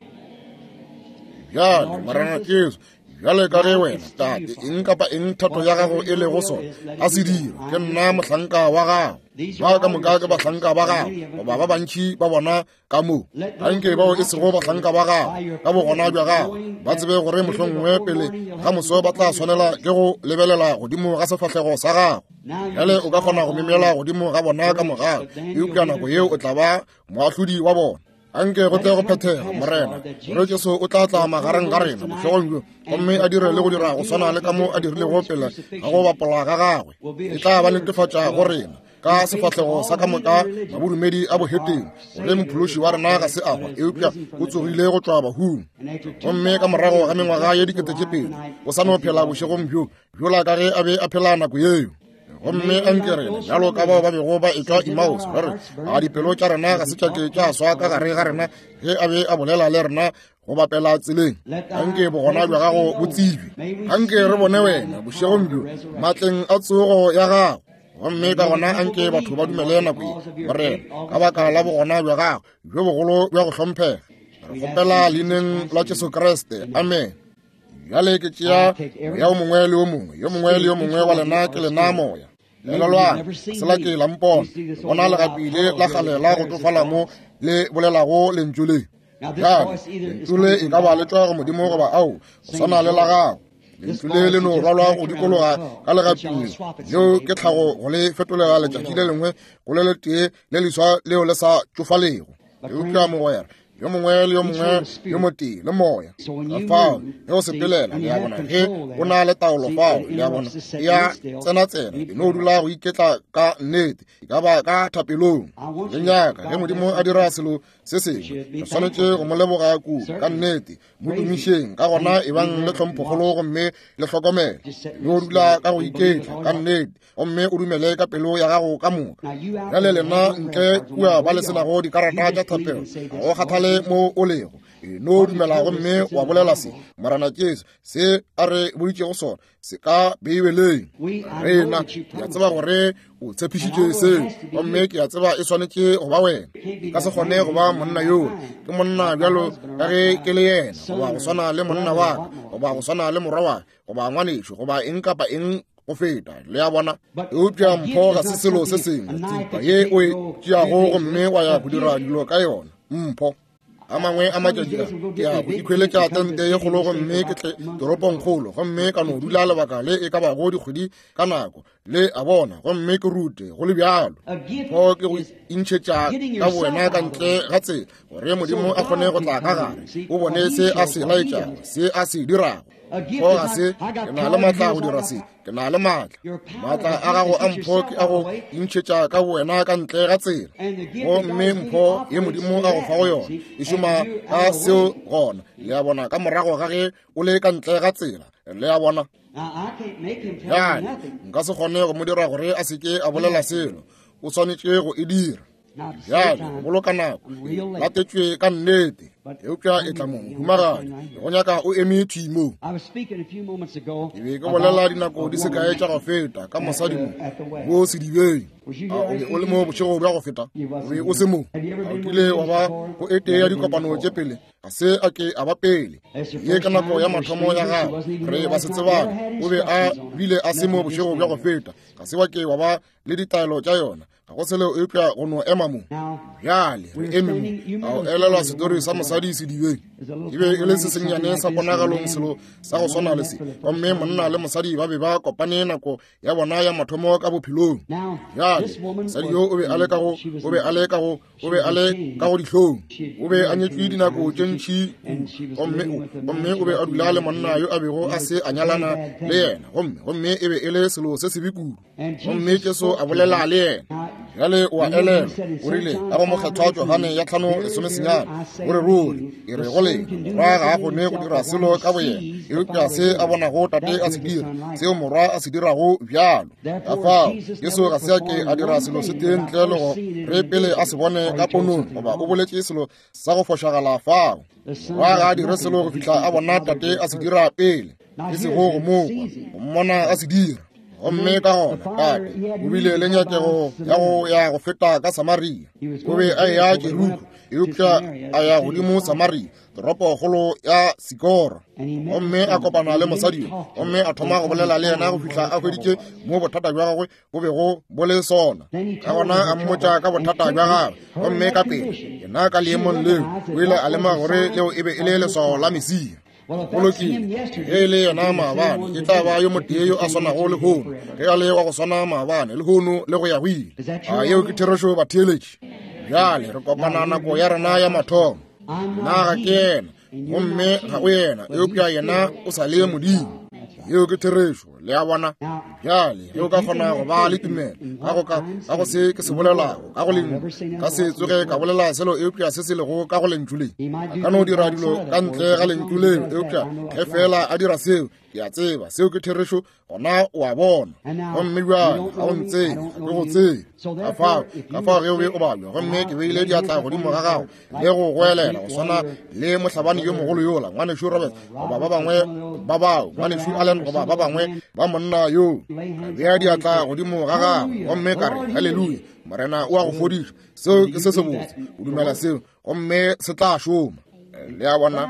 Bjale Morena Jesu, bjale ka ge wena Tate, eng kapa eng thato ya gago e lego sona, a se dire. Ke nna mohlanka wa gago. Ba ka moka ke bahlanka ba gago, goba ba bantši ba bona ka mo. Anke bao e sego bahlanka ba gago ka bogona bja gago ba tsebe gore mohlomongwe pele ga moso ba tla swanela ke go lebelela godimo ga sefahlego sa gago. Bjale o ka kgona go memela godimo ga bona ka mogau, eupša nako yeo o tla ba moahlodi wa bona. Anke go tle go phethega, Morena, gore Jesu o tla tla magareng ga rena bošegong bjo, gomme a dire le go dira go swana le ka mo a dirilego pele ga go bapola ga gagwe. E tla ba netefatša go rena ka sefahlego sa ka moka mabodumedi a boheteng gore mophološi wa rena ga se a hwa, eupša o tsogile go tšwa bahung, gomme ka morago ga mengwaga ye dikete tše pedi o sa no phela bošegong bjo bjola ka ge a be a phela nako yeo. Gomme anke rena bjalo ka bao ba bego ba etšwa Emmaus, ba re, a dipelo tša rena ga se tša ke tša swa ka gare ga rena ge a be a bolela le rena go bapela tseleng? Anke bogona bja gago bo tsebje. Anke re bone wena bošegong bjo matleng a tsogo ya gago, gomme ka gona anke batho ba dumele nako ye, Morena, ka baka la bogona bja gago bjo bogolo bja go hlomphega. Re kgopela leineng la Jesu Kriste, amen. Bjale ke tšea moya o mongwe le o mongwe, yo mongwe le yo mongwe wa lena ke lena moya. Elelwang, se la ke la mpona, bona legapi le la kgale la go tofala mo le bolelago lentšu le. Bjale lentšu le e ka ba le tšwa go Modimo goba ao, go swana le la gago. Lentšu le le no rwalwa go dikologa ka legaping leo ke tlhago go le fetolela letšatši le lengwe go le letee le leswa leo le sa tšofalego. Eupša mogwera yo mongwe le yo mongwe yo motee le moya ka fao ge o sepelela, le a bona, ge o na le taolo fao, le a bona, ya tsena-tsena, e no dula go iketla ka nnete, e ka ba ka thapelong. Le nyaka ge Modimo a dira selo se sengwe, re swanetše go mo leboga kudu ka nnete, mo tumišeng. Ka gona e bang le tlhomphokgolo gomme le hlokomele, no dula ka go iketla ka nnete, gomme o dumele ka pelo ya gago ka moka. Bjale lena ntle kua ba le senago dikarata tša thapelo, ga go kgathale mo o lego, e no dumela gomme wa bolela se Morena Jesu se a re boditšego sona se ka Beibeleng. Rena ke a tseba gore o tshepišitše seo, gomme ke a tseba e swanetše go ba wena. Ka se kgone go ba monna yoo, ke monna bjalo ka ge ke le yena, goba go swana le monna wa ka, goba go swana le morwa wa ka, goba ngwanešo, goba eng kapa eng go feta, le a bona. Eupša mpho ga se selo se sengwe, thipa ye o e tšeago gomme wa ya go dira dilo ka yona. Mpho. A mangwe a matšatši a ke ya go ikhweletša tente ye kgolo gomme ke tle toropongkgolo gomme ka no dula lebaka le e ka bago dikgwedi ka nako, le a bona, gomme ke rute go le bjalo. Mpho ke go intšhetša ka bowena ka ntle ga tsela gore Modimo a kgone go tla ka gare, o bone se a se laetšago, se a se dirago. Mpho ga se ke na le maatla go dira se, ke na le maatla. Maatla a gago a mpho ke a go intšhetša ka bowena ka ntle ga tsela, gomme mpho ye Modimo a go fago yona e šoma ka seo gona, le a bona, ka morago ga ge o le ka ntle ga tsela, le a bona. Bjale nka se kgone go mo dira gore a se ke a bolela selo, o swanetše go e dira. Bjale go boloka nako, latetšwe ka nnete, eupša e tla mo humagadi, go nyaka o eme thwi mo. Ke be ke bolela dinako di se kae tša go feta ka mosadi mo mo sedibeng. A o be o le mo bošego bja go feta? O be o se mo? A o kile wa ba go e tee ya dikopano tše pele? Ga se a ke a ba pele. Ye ka nako ya mathomo ya gagwe, re ba se tsebane, o be a bile a se mo bošego bja go feta. Ga se wa ke wa ba le ditaelo tša yona, ga go selo eupša go no ema mo. Bjale re eme mo. A o elelwa setori sa mosadi sedibeng? E be e le se sennyane sa ponagalong, selo sa go swana le se, gomme monna le mosadi ba be ba kopane nako ya bona ya mathomo ka bophelong. Bjale mosadi yo o be a le ka go, o be a le ka go, o be a le ka go dihlong. O be a nyetšwe dinako tše ntši kudu, gomme gomme o be a dula le monna yo a bego a se a nyalana le yena, gomme gomme e be e le selo se sebe kudu. Gomme Jesu a bolela le yena. Bjale o a elelwa, o rile ka go mokgethwa Johane ya tlhano lesomesenyane, o re ruri e re go lena, morwa ga a kgone go dira selo ka boyena, eupša se a bonago tate a se dira, seo morwa a se dirago bjalo. Ka fao Jesu ga se a ke a dira selo se tee ntle le go re pele a se bone ka ponong, goba o boletše selo sa go fošagala fao. Morwa ga a dire selo go fihla a bona tate a se dira pele, e sego go mo kwa, go mmona a se dira. Gomme ka gona tate o bile le nyakego ya go ya go feta ka Samaria. O be a eya Jeriko, eupša a ya godimo Samaria, toropokgolo ya Sikoro. Gomme a kopana le mosadi yo, gomme a thoma go bolela le yena go fihla a hweditše mo bothata bja gagwe bo bego bo le sona. Ka gona a mmotša ka bothata bja gagwe, gomme ka pele yena ka leemong leo o ile a lemoga gore leo e be e le leswao la Mesia. Go lokile, ge e le yena maabane, e tla ba yo motee yo a swanago lehono, ge a le wa go swana maabane, lehono le go ya go ile. A yeo ke therešo, batheeletši? Bjale re kopana nako ya rena ya mathomo. Nna ga ke yena, gomme ga o yena, eupša yena o sa le Modimo. Yeo ke therešo, le a bona. Bjale ge o ka kgona go ba le tumelo ka go ka ka go se ke se bolelago ka go lentšu, ka se tsoge ka bolela selo eupša se se lego ka go lentšu le. A ka no dira dilo ka ntle ga lentšu leo, eupša ge fela a dira seo, ke a tseba seo ke therešo, gona o a bona. Gomme bjale ga o ntsebe, ga ke go tsebe. Ka fao, ka fao ge o be o balwa, gomme ke beile diatla godimo ga gago le go goelela go swana le mohlabani yo mogolo yola, ngwanešu Roberts, goba ba bangwe ba bao, ngwanešu Allen, goba ba bangwe ba monna yo, ka bea diatla godimo ga gago gomme ka re, haleluya, Morena o a go fodiša. Seo ke se sebotse, o dumela seo, gomme se tla šoma. Le a bona?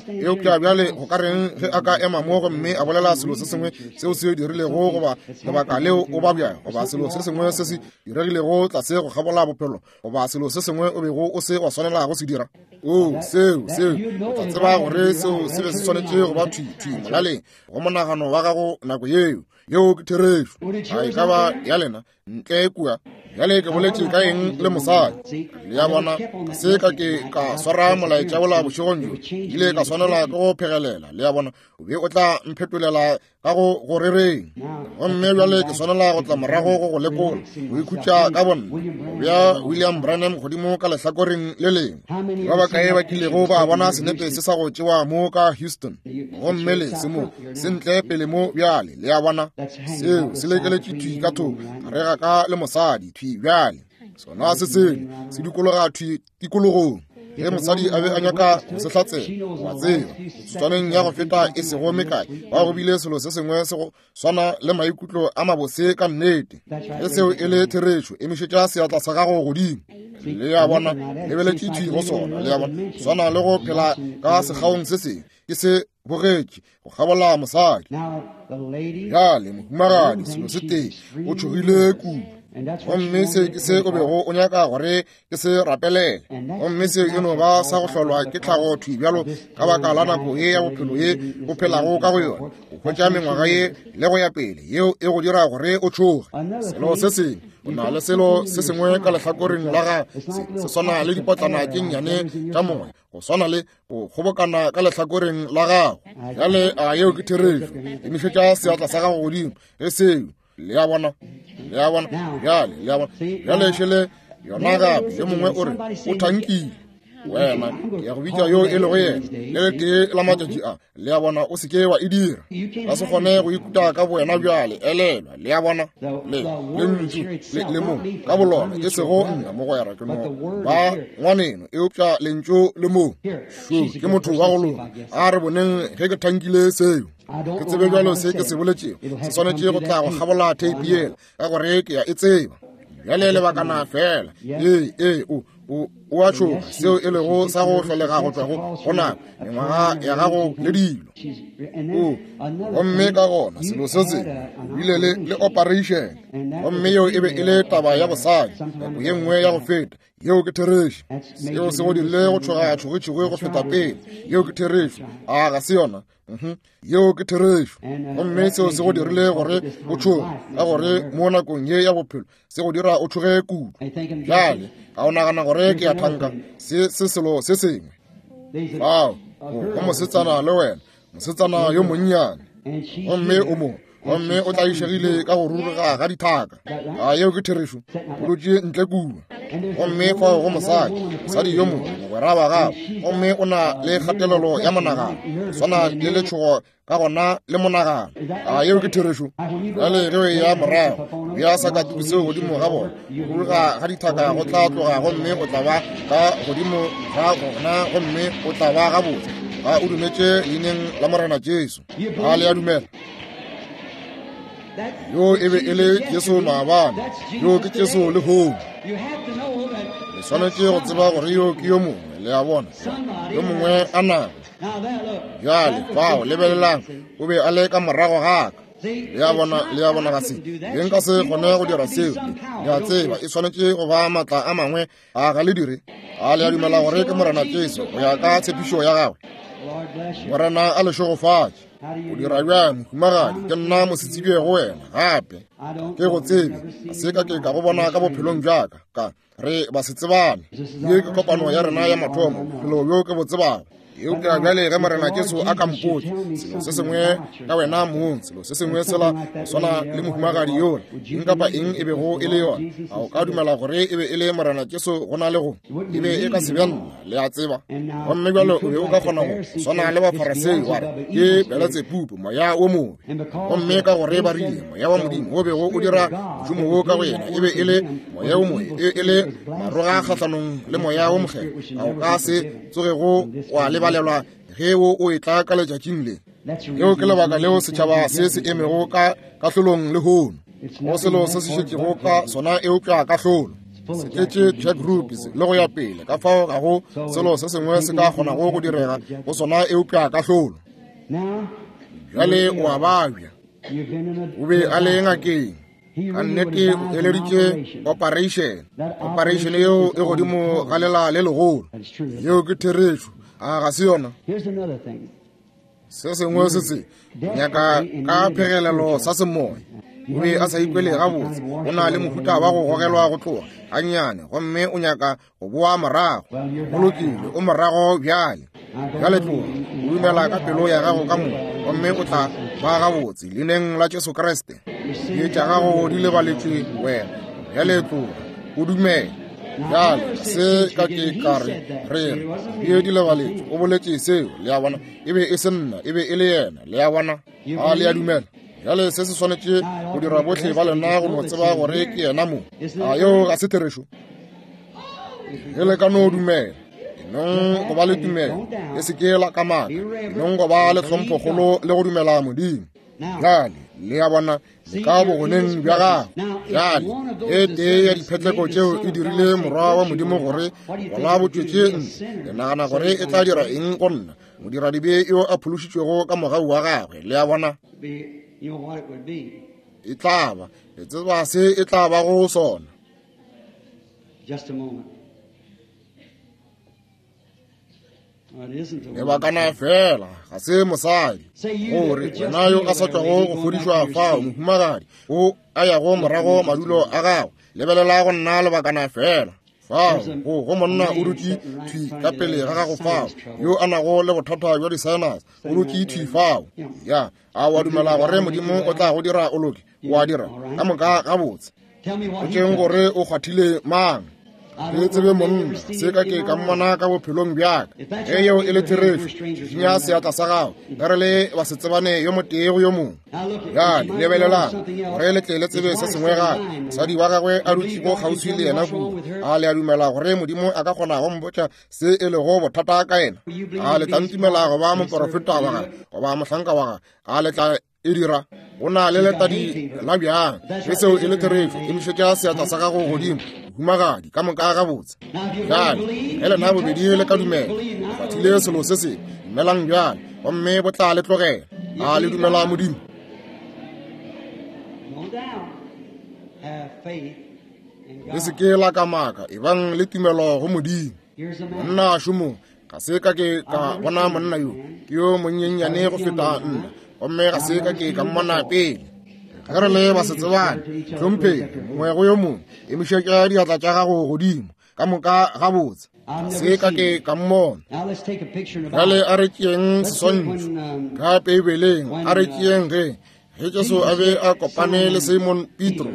Eupša bjale go ka reng ge a ka ema mo gomme a bolela selo se sengwe seo se dirilego, goba lebaka leo o babja, goba selo se sengwe se se diregilego tlase go kgabola bophelo, goba selo se sengwe o bego o se wa swanela go se dira? O, seo, seo, o tla tseba gore seo se be se swanetše go ba thwi, thwi molaleng go monagano wa gago nako yeo. Yeo ke therešo. A e ka ba ya lena ntle kua? Bjale ke boletše ka eng le mosadi? Le a bona, ga se ka ke ka swara molaetša wola bošegong bjo, ke ile ka swanela ke go phegelela. Le a bona, o be o tla mphetolela ka go go rereng. Gomme bjale ke swanela go tla morago go go lekola, go ikhutša ka bonna, go bea William Branham godimo ka lehlakoreng le lengwe. Ba bakae ba kilego ba bona senepe se sa go tšewa mo ka Houston? Gomme le se mo, se ntle pele mo bjale. Le a bona, seo se lekeletše thwi ka thoko, gare ga ka le mosadi thwi bjale. Sona se sele se dikologa thwi tikologong. Ge mosadi a be a nyaka go se hlatsela, wa tseba, metsotswaneng ya go feta e sego mekae, ba go bile selo se sengwe se go swana le maikutlo a mabose ka nnete. Ge seo e le therešo, emišetša seatla sa gago godimo. Le a bona, lebeletše thwi go sona. Le a bona, swana le go phela ka sekgaong se sengwe. Ke se bogetše go kgabola mosadi. Bjale mohumagadi, selo se tee, o tšhogile kudu. Gomme se ke se o bego o nyaka gore ke se rapelele. Gomme se e no ba sa go hlolwa ke tlhago thwi bjalo ka baka la nako ye ya bophelo ye o phelago ka go yona. O hwetša mengwaga ye le go ya pele, yeo e go dira gore o tšhoge. Selo se sengwe, o na le selo se sengwe ka lehlakoreng la gago, se, se swana le dipotlana tše nnyane tša moya, go swana le go kgobokana ka lehlakoreng la gago. Bjale a yeo ke therešo. Emišetša seatla sa gago godimo ge seo. Le a bona, le a bona, bjale, le a bona. Bjale šele yona gape, yo mongwe o re o thankile. Wena, ke ya go bitša yo e lego yena le letee la matšatši a. Le a bona, o se ke wa e dira. Ka se kgone go ikuta ka bowena bjale, elelwa. Le a bona, le lentšu le le mo ka bolona, e sego nna mogwera, ke no ba ngwaneno, eupša lentšu le mo. Šo ke motho wa go loka. A re boneng ge ke thankile seo. Ke tsebe bjalo se ke se boletšego se swanetše go tla go kgabola theipi yela, ka gore ke ya e tseba. Bjale lebakana fela. Ee, ee, o o o a tšhoga, seo e lego sa go hlolega go tšwa go go nako, mengwaga ya gago le dilo. O gomme ka gona selo se sengwe, o bile le le operation, gomme yeo e be e le taba ya bosadi nako ye nngwe ya go feta. Yeo ke therešo. Seo se go dirile go tšhoga tšhogetšhoge go feta pele. Yeo ke therešo. A ga se yona? Mhm. Yeo ke therešo. Gomme seo se go dirile gore o tšhoge, ka gore mo nakong ye ya bophelo se go dira o tšhoge kudu. Bjale ga o nagana gore ke ya thanka, se se selo se sengwe. Fao go mosetsana le wena, mosetsana yo monnyane, gomme o mo, gomme o tlaišegile ka go ruruga ga dithaka. A yeo ke therešo. O dutše ntle kua. Gomme fao go mosadi, mosadi yo mongwe, mogwera wa gago, gomme o na le kgatelelo ya monagano, swana le letšhogo ka gona le monagano. A yeo ke therešo. Bjale ge o eya morago, bea sakatuku seo godimo ga bona, go ruruga ga dithaka go tla tloga, gomme o tla ba ka godimo ga gona, gomme o tla ba gabotse. Ga o dumetše leineng la Morena Jesu. A le a dumela? Yo e be e le Jesu maabane, yo ke Jesu lehono. Le swanetše go tseba gore yo ke yo mongwe. Le a bona, yo mongwe a nago. Bjale fao, lebelelang, o be a le ka morago ga ka. Le a bona, le a bona, ga se be nka se kgone go dira seo. Le a tseba, e swanetše go ba maatla a mangwe. A ga le dire? A le a dumela gore ke Morena Jesu go ya ka tshepišo ya gagwe? Morena a le šegofatše. O dira bjang, mohumagadi? Ke nna mosetsebje go wena gape. Ke go tsebe, ga se ka ke ka go bona ka bophelong bja ka. Ka re ba se tsebane. Ye ke kopano ya rena ya mathomo, bophelo bjo ke bo tsebago. Eupša bjale ge Morena Jesu a ka mpotša selo se sengwe ka wena mong, selo se sengwe sela go swana le mohumagadi yola, eng kapa eng e bego e le yona, a o ka dumela gore e be e le Morena Jesu go na le go e be e ka se be nna? Le a tseba. Gomme bjale o be o ka kgona go swana le Bafarasei wa re ke Beletsebubu, moya wo mobe. Gomme ka gore ba rile moya wa Modimo o bego o dira mošomo wo ka go yena e be e le moya wo mobe, e le maroga kgahlanong le moya wo mokgethwa, a o ka se tsogego wa lebalelwa ge wo o etla ka letšatšing le. Leo ke lebaka leo setšhaba se se emego ka kahlolong lehono. Go selo se se šetšego ka sona eupša kahlolo. Se tletše check groups le go ya pele, ka fao ga go selo se sengwe se ka kgonago go direga go sona eupša kahlolo. Bjale o a babja. O be a le ngakeng. Ka nnete o eleditše operation. Operation yeo e godimo ga lela le legolo. Yeo ke therešo. A ga se yona? Se sengwe se se nyaka ka phegelelo sa semoya. O be a sa ikwele gabotse. O na le mohuta wa go gogelwa go tloga gannyane, gomme o nyaka go boa morago. Go lokile, o morago bjale. Bjale tloga, o dumela ka pelo ya gago ka moka, gomme o tla ba gabotse leineng la Jesu Kriste. Dibe tša gago di lebaletšwe wena. Bjale tloga, o dumele. Bjale se ka ke ka re re re dibe di lebaletšwe. O boletše seo, le a bona. E be e se nna, e be e le yena. Le a bona? A le a dumela? Bjale se se swanetše go dira bohle ba lena go no tseba gore ke yena mo. A yeo ga se therešo? Ge le ka no dumela. Enong go ba le tumelo, le se ke la kamaka. Enong go ba le tlhomphokgolo le go dumela Modimo. Bjale, le a bona, le ka bogoneng bja gago. Bjale, e tee ya diphetleko tšeo e dirile morwa wa Modimo gore gola bo tšwetše ntle. Le nagana gore e tla dira eng go nna, modiradibe yo a phološitšwego ka mogau wa gagwe? Le a bona, e tla ba, le tseba se e tla ba go sona. Just a moment. Lebakana fela, ga se mosadi. Gore wena yo a sa tšwago go fodišwa fao, mohumagadi, o a yago morago madulo a gago, lebelela go nna lebakana fela. Fao, go go monna o dutše thwi ka pele ga gago fao, yo a nago le bothata bja di-sinus, o dutše thwi fao. Ya, a wa dumela gore Modimo o tla go dira o loke? O a dira ka moka gabotse. O tšeng gore o kgwathile mang? Ke tsebe monna, se ka ke ka mmona ka bophelong bjaka. Ge yeo e le therešo, šišinya seatla sa gago, ge re le basetsebane yo motee go yo mongwe. Bjale, lebelelang, gore le tle le tsebe se sengwe gape. Mosadi wa gagwe a dutšego kgauswi le yena kua, a le a dumela gore Modimo a ka kgona go mpotša se e lego bothata ka yena? A le tla ntumela go ba moporofeta wa gagwe goba mohlanka wa gagwe? A le tla e dira? Go na le letadi la bjang? Ge seo e le therešo, emišetša seatla sa gago godimo, humagadi, ka moka gabotse. Bjale, ge lena bobedi le ka dumela, le kgwathile selo se sengwe, dumelang bjale, gomme bo tla le tlogela. A le dumela Modimo? Le se ke la kamaka, ebang le tumelo go Modimo. Monna šomo, ga se ka ke ka bona monna yo, ke yo monyenyane go feta nna, gomme ga se ka ke ka mmona pele. Ge re le basetsebane, hlompheng mongwe go yo mongwe, emišetša diatla tša gago godimo, ka moka gabotse. Ga se ka ke ka mmona. Bjale a re tšeeng seswantšho ka Beibeleng, a re tšeeng ge ge Jesu a be a kopane le Simon Petro.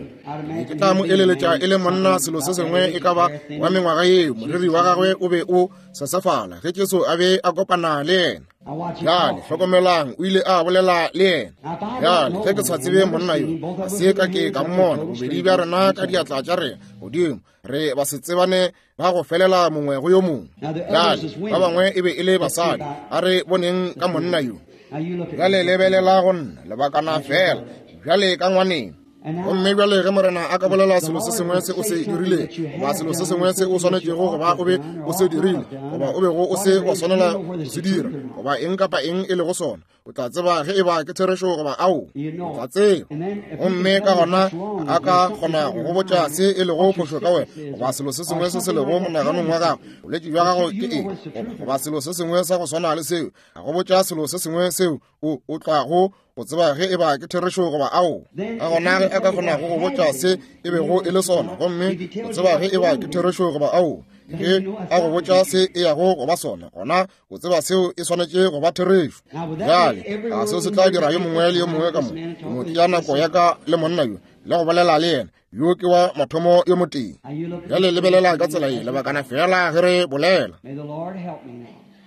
Ke tla mo eleletša e le monna selo se sengwe e ka ba wa mengwaga yeo, moriri wa gagwe o be o sesefala ge Jesu a be a kopana le yena. Bjale, hlokomelang, o ile a bolela le yena. Bjale, ge ke sa tsebe monna yo, ga se ka ke ka mmona, bobedi bja rena ka diatla tša rena godimo, re basetsebane ba go felela mongwe go yo mongwe. Bjale, ba bangwe e be e le basadi, a re boneng ka monna yo. Bjale lebelela go nna lebakana fela, bjale ka ngwaneng. Gomme bjale ge Morena a ka bolela selo se sengwe se o se dirile, goba selo se sengwe se o swanetšego goba o be o se dirile, goba o bego o se wa swanela go se dira, goba eng kapa eng e lego sona, o tla tseba ge e ba ke therešo goba ao, o tla tseba. Gomme ka gona a ka kgona go go botša se e lego phošo ka wena, goba selo se sengwe se se lego monaganong wa gago, bolwetši bja gago ke eng, goba selo se sengwe sa go swana le seo, a go botša selo se sengwe seo o o tlago go tseba ge e ba ke therešo goba ao. Ka gona ge a ka kgona go go botša se e bego e le sona, gomme o tseba ge e ba ke therešo goba ao, ge a go botša se e yago go ba sona, gona o tseba seo e swanetše go ba therešo. Bjale, a seo se tla dira yo mongwe le yo mongwe ka mo, mo tšea nako ya ka le monna yo, le go bolela le yena, yo ke wa mathomo yo motee. Bjale lebelela ka tsela ye, lebakana fela ge re bolela.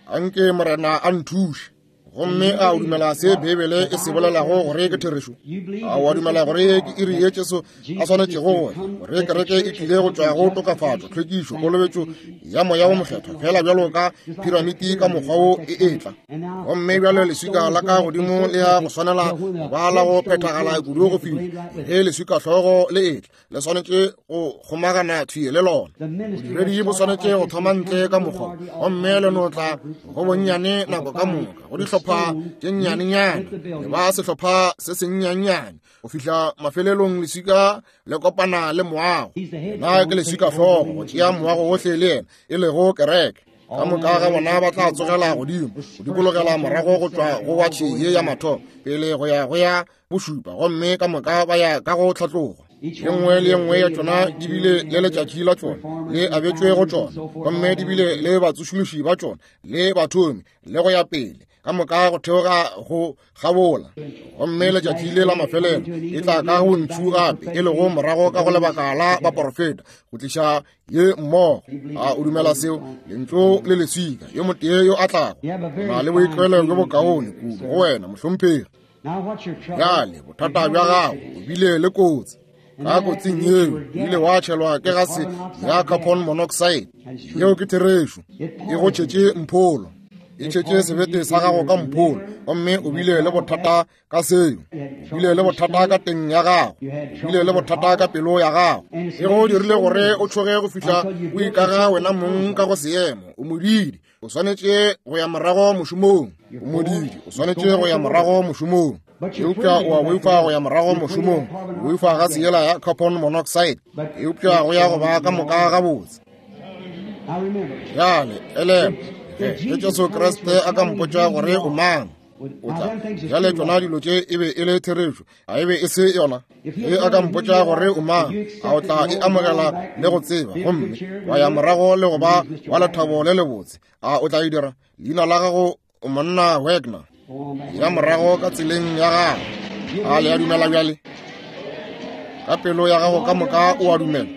Anke Morena a nthuše. Gomme a o dumela se Beibele e se bolelago gore ke therešo? A o a dumela gore ke iri ye Jesu a swanetšego gore gore kereke e tlile go tšwa go tokafatšo, tlhwekišo, kolobetšo ya Moya wo Mokgethwa, fela bjalo ka piramiti ka mokgwa wo e etla? Gomme bjale leswika la ka godimo le ya go swanela go ba la go phethagala kudu go fihla ge leswika hlogo le etla, le swanetše go kgomagana thwi le lona. Bodiredi bo swanetše go thoma ntle ka mokgwa, gomme le no tla go bonnyane nako ka moka, go dihlopha tše nnyanenyane, le ba sehlopha se sennyanenyane, go fihla mafelelong leswika le kopana le moago. Na ke leswika hlogo go tšea moago wohle le yena, e lego kereke. Ka moka ga bona ba tla tsogela godimo, go dikologela morago go tšwa go watšhe ye ya mathomo pele go ya go ya bošupa, gomme ka moka ba ya ka go tlhatloga. Ye nngwe le ye nngwe ya tšona di bile le letšatši la tšona le abetšwe go tšona, gomme di bile le batsošološi ba tšona le bathomi le go ya pele, ka moka go theoga go gabola. Gomme letšatši le la mafelelo e tla ka go ntšhu gape, e lego morago ka go lebaka la baporofeta, go tliša ye mmogo. A o dumela seo? Lentšu le leswika, yo motee yo a tlago na le boitlwelo bjo bokaone kudu go wena, mohlomphegi. Bjale bothata bja gago o bile le kotsi. Ka kotsing yeo ile wa tšhelwa ke gase ya carbon monoxide. Yeo ke therešo. E go tšhetše mpholo. E tšhetše sebete sa gago ka mpholo, gomme o bile le bothata ka seo. O bile le bothata ka teng ya gago. O bile le bothata ka pelo ya gago. E go dirile gore o tšhoge go fihla o ikaga wena mong ka go seemo. O modidi, o swanetše go ya morago mošomong. O modidi, o swanetše go ya morago mošomong. Eupša o a boifa go ya morago mošomong. O boifa gase yela ya carbon monoxide. Eupša go ya go ba ka moka gabotse. Bjale, elelwa, ge Jesu Kriste a ka mpotša gore o mang, o tla. Bjale tšona dilo tše e be e le therešo, a e be e se yona? Ge a ka mpotša gore o mang, a o tla e amogela le go tseba, gomme wa ya morago le go ba wa lethabo le lebotse? A o tla e dira? Leina la gago o monna Wagner. Ya morago ka tseleng ya gago. A le a dumela bjale? Ka pelo ya gago ka moka o a dumela.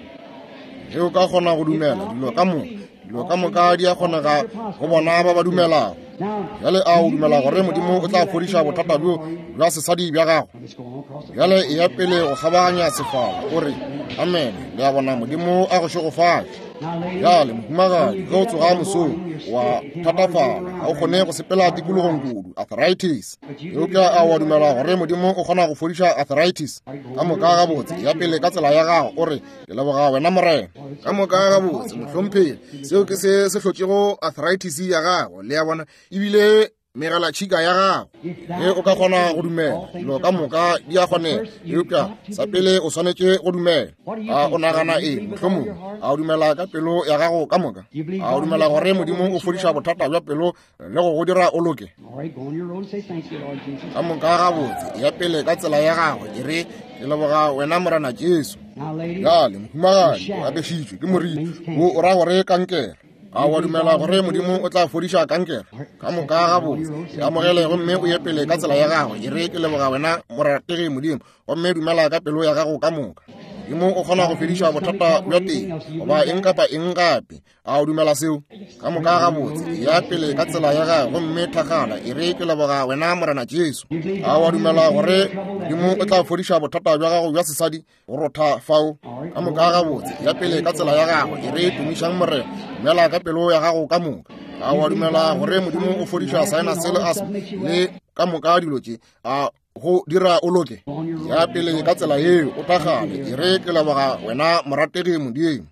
Ge o ka kgona go dumela dilo ka moka, dilo ka moka di a kgonega go bona ba ba dumelago. Bjale a o dumela gore Modimo o tla fodiša bothata bjo bja sesadi bja gago? Bjale e ya pele go kgabaganya sefala, o re amen. Le a bona, Modimo a go šegofatše. Bjale mohumagadi, ge o tsoga mosong wa thatafala, ga o kgone go sepela tikologong kudu, arthritis. Eupša a wa dumela gore Modimo o kgona go fodiša arthritis? Ka moka gabotse, ya pele ka tsela ya gago, o re ke leboga wena Morena. Ka moka gabotse, mohlomphegi, seo ke se se hlotšego arthritis ya gago. Le a bona, ebile megalatšhika ya gago. Ge o ka kgona go dumela, dilo ka moka di a kgonega. Eupša sa pele o swanetše go dumela. A o nagana eng? Mohlomongwe a o dumela ka pelo ya gago ka moka? A o dumela gore Modimo o fodiša bothata bja pelo le go go dira o loke? Ka moka gabotse, ya pele ka tsela ya gago, e re ke leboga wena Morena Jesu. Bjale mohumagadi, o apešitšwe ke moriti wo o ra gore kankere. A wa dumela gore Modimo o tla fodiša kankere? Ka moka gabotse, e amogele gomme o ye pele ka tsela ya gago. E re ke leboga wena morategi Modimo, gomme dumela ka pelo ya gago ka moka. Modimo o kgona go fediša bothata bja teng goba eng kapa eng gape. A o dumela seo? Ka moka gabotse, ya pele ka tsela ya gago gomme thakgala. E re ke leboga wena Morena Jesu. A wa dumela gore Modimo o tla fodiša bothata bja gago bja sesadi go rotha fao? Ka moka gabotse, ya pele ka tsela ya gago. E re tumišang Morena, dumela ka pelo ya gago ka moka. A wa dumela gore Modimo o fodiša sinus le asthma le ka moka dilo tše? A go dira o loke? Ya pele ka tsela yeo, o thakgale. E re ke leboga wena morategi Modimo.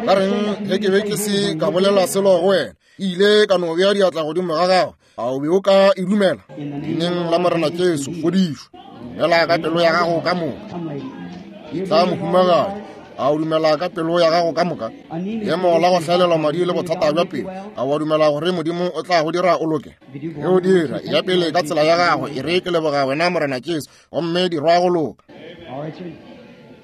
Ka reng ge ke be ke se ka bolela selo go wena, ile ka no bea diatla godimo ga gago, a o be o ka e dumela? Leineng la Morena Jesu, fodišwa. Dumela ka pelo ya gago ka moka. Tla mohumagadi, a o dumela ka pelo ya gago ka moka? Leemo la go hlaelelwa madi le bothata bja pelo, a wa dumela gore Modimo o tla go dira o loke? Ge o dira, ya pele ka tsela ya gago. E re ke leboga wena Morena Jesu, gomme dirwa go loka.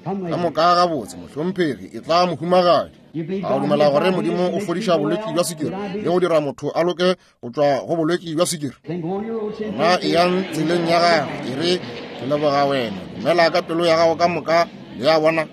Ka moka gabotse, mohlomphegi, e tla mohumagadi. A o dumela gore Modimo o fodiša bolwetši bja sukiri le go dira motho a loke go tšwa go bolwetši bja sukiri? Gona eyang tseleng ya gago. E re ke leboga wena. Dumela ka pelo ya gago ka moka. Le a bona,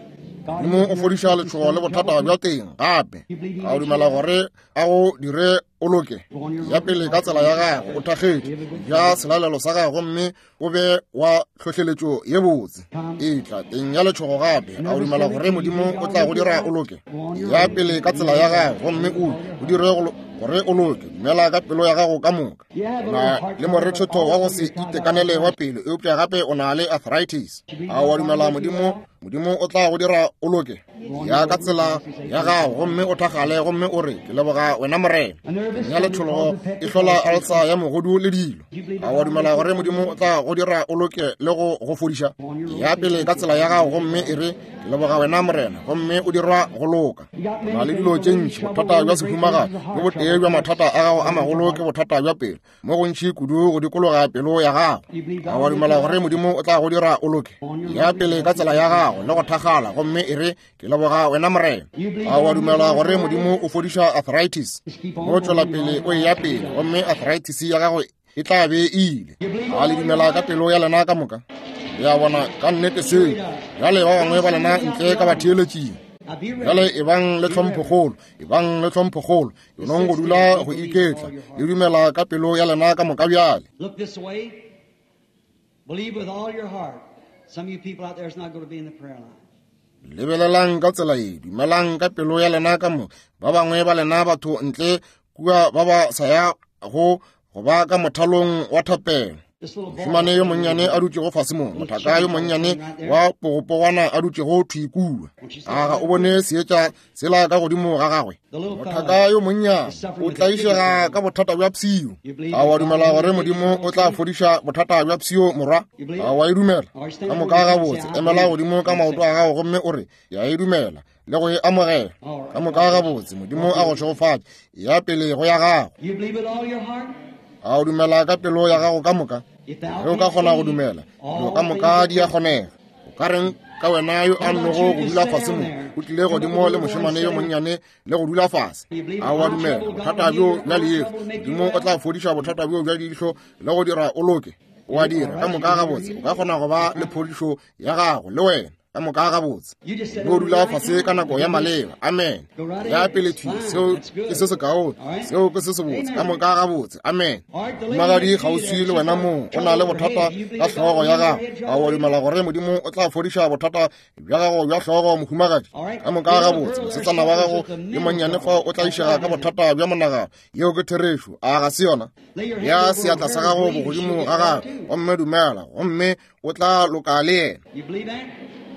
Modimo o fodiša letšhogo le bothata bja teng gape. A o dumela gore a go dire o loke? Ya pele ka tsela ya gago, o thakgetše ja selalelo sa gago gomme o be wa tlhohleletšo ye botse. E tla teng ya letšhogo gape. A o dumela gore Modimo o tla go dira o loke? Ya pele ka tsela ya gago gomme o o dire gore o loke. Dumela ka pelo ya gago ka moka. O na le morethetho wa go se itekanele wa pelo, eupša gape o na le arthritis. A wa dumela Modimo Modimo o tla go dira o loke? Ya ka tsela ya gago gomme o thakgale gomme o re ke leboga wena Morena. Ya letšhologo e hlola alsa ya mogodu le dilo. A wa dumela gore Modimo o tla go dira o loke le go go fodiša? Ya pele ka tsela ya gago gomme e re ke leboga wena Morena, gomme o dirwa go loka. O na le dilo tše ntši, bothata bja sehumagadi le botee bja mathata a gago a magolo ke bothata bja pelo, mo gontši kudu go dikologa pelo ya gago. A wa dumela gore Modimo o tla go dira o loke? Ya pele ka tsela ya gago le go thakgala gomme e re ke leboga wena Morena. A wa dumela gore Modimo o fodiša arthritis? Mo tšwela pele o eya pele gomme arthritis ya gago e tla be e ile. A le dumela ka pelo ya lena ka moka? Le a bona, ka nnete seo. Bjale ba bangwe ba lena ntle ka batheeletšing. Bjale e bang le tlhomphokgolo, e bang le tlhomphokgolo, e nong go dula go iketla, le dumela ka pelo ya lena ka moka bjale. Look this way. Believe with all your heart. Some of you people out there is not going to be in the prayer line. Lebelelang ka tsela ye, dumelang ka pelo ya lena ka moka. Ba bangwe ba lena batho ntle kua ba ba sa ya go go ba ka mothalong wa thapelo. Mošemane yo monnyane a dutšego fase mo, mothaka yo monnyane wa pogopogwana a dutšego thwi kua. A ga o bone seetša sela ka godimo ga gagwe? Mothaka yo monnyane o tlaišega ka bothata bja pshio. A wa dumela gore Modimo o tla fodiša bothata bja pshio, morwa? A wa e dumela? Ka moka gabotse, emela godimo ka maoto a gago gomme o re, ke a e dumela le go e amogela. Ka moka gabotse, Modimo a go šegofatše. Ya pele go ya gago. A o dumela ka pelo ya gago ka moka? Ge o ka kgona go dumela, dilo ka moka di a kgonega. O ka reng ka wena yo a nnogo go dula fase mo, o tlile godimo le mošemane yo monnyane le go dula fase? A wa dumela bothata bjo bja leihlo, Modimo o tla fodiša bothata bjo bja leihlo le go dira o loke? O a dira. Ka moka gabotse, o ka kgona go ba le phodišo ya gago le wena. Ka moka gabotse, o dula fase ka nako ya maleba. Amen. Ya pele thwi, seo ke se sekaone, seo ke se sebotse. Ka moka gabotse. Amen. Magadi kgauswi le wena mong, o na le bothata ka hlogo ya gago. A wa dumela gore Modimo o tla fodiša bothata bja gago bja hlogo, mohumagadi? Ka moka gabotse, mosetsana wa gago yo monnyane fao o tlaišega ka bothata bja monagano. Yeo ke therešo, a ga se yona? Ya seatla sa gago bogodimo ga gago, gomme dumela, gomme o tla loka le yena.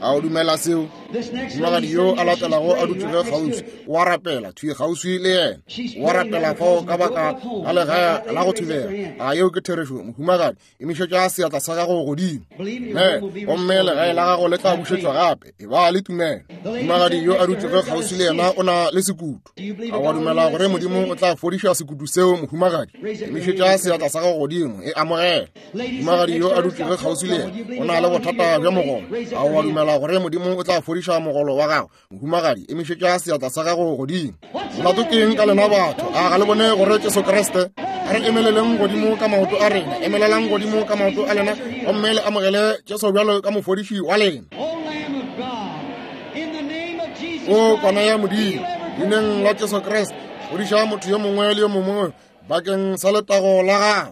A o dumela seo? Mohumagadi yo a latelago a dutšego kgauswi o a rapela thwi kgauswi le yena. O a rapela fao ka baka la legae la go thubega. A yeo ke therešo, mohumagadi? Emišetša seatla sa gago godimo. Ne, gomme legae la gago le tla bušetšwa gape. E ba le tumelo. Mohumagadi yo a dutšego kgauswi le yena o na le sekutu. A wa dumela gore Modimo o tla fodiša sekutu seo, mohumagadi? Emišetša seatla sa gago godimo, e amogela. Mohumagadi yo a dutšego kgauswi le yena o na le bothata bja mogolo. A wa dumela gore Modimo o tla fodiša mogolo wa gago, mohumagadi? Emišetša seatla sa gago godimo. Molato ke eng ka lena batho? A ga le bone gore Jesu Kriste? A re emeleleng godimo ka maoto a rena. Emelelang godimo ka maoto a lena gomme le amogele Jesu bjalo ka mofodiši wa lena. O kwana ya Modimo, leineng la Jesu Kriste, fodiša motho yo mongwe le yo mongwe bakeng sa letago la gago.